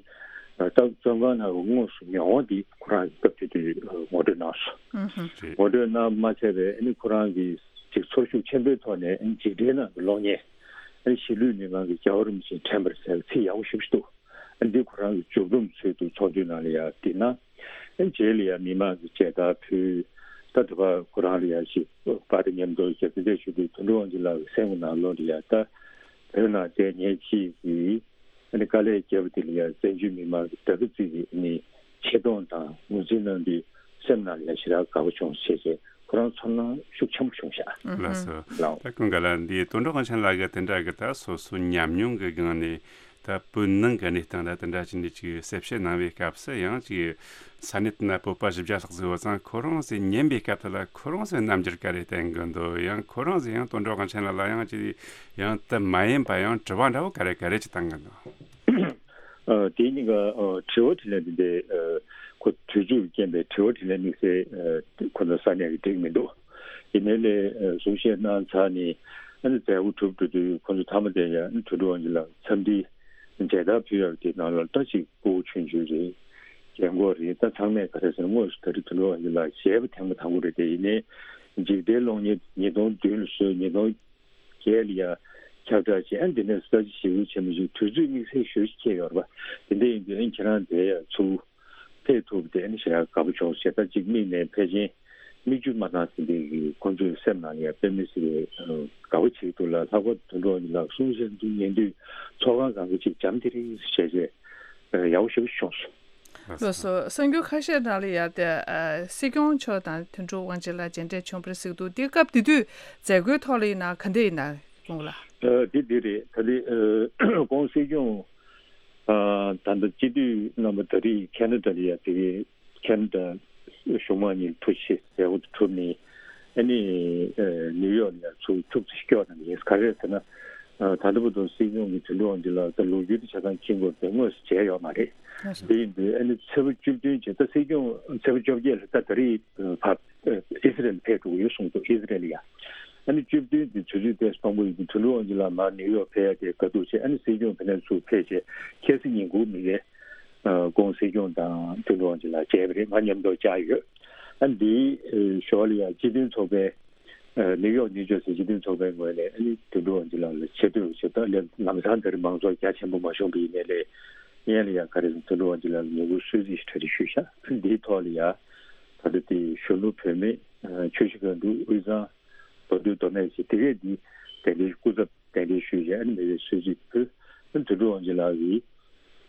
ད་བཙོན་ཁང་ནང་གི་དངོས་སུ་མྱོང་བ་དེ་ཁོ་རང་གི་སྐབས་དེ་དུས་ངོ་སྤྲོད་གནང་སོང་། ངོ་སྤྲོད་གནང་མ་ཚད་པའི་ཨ་ནི་ཁོ་རང་གི་ཅིག་ཚོར་ཤུགས་ཆེན་པོའི་ཐོག་ནས་ཨ་ནི་འཇིགས་བྲལ་ནང་གི་གློག་བརྙན། ཨ་ནི་གཞིས་ལུས་མི་མང་གི་རྒྱལ་བ་རིན་པོ་ཆེ་དྲན་པར་ཟེར་བའི་ཚིག་ཡག་པོ་ཞེ་པོ་ཅིག་འདུག་ཨ་འདི་ཁོ་རང་གི་མཇུག་བསྡོམས་ཚུལ་དུ་ཚོགས་འདུའི་ནང་ལ་ཡ་བསྡུས་ན། ཨ་རྗེས་ལ་ཡ་མི་མང་གི་མཇལ་དར་ཕུལ། ད་དེ་བར་ཁོ་རང་ལ་ཡ་ཞིག་པར་དང་མཉམ་དུ་ཞབས་ཕྱི་ཞུ་དུས་དོན་གྲུབ་དབང་ཆེན་ལགས་ཀྱི་སེམས་ཀྱི་ནང་ལོགས་ལ་ཡ་ད་བོད་ནང་བསྡད་མཁན་གཅིག་གིས་ཨ་ནི་དཀའ་ལས་བརྒྱབ་པ་དེ་ལ་ཡ་བཙན་བྱོལ་མི་མང་གི་དགའ་སྐྱིད་ཀྱི་ཨ་ནི་ཆེ་མཐོང་དང་ངོས་འཛིན་གནང་དུས་སེམས་ནང་ལ་ཡ་ཞེ་དྲག་དགའ་པོ་བྱུང་བྱས་བྱས་ཁོ་རང་ཚོར་སྣང་ཤུགས་ཆེན་པོ་བྱུང་ཤག་ལགས་སོ། ལགས། ད་ཀུན་དགའ་ལགས། འདི་དོན་གྲུབ་དབང་ཆེན་ལགས་ཀྱིས་དེ་འདྲ་གི་ད་སོ་སོའི་ཉམས་མྱོང་གི་སྒང་ནས་ད་བོད་ནང་གི་གནས་སྟངས་ལ་དེ་འདྲ་ཅིག་འདི་ཅིག་གསལ་བཤད་གནང་བའི་སྐབས་སུ་ཡང་ཅིག་ས་གནས་དེ་ན་བོད་པ་བཞི་བརྒྱ་ལྷག་ཙམ་ཡོད་ཙང་ཁོ་རང་ཚོས་ཉན་པའི་སྐབས་དེ་ལ་ཁོ་རང་ཚོས་རྣམ་འགྱུར་ག་རེ་བསྟན་གི་འདུག་ཡང་ཁོ་རང་ཚོས་ཡང་དོན་གྲུབ་དབང་ཆེན་ལགས་ལ་ཡང་ཅིག་ཡང་དེ་མ་ཡིན་པ་ཡང་དྲི་བ་འདྲ་བོ་ག་རེ་ག་རེ་ཅིག་བཏང་གི་འདུག་ཨ་དེ་གཉིས་ཀ་ཨ་དྲི་བ་དྲིས་ལན་དེ་འདྲའི་ཨ་ཁོ་དུས་ཚོད་ཀྱི་རྐྱེན་པས་དྲི་བ་དྲིས་ལན་དམིགས་བསལ་ཨ་ཁོ་ཚོ་ས་གནས་ཀྱི་འགྲིག་མི་འདུག་ཡིན་ནའི་ལས་ཨ་གསུང་བཤད་གནང་ཚར་ནས་ཨ་ནི་མཛད་སྒོ་གྲུབ་འགྲོ་དུས་ཁོ་ཚོ་མཐའ་མ་དེ་ཡང་ཨ་ནི་དོན་གྲུབ་དབང་ཆེན་ལགས་འཚམས་འདྲི་མཇལ་དར་ཕུལ་ཡག་དེ་ནང་ལ་ད་ཅིག་སྤོ་བོ་ཆུང་ཆུང་རེད། རྒན་གོག་རེད། ད་ཚང་མས་ག་རེ་ཟེར་ན་དངོས་སུ་ད་རེས་དོན་གྲུབ་དབང་ཆེན་ལགས་མཇལ་བ་ཐེངས་མ་དང་པོ་རེད། དེ་ཡིན་ནའི་འཇིགས་བྲལ་གློག་བརྙན་ཉིས་སྟོང་བདུན་ལ་བཟོས། ཉིས་སྟོང་རྒྱལ་ལ་ཡ་ཁྱབ་བསྒྲགས་བྱས། ཨ་འདི་ནས་ས་ཆ་ཞིག་ཆེན་པོ་ཞིག་དུས་ཚོད་དམིགས་བསལ་ཞུ་ཞིག་ཁྱེད་ཡོད་རེད་པ། དེ་འདྲ་ཡིན་དུས་ཨ་ཁྱེད་རང་དེ་ཡ་ཚུར་ཕེབས་ཐུབ་པ་དེ་ཨ་ནི་ཞེ་དྲག་དགའ་པོ་བྱུང་ཞེས། ད་གཅིག་མིག་ནས་ཕལ་ཆེར་ མིག་ཆུ་མ་བཏང་ཟིན་པའི་གི་ཁོང་ཚོའི་སེམས་ནང་ལ་ཡང་དཔེ་མི་སྲིད་པའི་ཨ་དགའ་པོ་བྱེད་འདུག་ལ། ལྷག་པར་དུ་དོན་གྲུབ་དབང་ཕྱུག་ལགས་གསུང་བཤད་འདི་ཉན་དུས་ཚོགས་ཁང་སྒང་ག་ཅིག་འཇམ་ཐིང་ཐིང་བྱས་བྱས་ཨ་ཡག་པོ་ཞེ་པོ་བྱུང་སོང་། ལགས་སོ། གསར་འགྱུར་ཁ་ཤས་ནང་ལ་ཡང་དེ་ཨ་སྲིད་སྐྱོང་མཆོག་དང་དོན་གྲུབ་དབང་ཕྱུག་ལགས་མཇལ་འཕྲད་བྱུང་བ་རེད་ཟེར་གྱི་འདུག་དེ་སྐབས་དེ་དུས་མཛད་སྒོའི་ཐོག་ལ་ཡིན་ན་ག་འདྲ་ཡིན་ན་སྐུ་ངོ་ལགས། ཨ་དེ་དེ་རེད། ད་དེ་ཨ་ཁོང་སྲིད་སྐྱོང་ཨ་ད་ལྟ་སྤྱི་འཐུས་རྣམ་པ་ད་རེས་ཁེ་ན་ཌ་ལ་ཡ་དེ་གའི་ཁེ་ན་ཌ་གཞུང་མང་གཉིས་ལ་ཐུགས་རྗེ་ཆེ་ཟེར་འོ་དེ་གྲུབ་ནས་ཨ་ནི་ཨ་ནིའུ་ཡོག་ལ་ཡ་ཚུར་ཁྱུག་ཙམ་སྐྱོད་གནང་གི་ཡིན། ག་རེ་ཟེར་ན་ཨ་ད་ལྟ་བར་དུ་སྲིད་སྐྱོང་གི་དོན་གྲུབ་དབང་ཕྱུག་ལགས་ད་ལོ་རྒྱུས་དེ་ཆ་ཚང་མཁྱེན་གྱི་ཡོད་རེད། དེ་དངོས་སུ་མཇལ་ཡོད་མ་རེད། ལགས་སོ། དེ་ཡིན་དུས་ཨ་ནི་ཚེས་པ་བཅུ་བདུན་བྱས་ད་སྲིད་སྐྱོང་ཚེས་པ་བཅོ་བརྒྱད་ལ་ད་ད་རེས་ཕར་ཨིས་རལ་ཕེབས་འགྲོ་གི་ཡོད་གསུངས་འདུག་ཨིས་རལ་ཡ། ཨ་ནི་བཅུ་བདུན་དེ་དུས་ཚོད་ཏོག་ཙམ་ཕངས་པོ་ཡིན་དུས་དོན་གྲུབ་དབང་ཕྱུག་ལགས་མར་ནིའུ་ཡོག་ཕེབས་ཡ་དེ་དགའ་སྡུག་ཆེ། ཨ་ནི་སྲིད་སྐྱོང་ཕེབས་ནས་ཚུར་ཕེབས་བྱས་ཁ་སང་ཉིན་གུང་མི་ཡས་ཨ་ཁོང་སྲིད་སྐྱོང་དང་དོན་གྲུབ་དབང་ཕྱུག་ལགས་མཇལ་བ་རེད། ང་མཉམ་དུ་བཅར་ཡོད། ཨ་ནི་དེའི་ཨ་ཞོར་ལ་ཡང་སྤྱི་མཐུན་ཚོགས་པའི་ཨ་ནིའུ་ཡོག་ནིའུ་ཇར་སི་སྤྱི་མཐུན་ཚོགས་པའི་ངོས་ནས་ཨ་ནི་དོན་གྲུབ་དབང་ཕྱུག་ལགས་ལ་ཆེ་བསྟོད་ཞུ་ད་ལས་ལམ་སང་ད་རེས་མང་ཚོགས་རྒྱ་ཆེན་པོ་མ་བྱུང་བ་ཡིན་ནའི་ལས་སྔོན་ལ་ཡང་ག་རེ་ཟེར་དོན་གྲུབ་དབང་ཕྱུག་ལགས་ལ་ངེས་པར་གསོལ་ཚིགས་ཞིག་གྲ་སྒྲིག་ཞུས་ཤག་ཨ་ནི་འདིའི་ཐོག་ལ་ཡང་ད་ལྟ་དེ་གཞོན་ནུ་བུད་མེད་ཨ་ཆུ་བཞི་སྒང་དྲུག་དབུས་གཙང་མདོ་སྟོད་མདོ་སྨད་ཅེས་དེ་གས་འདི་གདན་འདྲེན་སྐུ་ཚབ་གདན་འདྲེན་ཞུས་བྱས་ཨ་ནི་མི་རེར་གསོལ་ཚིགས་ཕུལ། ཨ་ནི་དོན་གྲུབ་དབང་ཕྱུག་ལགས་ཀྱིས་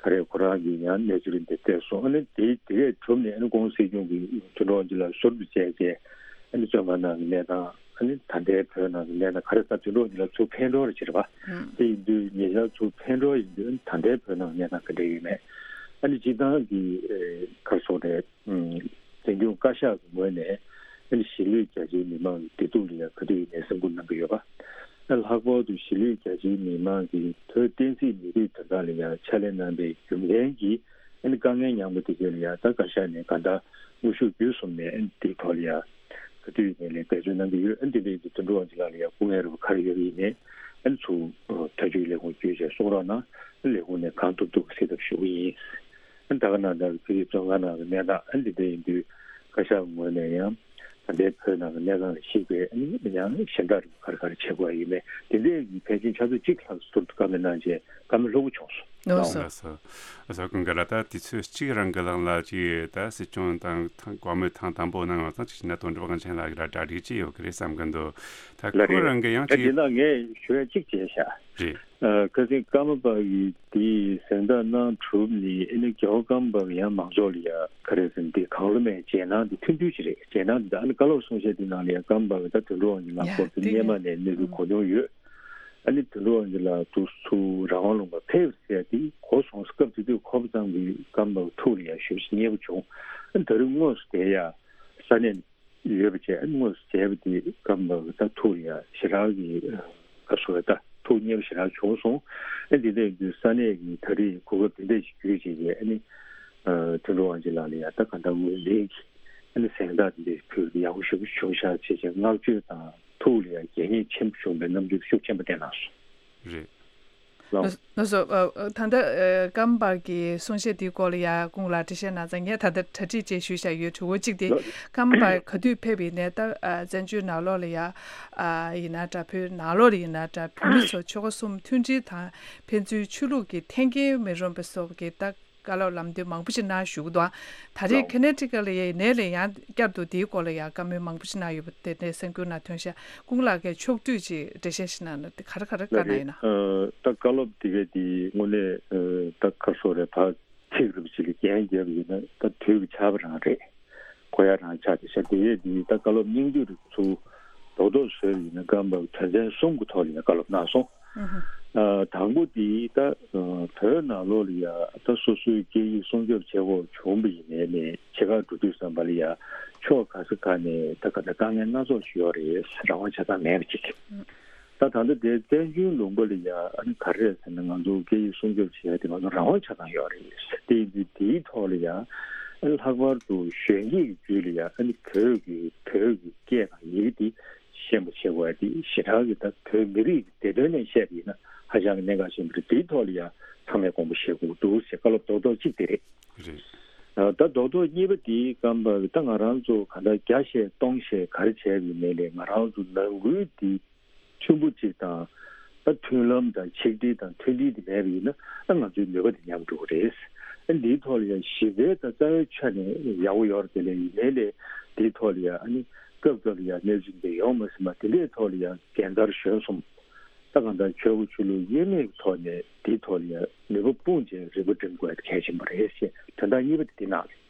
ག་རེ་ཁོ་རང་གིས་ཡང་གནས་ཚུལ་འདི་བལྟས་སོང་། ཨ་ནི་དེ་དེ་གས་གྲུབ་ནས་ཨ་ནི་ཁོང་སྲིད་སྐྱོང་གིས་དོན་གྲུབ་དབང་ཕྱུག་ལགས་ཟུར་དུ་བཅར་བྱས་ཨ་ནི་བཙོན་ཁང་ནང་གི་གནས་སྟངས་ཨ་ནི་ད་ལྟའི་བོད་ནང་གི་གནས་སྟངས་ག་རེ་ད་དོན་གྲུབ་དབང་ཕྱུག་ལགས་ཚུར་ཕེབས་འགྲོ་རེ་བྱེད་རེད་པ། ཨང་། དེ་ཡིན་དུས་ཉེ་ཆར་ཚུར་ཕེབས་འགྲོ་ཡིན་དུས་ཨ་ནི་ད་ལྟའི་བོད་ནང་གི་གནས་སྟངས་ག་འདྲ་ཡོད་མེད། ཨ་ནི་སྤྱིར་བཏང་གི་ཨེ་ག་རེ་ཟེར་དགོས་རེད། ཨུམ། བཙན་སྐྱོང་བཀའ་ཤག་གི་ངོས་ནས་ཨ་ནི་གཞིས་ལུས་རྒྱ་ཆེའི་མི་མང་གི་བདེ་སྡུག་ལ་ཡང་ག་དུས་ཡིན་ནའི་སེམས་ཁུར་གནང་གི་ཡོད་པ། ཨ་ལྷག་པར་དུ་གཞིས་ལུས་རྒྱ་ཆེའི་མི་མང་གིས་བོད་བསྟན་སྲིད་མི་རིགས་དོན་དག་ལ་ཡང་ཕྱག་ལས་གནང་པའི་རྒྱུ་མཚན་གྱིས་ཨ་ནི་དཀའ་ངལ་མྱངས་པ་དེ་གའི་ལ་ཡང་ད་བཀའ་ཤག་ནས་གང་ལྟར་དངོས་ཤུགས་བརྒྱུད་གསུམ་ནས་ཨ་ནི་དེའི་ཐོག་ལ་ཡང་ག་དུས་ཡིན་ནའི་ལ་འབད་བརྩོན་གནང་གི་ཡོད། ཨ་ནི་དེ་འདྲའི་དོན་གྲུབ་དབང་ཕྱུག་ལགས་ལ་ཡང་སྐུ་ངལ་རེ་བ་ག་རེ་ཡོད་པ་ཡིན་ནའི་ཨ་ནི་ཚུར་ཐག་གཅོད་ལས་ཁུངས་བརྒྱུད་བྱས་གསུང་རོགས་གནང་། ཨ་ནི་ལས་ཁུངས་ནས་གང་ཐུབ་ཐུབ་སེལ་ཐབས་ཞུ་གི་ཡིན། ཨ་ནི་ད་ག་ནང་ལྟར་བོད་ཀྱི་བཙོན་ཁང་ནང་གི་གནས་སྟངས་ཨ་ནི་འདི་འདྲ་ཡིན་དུས་བཀའ་ཤག་ངོས་ནས་ཡང་ད་ལྟའི་བོད་ནང་གི་གནས་སྟངས་ལ་གཞིགས་པའི་ཨ་ནི་ཡང་ཞན་དྲག་རིགས་ག་རེ་ག་རེ་བྱེད་དགོས་ཡིན་མེད་དེ་འདྲའི་གི་ཕལ་ཆེར་ཆུ་ཚོད་གཅིག་ལྷག་ཟུར་དུ་བཀའ་མོལ་གནང་རྗེས་བཀའ་མོལ་ལྷུག་པོ་བྱུང་སོང་། ལགས་སོ། ལགས་སོ། ལགས་སོ། ཀུན་དགའ་ལགས་ད་དུས་ཚོད་གཅིག་རང་གི་ལང་ལ་ཅིག་ད་སྲིད་སྐྱོང་དང་ཐང་བཀའ་མོལ་ཐེངས་དང་པོ་གནང་བ་དང་ཅིག་ན་དོན་གྲུབ་དབང་ཆེན་ལགས་ཀྱིས་ར་གྲ་སྒྲིག་ཅིག་ཡོད་ཀྱི་རེད་བསམ་གི་འདུག་ད་ལགས་ཁོ་རེད། རང་གི་ཡང་ད་ཅིག་དེ་ན་ངས་ཞུ་ཡ་གཅིག་བྱས་ཤག་རེད། ཨ་ཁ་སང་ཀརྨ་པ་ཡིས་དེའི་གཟེངས་རྟགས་གནང་གྲུབ་ནས་ཨ་ནི་རྒྱལ་བ་ཀརྨ་པ་ཡང་མང་ཚོགས་ལ་ཡ་ག་རེ་ཟེར་ན་དེ་གང་བློ་མེད་རྗེས་གནང་དེ་ཐུང་ཐུང་ཞིག་རེད། རྗེས་གནང་དེ་ད་ཨ་ནི་བཀའ་སློབ་གསུང་བཤད་དེ་ནང་ལ་ཡ་ཀརྨ་པ་ད་དོན་གྲུབ་དབང་ཆེན་ལགས་ཡ་སྐོར་དེ་དེ་སྔོན་མ་ནས་གནས་ཚུལ་གོ་མྱོང་ཡོད། ཨ་ནི་དོན་གྲུབ་དབང་ཆེན་ལགས་དུ་ཚུར་རང་དབང་ལུང་པ་ཕེབས་ཟེར་ཡ་དེ་གོ་སོང་། སྐབས་དེ་དུས་གོ་བ་ཙམ་གྱིས་ཀརྨ་པ་ཐུགས་ལ་ཡ་ཞེ་པོ་ཅིག་མཉེས་པོ་བྱུང་། ཨ་ནི་ད་རེས་དངོས་སུ་དེ་ཡ་ས་གནས་ཡོད་པ་བྱས་ཨ་ནི་དངོས་སུ་མཇལ་བ་དེ་ཀརྨ་པ་ད་ཐུགས་ལ་ཡ་ཞེ་དྲག་གི་ཨ་ག་རེ་ཟེར་ད་ཐུགས་མཉེས་པ་ཞེ་དྲག་བྱུང་སོང་། ཨ་འདི་འདྲ་ཡིན་དུས་ས་གནས་ཀྱི་ད་རེས་གོ་སྐབས་དེ་འདྲ་ཞིག་བརྒྱུད་བྱས་ཀྱི་ཨ་ནི་ཨ་དོན་གྲུབ་དབང་ཆེན་ལགས་ལ་ཡ་ད་ག་འདྲ་ངོས་འཛིན་གྱི་ཨ་ནི་གཟེངས་རྟགས་དེ་འདྲ་ཕུལ་བ་དེ་ཡག་པོ་ཞེ་པོ་བྱུང་ཤག་བྱས་བྱས་བསྔགས་བརྗོད་དང་ཐུགས་ལ་ཡ་དགྱེས་མཉེས་ཆེན་པོ་བྱུང་བའི་རྣམ་འགྱུར་ཤུགས་ཆེན་པོ་བསྟན་གནང་སོང་། རེད། ལགས། ལགས་སོ། ཨ་ཨ་ད་ལྟ་ཨ་ཀརྨ་པ་གི་གསུང་བཤད་དེའི་སྐོར་ལ་ཡ་སྐུ་ངོ་ལགས་འགྲེལ་བཤད་གནང་ཙང་ངས་ད་ལྟ་གྲ་སྒྲིག་བྱས་ཞུས་བཞག་ཡོད། དྲི་བ་གཅིག་དེ་ལགས། ཀརྨ་པ་ག་དུས་ཕེབས་པ་ཡིན་ནའི་ད་ཨ་བཙན་བྱོལ་ནང་ལོགས་ལ་ཡ་ཨ་ཡིན་ན་འདྲ་བོད་ནང་ལོགས་ལ་ཡིན་ན་འདྲ་བོད་མི་ཚོ་ཆོལ་ཁ་གསུམ་མཐུན་སྒྲིལ་དང་ཕན་ཚུན་ཆོས་ལུགས་ཀྱི་འཐེན་འཁྱེར་མི་རུང་བ་སོགས་ཀྱི་ད་བཀའ་སློབ་ལམ་སྟོན་མང་པོ་ཞིག་གནང་བཞུགས་འདུག་ཨ་ད་རེས་ལགས། ཁེ་ནེ་ཊི་ཀཊ་ལ་ཡ་ཡིན་ནའི་ལ་ཡང་བསྐྱར་དུ་དེའི་སྐོར་ལ་ཡ་བཀའ་མོལ་མང་པོ་ཞིག་གནང་ཡོད་པ་དེ་འདྲའི་གསར་འགྱུར་ནང་ཐོན་ཤག་སྐུ་ངོ་ལགས་ཀྱིས་ཕྱོགས་བསྡུས་ཅིག་འགྲེལ་བཤད་ཞིག་གནང་ན་དེ་ག་རེ་ག་རེ་བཀའ་གནང་ཡོད་ན། ལགས་རེད། ཨ་ད་བཀའ་སློབ་དེ་གའི་དེ་དངོས་གནས་ཨ་ད་ག་རེ་ཟེར་དགོས་རེད། ཕར་ཚིག་རེ་བ་ཅིག་ལ་རྒྱན་བརྒྱབ་པ་ཡིན་ན་ད་དུས་ཀྱི་ཆར་པ་རང་རེད། གོ་ཡ་རང་ཆགས་བསྡད་ཤག་དེ་གའི་དེ་ད་བཀའ་སློབ་སྙིང་བསྡུས་རེ་ཚུར་རྡོག་རྡོག་བཟོས་པ་ཡིན་ན་ཀརྨ་པ་དོན་ཚན་གསུམ་གྱི་ཐོག་ལ་ཡ་བཀའ་སློབ་གནང་སོང་། ཨ་དང་པོ་དེ་ད་ཨ་བོད་ནང་ལོགས་ལ་ཡ་ད་སོ་སོའི་སྐད་ཡིག་སྲུང་སྐྱོབ་བྱེད་དགོས་བྱུང་བ་ཡིན་ནའི་ནས་ཕྱི་ཁར་འགྲོ་དུས་ཙམ་པ་ལ་ཡ་ཕྱོགས་ག་ས་ག་ནས་ད་ག་ད་དཀའ་ངལ་སྣ་ཚོགས་ཤིག་ཡོད་རེད། རང་དབང་ཆ་ཚང་མེད་པ་ཅིག་ད་ད་ལྟ་དེ་བཙན་བྱོལ་ལུང་པ་ལ་ཡ་ཨ་ནི་ག་རེ་རེད་ཟེར་ན་ང་ཚོ་སྐད་ཡིག་སྲུང་སྐྱོབ་བྱེད་ཡ་དེ་ང་ཚོ་རང་དབང་ཆ་ཚང་ཡོད་རེད། དེ་ཡིན་དུས་དེའི་ཐོག་ལ་ཡ་ཨ་ནི་ལྷག་པར་དུ་གཞོན་སྐྱེས་ཀྱི་རྒྱུད་ལ་ཡ་ཨ་ནི་བོད་ཀྱི་བོད་ཀྱི་སྐད་དང་ཡི་གེ་དེ་ཤེས་པ་བྱེད་དགོས་ཡ་དེ་ཞེ་དྲག་གི་ད་བོད་མི་རིགས་ཀྱི་བདེ་དོན་ནས་བཤད་པ་ཡིན་ན་ཧ་ཅང་གི་གནད་འགག་ཆེན་པོ་རེད། དེའི་ཐོག་ལ་ཡ་ཚང་མས་དགོངས་པ་བཞེས་དགོས་འདུག་ཟེར་བཀའ་སློབ་རྡོག་རྡོག་གཅིག་དེ་རེད། རེད། ད་རྡོག་རྡོག་གཉིས་པ་དེ་ཀརྨ་པ་ད་ང་རང་ཚོ་ག་འདྲ་བརྒྱ་བཤད་སྟོང་བཤད་ག་རེ་བྱས་པ་ཡིན་ནའི་ལས་ང་རང་ཚོ་ནང་ཁུལ་དེ་མཐུན་པོ་གཅིག་དང་ད་མཐུན་ལམ་དང་ཆིག་སྒྲིལ་དང་མཐུན་སྒྲིལ་དེ་མེད་པ་ཡིན་ན་ཨ་ང་ཚོའི་ནུས་པ་དེ་ཉམས་འགྲོ་གི་རེད། འདིའི་ཐོག་ལ་ཡང་ཞི་བའི་དང་རྩ་བའི་ཆ་ནས་ཡག་པོ་ཡོད་རེད། དེ་ལས་ཡིན་ནའི་ལས་འདིའི་ཐོག་ལ་ཡང་ཨ་ནི་སྐབས་སྐབས་ལ་ཡང་གནས་ཚུལ་འདི་ཡོང་མ་སྲིད་པ་དེ་འདྲའི་ཐོག་ལ་ཡང་འགན་འཁར་གཞོན་གསུམ། ད་གང་ལྟར་ཆོས་སྐུ་ཆོས་ལུགས་དབྱེར་མེད་ཀྱི་ཐོག་ནས་འདིའི་ཐོག་ལ་ཡང་ནུས་པ་སྤུངས་བྱས་རིག་པ་སྒྲིམ་དགོས་གལ་ཆེན་པོ་རེད་ཅེས་དོན་དག་གཉིས་པ་དེ་འདི་གནང་རེད།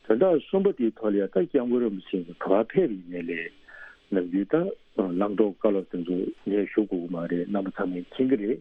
དོན་དག་གསུམ་པ་དེའི་ཐོག་ལ་ཡང་ད་སྐྱབས་མགོན་རིན་པོ་ཆེ་གི་ག་པར་ཕེབས་པ་ཡིན་ནའི་ལས་ནམ་རྒྱུན་ད་བླང་དོར་བཀའ་སློབ་དེ་ཚོ་ངས་ཞུ་དགོས་ཀྱི་མ་རེད། རྣམ་པ་ཚང་མས་མཁྱེན་གྱི་རེད།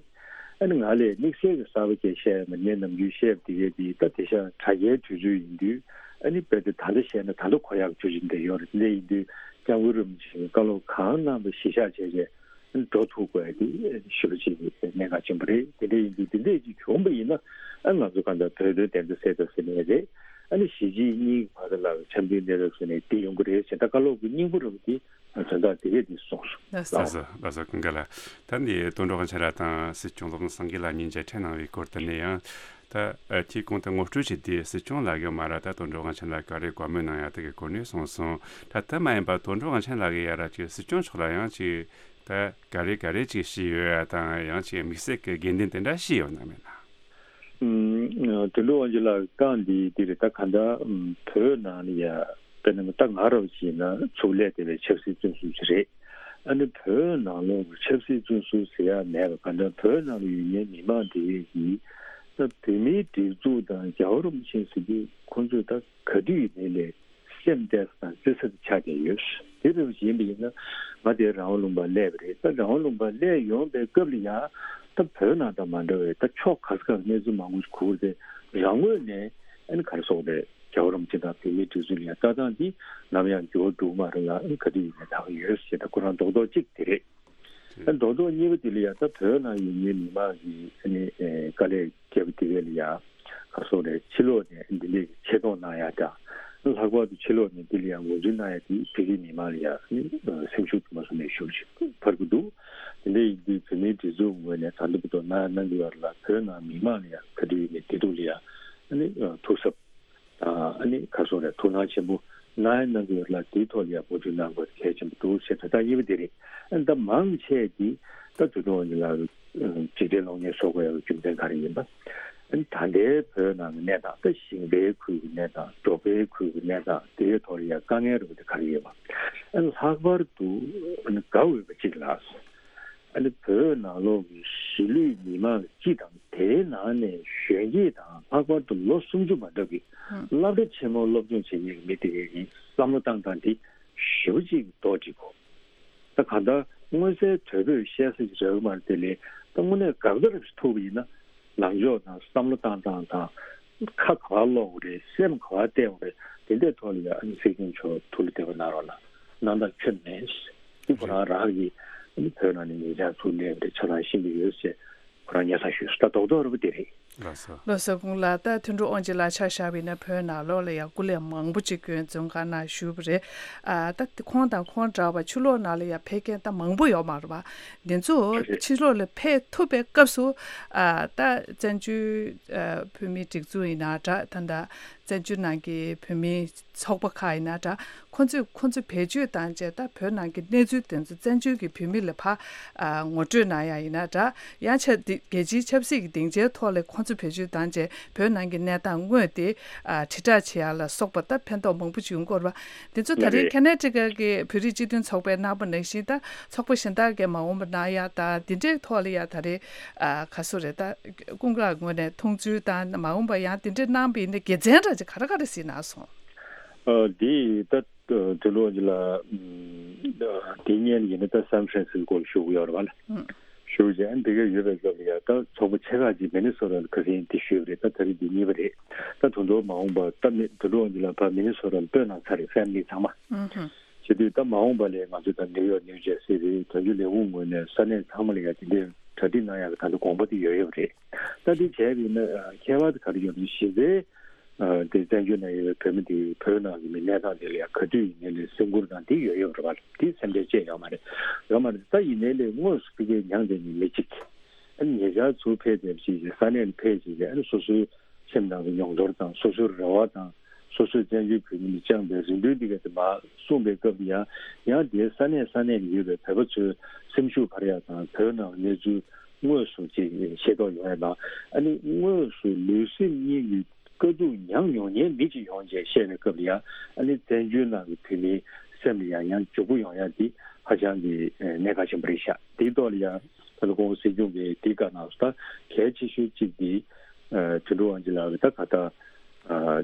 ཨ་ནི་ང་ལས་དམིགས་བསལ་གྱི་གསར་པ་ཅིག་བཤད་ཡ་མ་རེད། ངས་ནམ་རྒྱུན་བཤད་པ་དེ་གས་དེ་ད་དེང་སང་དྲ་རྒྱའི་དུས་ཚོད་ཡིན་དུས་ཨ་ནི་རྦད་དེ་ད་ལྟ་བཤད་ན་ད་ལྟ་གོ་ཡག་ཆོག་ཅིག་འདྲ་ཡོད་རེད། དེ་འདྲ་ཡིན་དུས་སྐྱབས་མགོན་རིན་པོ་ཆེ་གི་བཀའ་སློབ་གང་གནང་བ་གཞི་བཞག་བྱས་བྱས་འགྲོ་ཐུབ་དགོས་ཡ་དེ་ཞེ་པོ་ཅིག་གནད་འགག་ཆེན་པོ་རེད། དེ་འདྲ་ཡིན་དུས་དེ་འདྲ་ཅིག་བྱུང་བ་ཡིན་ན་ཨ་ང་ཚོ་གང་ལྟར་བོད་དོན་བདེན་མཐའ་གསལ་ཐབས་ཟེར་ནའི་རེད། ཨ་ནི་གཞིས་བྱེས་གཉིས་ཀྱི་བར་ལ་འཆམ་མཐུན་གནས་ཐབས་ཟེར་ནའི་དེ་ཡོང་གི་རེད་ཟེར། ད་བཀའ་སློབ་ཀྱི་སྙིང་པོ་རུ་དེ་དོན་དག་དེ་གས་དེ་གསུངས་སོང་། ལགས་སོ། ལགས་སོ། ལགས་སོ། ཀུན་དགའ་ལགས། ད་འདི་དོན་གྲུབ་དབང་ཆེན་ལགས་དང་སྲིད་སྐྱོང་སློབ་དཔོན་སངས་རྒྱས་ལགས་གཉིས་མཇལ་འཕྲད་གནང་བའི་སྐོར་དེ་ནས་ཡང་ད་ཨ་དེའི་གོང་དུ་ངོ་སྤྲོད་བྱས་ཏེ་སྲིད་སྐྱོང་ལགས་ཀྱིས་མ་ར་ད་དོན་གྲུབ་དབང་ཆེན་ལགས་ག་རེ་བཀའ་མོལ་གནང་ཡ་དེ་གའི་སྐོར་ནས་གསུངས་སོང་། ད་དེ་མ་ཡིན་པ་དོན་གྲུབ་དབང་ཆེན་ལགས་ཀྱིས་ཡ་ར་ཅིག་སྲིད་སྐྱོང་མཆོག་ལ་ཡང་ཅིག་ད་ག་རེ་ག་རེ་ཅིག་བཤད་ཡོད་ཡ་དང་ཡང་ཅིག་དམིགས་བསལ་གྱི་དགོས་འདུན་དེ་འདྲ་བཤད་ཡོད་ན་མེད་ན། ཨུམ། དོན་གྲུབ་དབང་ཆེན་ལགས་བཀའ་འདི་འདི་རེད། ད་ག་འདྲ་ཨུམ་བོད་ནང་ལ་ཡ་དཔེར་ན་ད་ང་རང་བྱས་ན་ཚུར་ལས་དེ་བའི་ཆབ་སྲིད་བཙོན་ཟུར་ཅིག་རེད། ཨ་ནི་བོད་ནང་ལོགས་ཀྱི་ཆབ་སྲིད་བཙོན་ཟུར་ཟེར་ཡ་མེད་པ་ག་འདྲ་བོད་ནང་ལ་ཡོད་མཁན་མི་མང་དེ་གས་ཀྱིས་ད་བོད་མིའི་སྒྲིག་འཛུགས་དང་རྒྱལ་བ་རིན་པོ་ཆེ་ཟེར་དུས་ཁོང་ཚོས་ད་ག་དུས་ཡིན་ནའི་ལས་སེམས་གཏད་ས་དང་བརྩི་ས་དེ་ཆགས་བསྡད་ཡོད། དེ་འདྲ་ཡིན་པ་ཡིན་ན་ང་དེ་རང་དབང་ལུང་པར་སླེབས་པ་རེད། ད་རང་དབང་ལུང་པར་སླེབས་ཡོང་པའི་སྐབས་ལ་ཡང་ད་བོད་ནང་དང་མ་འདྲ་བའི་ད་ཕྱོགས་ག་ས་ག་ལ་གནས་ཚུལ་མང་པོ་ཞིག་གོ་གི་རེད། རང་ངོས་ནས་ཨ་ནི་ག་རེ་ཟེར་དགོས་རེད། རྒྱལ་བ་རིན་པོ་ཆེ་དང་བོད་མིའི་སྒྲིག་འཛུགས་ལ་ཡང་ལྟ་སྟངས་འདི་ནམ་ཡང་འགྱུར་བ་འགྲོ་གི་མ་རེད་ལ་ཨ་ནི་ག་དུས་ཡིན་ནའི་ད་ག་ཡོད་ཞེས་ད་ཁོ་རང་རྡོག་རྡོག་གཅིག་དེ་རེད། ཨ་རྡོག་རྡོག་གཉིས་པ་དེ་ལ་ཡང་ད་བོད་ནང་ཡོད་མཁན་མི་མང་གི་ཨ་ནི་ཨེ་དཀའ་ལས་རྒྱབ་དེ་གས་ལ་ཡང་ག་སོགས་ལས་ཕྱི་ལོགས་ནས་འདི་འདྲའི་ཆེ་མཐོང་གནང་ཡ་དང་ལྷག་པར་དུ་ཕྱི་ལོགས་ནས་འདི་ལ་ཡང་ངོས་འཛིན་གནང་ཡ་དེ་བོད་ཀྱི་མི་མང་ལ་ཡང་ཨ་ནི་སེམས་ཤུགས་དུ་མ་སོང་ནས་ཞུ་ཞིག་འཕར་གྱི་འདུག་དེ་འདྲ་ཡིན་དུས་བོད་མིའི་སྒྲིག་འཛུགས་ངོས་ནས་ད་ལྟ་བར་དུ་གནང་ཡ་གནང་གི་ཡོད་ལ་བོད་ནང་མི་མང་ལ་ཡང་ག་དུས་ཡིན་ནའི་བདེ་སྡུག་ལ་ཡང་ཨ་ནི་ཐུགས་གཟབ། ཨ་ནི་ག་སོགས་རེད། ཐུགས་སྣང་ཆེན་པོ་གནང་ཡ་གནང་གི་ཡོད་ལ་དེའི་ཐོག་ལ་ཡང་མུ་མཐུད་གནང་དགོས་གལ་ཆེན་པོ་འདུག་ཞེས་ད་ལྟ་གཉིས་པ་དེ་རེད། ཨ་ནི་ད་མང་ཆེ་གི་ད་དུས་ཐུང་འོན་ལ་འཇིག་རྟེན་གློག་བརྙན་བཟོ་དགོས་ཡ་རྒྱུ་མཚན་ག་རེ་ཡིན་པ། ཨ་ནི་ད་ལྟའི་བོད་ནང་གི་གནས་སྟངས་ད་ཞིང་པའི་ཁུལ་གྱི་གནས་སྟངས་འབྲོག་པའི་ཁུལ་གྱི་གནས་སྟངས་དེའི་ཐོག་ལ་ཡང་དཀའ་ངལ་རེད་པ་དེ་ག་རེ་ཡོད་པ། ཨ་ནི་ལྷག་པར་དུ་ཨ་ནི་དགའ་འོས་པ་གཅིག་ལ། ཨ་ནི་བོད་ནང་ལོགས་ཀྱི་གཞིས་ལུས་མི་མང་སྤྱི་དང་དེའི་ནང་ནས་གཞོན་སྐྱེས་དང་ལྷག་པར་དུ་ལོ་སུམ་ཅུ་མ་འདྲ་བའི་ཨང་སློབ་གྲྭ་ཆེན་མོར་སློབ་སྦྱོང་བྱེད་མཁན་གྱི་མི་དེ་གའི་བསམ་བློ་བཏང་སྟངས་དེ་ཞེ་པོ་ཅིག་ལྡོག་འགྲིག་གོ། ད་གང་ལྟར་མངོན་གསལ་དོད་པོས་བཤད་ས་ཞིག་རག་གི་མ་རེད་དེ་ལས་ད་དངོས་གནས་དགག་པ་རེ་ཐུག་པ་ཡིན་ན་ལངས་ཕྱོགས་དང་བསམ་བློ་བཏང་སྟངས་དང་ཁ་ག་པར་སློག་དགོས་རེད། སེམས་ག་པར་གཏད་དགོས་རེད། དེ་འདྲའི་ཐོག་ལ་ཡང་ཨ་ནི་སྲིད་སྐྱོང་མཆོག་ཐུགས་ལ་བདེ་བ་གནང་རོགས་གནང་། གནང་སྟངས་ཁྱོན་མེད། འདི་ཁོ་རང་རང་གི་ཨ་ནི་བོད་ནང་ནས་ཉེ་ཆར་ཚུར་སླེབས་པ་རེད། ཆ་ཚང་ཤེས་ཀྱི་ཡོད་ཟེར་ཁོ་རང་སྙན་སེང་ཞུས་སོང་། ད་རྡོག་རྡོག་རེད་པ་དེ་རེད། ལགས་སོ། ལགས་སོ། ཁོང་ལ་ད་དོན་གྲུབ་དབང་ཆེན་ལགས་ཆ་བཞག་པ་ཡིན་ན་བོད་ནང་ལོགས་ལ་ཡང་སྐུ་ལས་མང་པོ་ཅིག་སྐྱོན་འཛོམས་ཁང་ནང་ཞུས་པ་རེད། ཨ་ད་ཁོང་དང་ཁོང་འདྲ་བ་ཕྱི་ལོགས་ནང་ལ་ཡང་ཕེབས་མཁན་ད་མང་པོ་ཡོད་མ་རེད་པ། འདི་ཚོ་ཕྱི་ལོགས་ལ་ཕེབས་ཐུབ་པའི་སྐབས་སུ་ཨ་ད་བཙན་བྱོལ་ཨ་བོད་མིའི་སྒྲིག་འཛུགས་ཡིན་ན་འདྲ། ད་ད་བཙན་བྱོལ་ནང་གི་བོད་མིའི་ཚོགས་པ་ཁག་ཡིན་ན་འདྲ། ཁོང་ཚོས་ཁོང་ཚོ་བེད་སྤྱོད་བཏང་བྱས་ད་བོད་ནང་གི་གནས་ཚུལ་དེ་ཚོ་བཙན་བྱོལ་གྱི་བོད་མི་ལ་ཕར་ཨ་ངོ་སྤྲོད་གནང་ཡ་ཡིན་ན་འདྲ། ཡང་ཆ་འདི་རྒྱལ་སྤྱིའི་ཆབ་སྲིད་ཀྱི་སྡིངས་ཆའི་ཐོག་ལ་ཁོང་ཚོ་བེད་སྤྱོད་བཏང་བྱས་བོད་ནང་གི་གནས་སྟངས་དངོས་དེ་ཨ་དྲིལ་བསྒྲགས་བྱེད་ཡ་ལ་སོགས་པ་ད་ཕན་ཐོགས་མང་པོ་བྱུང་གི་ཡོད་རེད་པ། དེ་ཚོ་ད་རེས་ཁེ་ནེ་ཌི་ཀ་གི་བོད་རིགས་སྤྱི་མཐུན་ཚོགས་པའི་ནང་པ་ནང་བཞིན་ད་ཚོགས་པ་གཞན་དག་གིས་མ་འོངས་པ་གནང་ཡ་ད་འདི་འདྲའི་ཐོག་ལ་ཡ་ད་རེས་ཨ་ག་སུ་རེད་ད་ཀུན་དགའ་ངོས་ནས་མཐོང་ཚུལ་དང་མ་འོངས་པ་ཡང་འདི་འདྲའི་གནང་བ་ཡིན་ན་དགེ་མཚན་འདྲ་ཅིག་ག་རེ་ག་རེ་གཟིགས་གནང་སོང་། ཨ་འདི་ད་དུ་ལོ་ལ་དེ་སྔོན་ཡིན་ན་ད་སན་ཧྥ་རན་སི་སྐོར་ཞུ་གི་ཡོད་རེད་པ་ལ། ཞུ་བྱས་ཨ་འདི་ག་ཡོད་པའི་སྐབས་ལ་ཡ་ད་ཚོགས་པ་ཆེ་ཁག་ཅིག་མི་ནི་སོ་ཊ་ལ་ཁ་སང་དེ་ཞུས་པ་རེད། ད་ད་རེས་འདི་གཉིས་པ་རེད། ད་དུ་ལོ་མ་འོངས་པ་ད་མི་དུ་ལོ་ལ་ཕ་མི་ནི་སོ་ཊ་ལ་སྤོས་གནང་ཚར་རེད། ཕེ་མི་ལི་ཚང་མ། བྱེད་དུས་ད་མ་འོངས་པ་ལ་ང་ཚོ་ད་ནིའུ་ཡོག་ནིའུ་ཇར་སི་རེད། དོན་གཅོད་ལས་ཁུངས་ངོས་ནས་ས་གནས་ཚང་མ་ལ་ཡ་དེ་འདྲའི་གྲ་སྒྲིག་གནང་ཡག་གི་ད་ལྟ་དགོངས་པ་དེ་ཡོད་ཡོད་རེད། ད་དེ་བྱས་པ་ཡིན་ན་ཁྱད་པར་དེ་ག་རེ་ཡོད་རེད། གཞི་རྩའི་དེ་བཙན་བྱོལ་ནང་ཡོད་པའི་བོད་མི་དེ་བོད་ནང་གི་མི་གནས་སྟངས་དེ་ལ་ཡང་ག་དུས་ཡིན་ནའི་ལས་སེམས་ཁུར་དང་དེ་ཡོད་ཡོད་རེད་པ། དེ་སེམས་ཁྲལ་བཅས་ཡོད་མ་རེད། ཡོད་མ་རེད། ད་ཡིན་ནའི་ལས་དངོས་སུ་ཕ་གིར་མྱངས་བསྡད་མཁན་མི་གཅིག་ཨ་ནི་ཉེ་ཆར་ཚུར་ཕེབས་བསྡད་པ་ཞིག་གིས་ས་གནས་ལ་ཕེབས་བྱས་ཨ་ནི་སོ་སོའི་སེམས་ནང་གི་མྱོང་ཚོར་དང་སོ་སོའི་རེ་བ་དང་སོ་སོའི་བཙན་བྱོལ་བོད་མི་ལ་བཅངས་པའི་རེ་འདུན་འདི་ག་དེ་མར་གསུངས་པའི་སྐབས་ལ་ཡང་ཡང་དེའི་ས་གནས་ས་གནས་ལ་ཡོད་པའི་བོད་པ་ཚོའི་སེམས་ཤུགས་འཕར་ཡག་དང་བོད་ནང་གནས་ཚུལ་དངོས་སུ་ཅིག་ཤེས་རྟོགས་ཡོང་ཡག་དང་ཨ་ནི་དངོས་སུ་ལུས་སེམས་གཉིས་ཀྱི་ དཀའ་སྡུག་མྱངས་མྱོང་མཁན་མི་གཅིག་ཡོང་བྱས་བཤད་པའི་སྐབས་ལ་ཡང་ཨ་ནི་བཙན་བྱོལ་ནང་གི་བོད་མིའི་སེམས་ལ་ཡང་ཡང་འཇུག་པོ་ཡོང་ཡ་འདི་ཧ་ཅང་གི་གནད་འགག་ཆེན་པོ་རེད་ཤག་དེའི་ཐོག་ལ་ཡང་ད་ལྟ་སྐུ་ངོ་སྲིད་སྐྱོང་གིས་འདི་བཀའ་གནང་སོང་། ད་གལ་ཆེ་ཤོས་གཅིག་འདི་དོན་གྲུབ་དབང་ཆེན་ལགས་ཀྱིས་ད་ག་ད་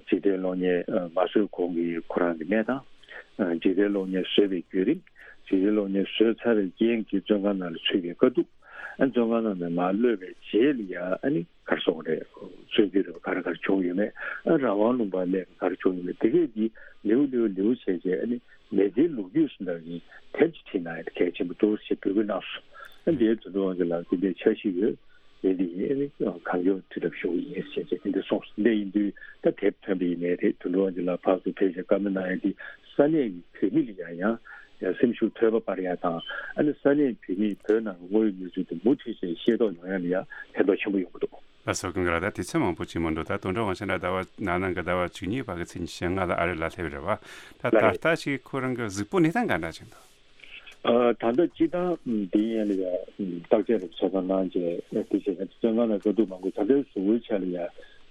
འཇིག་རྟེན་གློག་བརྙན་མ་བཟོས་གོང་གི་ཁོ་རང་གི་གནས་སྟངས། འཇིག་རྟེན་གློག་བརྙན་བཟོས་པའི་བརྒྱུད་རིམ། འཇིག་རྟེན་གློག་བརྙན་བཟོས་ཚར་བའི་རྐྱེན་གྱིས་བཙོན་ཁང་ནང་ལ་ཚུད་པའི་དཀའ་སྡུག་ཨ་བཙོན་ཁང་ནང་ནས་མར་གློད་པའི་རྗེས་ལ་ཡ་ཨ་ནི་ག་རེ་ཟེར་དགོས་རེད། གསོན་རྒྱུ་རེད་པ། ག་རེ་ག་རེ་བྱུང་ཡོད་མེད། ཨ་རང་དབང་ལུང་པ་སླེབས་ག་རེ་བྱུང་ཡོད་མེད། དེ་གས་འདི་ལེའུ་ལེའུ་ལེའུ་བྱས་བྱས་ཨ་ནི་མི་ཚེའི་ལོ་རྒྱུས་སུ་འདྲ་གི་དེབ་ཅིག་བྲིས་ན་ཡང་གལ་ཆེན་པོ་འདུག་ཅེས་འབོད་སྐུལ་གནང་སོང་། ཨ་འདིའི་དོན་དུ་དབང་ཆེན་ལགས་འདི་འདྲའི་འཆར་གཞི་ཡོད། འདི་འདི་ཡིན་ཨ་ནི་གང་མགྱོགས་དུས་རབས་ཞུ་གི་ཡིན་ཞེས་བྱས་དེ་འདྲ་གསུངས་སོང་། འདི་ཡིན་དུས་ད་དེབ་ཐོན་པ་ཡིན་ནའི་རེད། དོན་དུ་དབང་ཆེན་ལགས་ཕར་ཚུར་ཕེབས་བྱས་བཀའ་མོལ་གནང་ཡ་འདི་ས་གནས་ཀྱི་བོད་མི་ལ་ཡང་ཡང་ཡང་སེམས་ཤུགས་དོད་པ་སྤར་ཡ་དང་ཨ་ནི་ས་གནས་བོད་མིས་བོད་ནང་གི་དངོས་ཡོད་གནས་ཚུལ་དེ་མུ་མཐུད་བྱས་ཤེས་རྟོགས་ཡོང་ཡ་ལ་ཡང་ཕན་ཐོགས་ཆེན་པོ་ཡོང་གི་འདུག་ལགས་སོ། ཀུན་དགའ་ལགས། ད་དུས་ཚོད་མང་པོ་ཅིག་མ་འདུག་ད་དོན་གྲུབ་དབང་ཆེན་ལགས་ཟླ་བ་ནང་ནང་གི་ཟླ་བ་བཅུ་གཉིས་བར་གྱི་ཚེས་ཉི་ཤུ་ལྔ་ལ་ཨ་རི་ལ་སླེབས་རེད་བ། ད་ལགས་ད་རེད། ལྟ་ཅིག་ཁོ་རང་གི་གཟིགས་སྤོབས་གནས་སྟངས་ག་འདྲ་ཅིག་འདུག་ཨ་ད་ལྟ་སྤྱི་བཏང་འདི་ཡན་ལ་ཡ་བརྟག་དཔྱད་རེ་ཚོད་ལྟ་གནང་བྱས་དེ་བྱས་ཙང་བཙོན་ཁང་ནང་དཀའ་སྡུག་མང་པོ་ད་ལྟའི་གཟུགས་པོའི་ཆ་ལ་ཡ་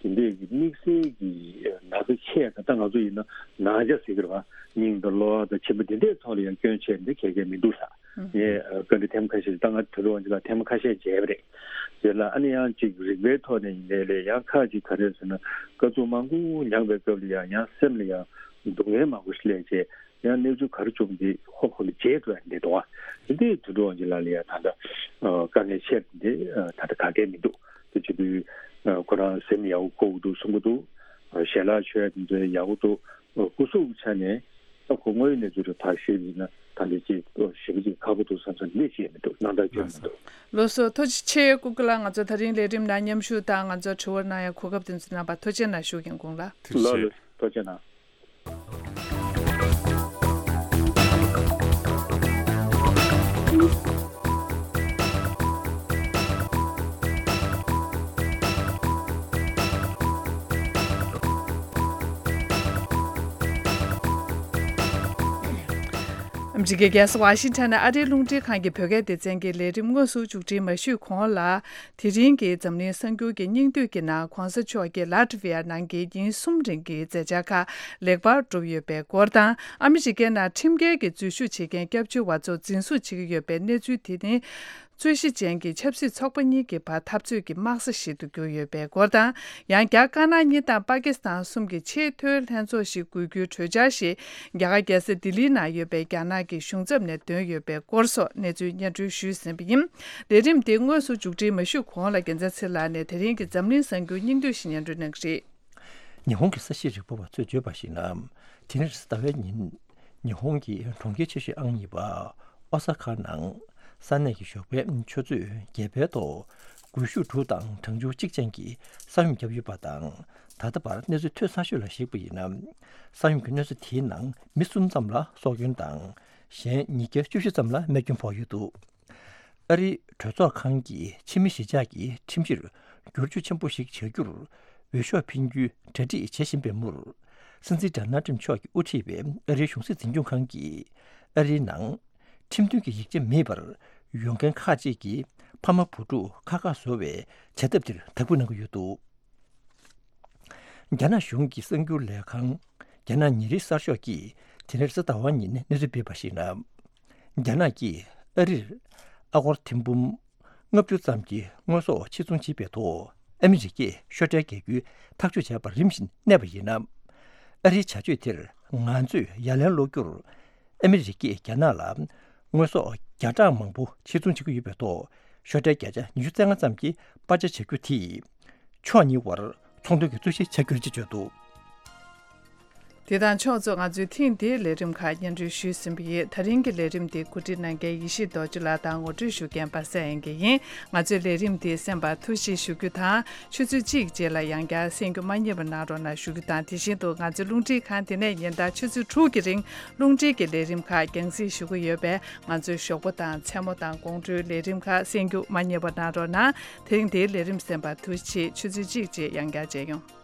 དེ་འདྲས་ཀྱི་དམིགས་བསལ་གྱི་ན་ཚ་ཆེ་ཡ། ད་ལྟ་ང་ཚོ་ཡིན་ན་ན་ཚ་ཟེར་གི་རེད་བ། སྙིང་དང་གློ་བ་དང་མཆིན་པ་འདི་འདྲའི་ཐོག་ལ་ཡང་སྐྱོན་ཆེ་འདི་ག་གེ་མི་འདུག་ས། ངས་བཀའ་འདྲི་ཐེངས་མ་ཁ་ཤས་ཤིག་ད་ང་དོན་དུ་དབང་ཆེན་ལགས་ཐེངས་མ་ཁ་ཤས་མཇལ་བ་རེད། དེ་ལ་ཨ་ནི་ཡང་ཅིག་རིག་པའི་ཐོག་ནས་ཡིན་ནའི་ལས་ཡང་ཁག་ཅིག་ག་རེ་ཟེར་ན་དཀའ་སྡུག་མང་པོ་མྱངས་པའི་སྐབས་ལ་ཡང་ཡང་སེམས་ལ་ཡང་སྡུག་བསྔལ་མང་པོ་ཞིག་སླེབས་བྱས་ཡང་གནས་ཚུལ་ག་རེ་བྱུང་འདི་ཧོབ་ཧོབ་ལ་བརྗེད་འགྲོ་ཡ་འདི་འདུག་ཨ། དེ་འདྲའི་དོན་དུ་དབང་ཆེན་ལགས་ལ་ཡང་ད་ལྟ་དཀའ་ངལ་ཆེ་འདི་ད་ལྟ་ག་གེ་མི་འདུག་དེ་བྱེད་དུས་ཁོ་རང་སེམས་ཡག་པོ་འཁོར་གྱི་འདུག་གསུང་གི་འདུག་ཞལ་ལག་མཆོད་ཡ་དེ་ཚོ་ཡག་པོ་འདུག་སྐུ་གཟུགས་ཆ་ནས་ད་ཁོ་དངོས་ཡོད་གནས་ཚུལ་རེ་ཕར་ཞུས་པ་ཡིན་ན་ད་འདི་ཅིག་ཞེ་པོ་ཅིག་ཁག་པོ་འདུག་བསམ་བསམ་ནི་ཅི་ཡང་མི་འདུག་སྣང་དག་སྐྱོན་མི་འདུག་ལགས་སོ། ཐུགས་རྗེ་ཆེ་ཀུན་དགའ་ལགས། ང་ཚོ་ད་རིང་ལས་རིམ་ནང་མཉམ་ཞུགས་དང་ང་ཚོ་དྲི་བ་གནང་ཡ་གོ་སྐབས་དེ་ཚོ་གནང་བར་ཐུགས་རྗེ་གནང་ཞུ་རྒན་ཁོང་ལ། ཐུགས་རྗེ་ཆེ། ལགས་ལགས་ཐུགས་རྗེ་གནང་། ཨ་མི་རི་ཀའི་རྒྱལ་ས་ཝ་ཤིང་ཊོན་ནས་ཨ་རིའི་རླུང་འཕྲིན་ཁང་གི་བོད་སྐད་སྡེ་ཚན་གྱི་ལས་རིམ་དངོས་སུ་མཇུག་སྒྲིལ་མ་ཞུས་གོང་ལ། དེ་རིང་གི་འཛམ་གླིང་གསར་འགྱུར་གྱི་སྙིང་བསྡུས་ཀྱི་ནང་གོང་ས་མཆོག་གིས་ལ་ཏི་ཝི་ཡ་ནང་གི་ཉིན་གསུམ་རིང་གི་མཛད་འཆར་ཁག་ལེགས་པར་གྲུབ་ཡོད་པའི་སྐོར་དང་། ཨ་མི་རི་ཀའི་ནང་ཁྲིམས་འགལ་གྱི་འཛུལ་ཞུགས་བྱེད་མཁན་སྐྱབས་བཅོལ་བ་ཚོ་འཛིན་བཟུང་བྱེད་ཀྱི་ཡོད་པའི་གནས་ཚུལ་དེ་ནི་རྩོད་གཞི་ཅན་གྱི་ཆབ་སྲིད་ཚོགས་པ་གཉིས་ཀྱི་བར་འཐབ་རྩོད་ཀྱི་དམག་ས་ཞིག་ཏུ་གྱུར་ཡོད་པའི་སྐོར་དང་། ཡང་བསྐྱར་ཀ་ན་གཉིས་དང་པ་ཀི་སི་ཐན་གསུམ་གྱི་ཆེས་མཐོའི་ལྷན་ཚོགས་ཤིག་དགོས་རྒྱུའི་གྲོས་འཆར་ཞིག་རྒྱ་གར་རྒྱལ་ས་ལྡི་ལིའི་ནང་ཡོད་པའི་རྒྱ་ནག་གི་གཞུང་ཚབ་ནས་བཏོན་ཡོད་པའི་སྐོར་སོགས་གནས་ཚུལ་སྙན་སྒྲོན་ཞུས་ཟིན་པ་ཡིན། ལས་རིམ་དེ་དངོས་སུ་མཇུག་སྒྲིལ་མ་ཞུས་གོང་ལ་རྒྱལ་མཚན་ཚེ་ལགས་ནས་དེ་རིང་གི་འཛམ་གླིང་གསར་འགྱུར་སྙིང་བསྡུས་ཤིག་སྙན་སྒྲོན་གནང་གི་རེད། ཉི་ཧོང་གི་ས་གཤིས་རིག་པ་བ་ཚོས་བརྗོད་པར་གཞིགས་ན། དེ་རིང་རེས་གཟའ་ཟླ་བའི་ཉིན། ཉི་ཧོང་གི་གྲོང་ཁྱེར་ཆེ་ཤོས་ཨང་གཉིས་པ་ཨོ་ས་ཁ་ནང་ས་གནས་ཀྱི་ཞོགས་པའི་ཆུ་ཚོད་བརྒྱད་པའི་ཐོག་སྒུལ་ཤུགས་དྲུག་དང་གྲང་ཆུ་གཅིག་ཅན་གྱི་ས་ཡོམ་བརྒྱབ་ཡོད་པ་དང་། ད་ལྟ་བར་གནས་ཚུལ་ཐོན་གསར་ཤོས་ལ་གཞིགས་པ་ཡིན་ན། ས་ཡོམ་གྱི་གནས་ཚུལ་དེའི་ནང་མི་གསུམ་ཙམ་ལ་སྲོག་སྐྱོན་དང་། གཞན་ཉིས་བརྒྱ་བཅུ་བཞི་ཙམ་ལ་རྨས་སྐྱོན་ཕོག་ཡོད་འདུག་ཨ་རིའི་གྲོས་ཚོགས་ཁང་གིས་ཕྱི་མི་གཞིས་ཆགས་ཀྱི་ཁྲིམས་གཞིར་བསྒྱུར་བཅོས་ཆེན་པོ་ཞིག་བྱ་རྒྱུར་འོས་ཤོག་འཕེན་རྒྱུའི་གྲ་སྒྲིག་བྱེད་བཞིན་པའི་མུར། སྲིད་འཛིན་ཌོ་ནལ་ཊམ་མཆོག་གིས་དབུ་ཁྲིད་པའི་ཨ་རིའི་གཞུང་སྲིད་འཛིན་སྐྱོང་ཁང་གིས་ཨ་རིའི་ནང་ཁྲིམས་མཐུན་གྱི་ཡིག་ཆ་མེད་པར་ཡོང་མཁན་ཁག་ཅིག་གི་ཕ་མ་བུ་ཕྲུག་ཁག་ཁག་བཟོ་བའི་བྱ་ཐབས་དེར་དག་འབུལ་གནང་གི་ཡོད་འདུག་རྒྱ་ནག་གཞུང་གི་གསར་འགྱུར་ལས་ཁང་རྒྱ་ནག་ཉིན་རེའི་གསར་ཤོག་གིས་དེ་རིང་རེས་གཟའ་ཟླ་བ་ཉིན་གནས་ཚུལ་སྤེལ་བར་གཞིགས་ན། རྒྱ་ནག་གིས་ཨ་རིར་ཨ་སྒོར་ཐེར་འབུམ་ལྔ་བཅུ་ཙམ་གྱི་དངོས་ཟོག་ཕྱིར་ཚོང་བྱེད་པའི་ཐོག་ཨ་མི་རི་ཀས་ཤོག་ཁྲལ་འགེལ་རྒྱུའི་ཐག་གཅོད་བྱས་པར་རིམ་བཞིན་གནས་པ་ཡིན་ན། ཨ་རིའི་བྱ་སྤྱོད་དེར་ང་ཚོས་ཡ་ལན་སློག་རྒྱུར། ཨ་མི་རི་ཀས་རྒྱ་ནག་ལ་དངོས་ཟོག་བརྒྱ་ཕྲག་མང་པོ་ཕྱིར་ཚོང་བྱེད་ཀྱི་ཡོད་པའི་ཐོག་ཤོག་ཁྲལ་བརྒྱ་ཆ་ཉི་ཤུ་རྩ་ལྔ་ཙམ་གྱི་སྤར་ཆ་བྱ་རྒྱུ་དེས་ཕྱོགས་གཉིས་དབར་ཚོང་དོན་གྱི་རྩོད་གཞི་ཆགས་རྒྱུ་རེད་ཅེས་བརྗོད་འདུག་དེ་དང་ཕྱོགས་མཚུངས་ང་ཚོའི་ཐེངས་འདིའི་ལས་རིམ་ཁག་སྙན་སྒྲོན་ཞུས་ཟིན་པ་ཡིན། ད་རིང་གི་ལས་རིམ་འདི་གོ་སྒྲིག་གནང་མཁན་ཡེ་ཤེས་རྡོ་རྗེ་ལགས་དང་ངོ་སྤྲོད་ཞུ་མཁན་པ་སངས་དབྱངས་སྐྱིད་ཡིན། ང་ཚོའི་ལས་རིམ་འདི་གསན་པར་ཐུགས་རྗེ་ཞུ་རྒྱུ་དང་། ཆུ་ཚོད་གཅིག་རྗེས་ལ་ཡང་བསྐྱར་གསན་རྒྱུ་མ་བསྙེལ་བ་གནང་རོགས་གནང་ཞུ་རྒྱུ་དང་། དེ་བཞིན་དུ་ང་ཚོའི་རླུང་འཕྲིན་ཁང་དེ་ནས་ཉིན་ལྟར་ཆུ་ཚོད་དྲུག་གི་རིང་རླུང་འཕྲིན་གྱི་ལས་རིམ་ཁག་རྒྱང་སྲིང་ཞུ་གི་ཡོད་པས། ང་ཚོའི་ཞོགས་པ་དང་མཚན་མོ་དང་དགོང་དྲོའི་ལས་རིམ་ཁག་གསན་རྒྱུ་མ་བསྙེལ་བ་གནང་རོགས་གནང་། དེ་རིང་འདིའི་ལས་རིམ་གསན་པར་ཐུགས་རྗེ་ཆེ། ཆུ་ཚོད་གཅིག་རྗེས་ཡང་བསྐྱར་མཇལ་ཡོང་།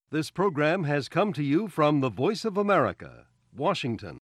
This program has come to you from the Voice of America, Washington.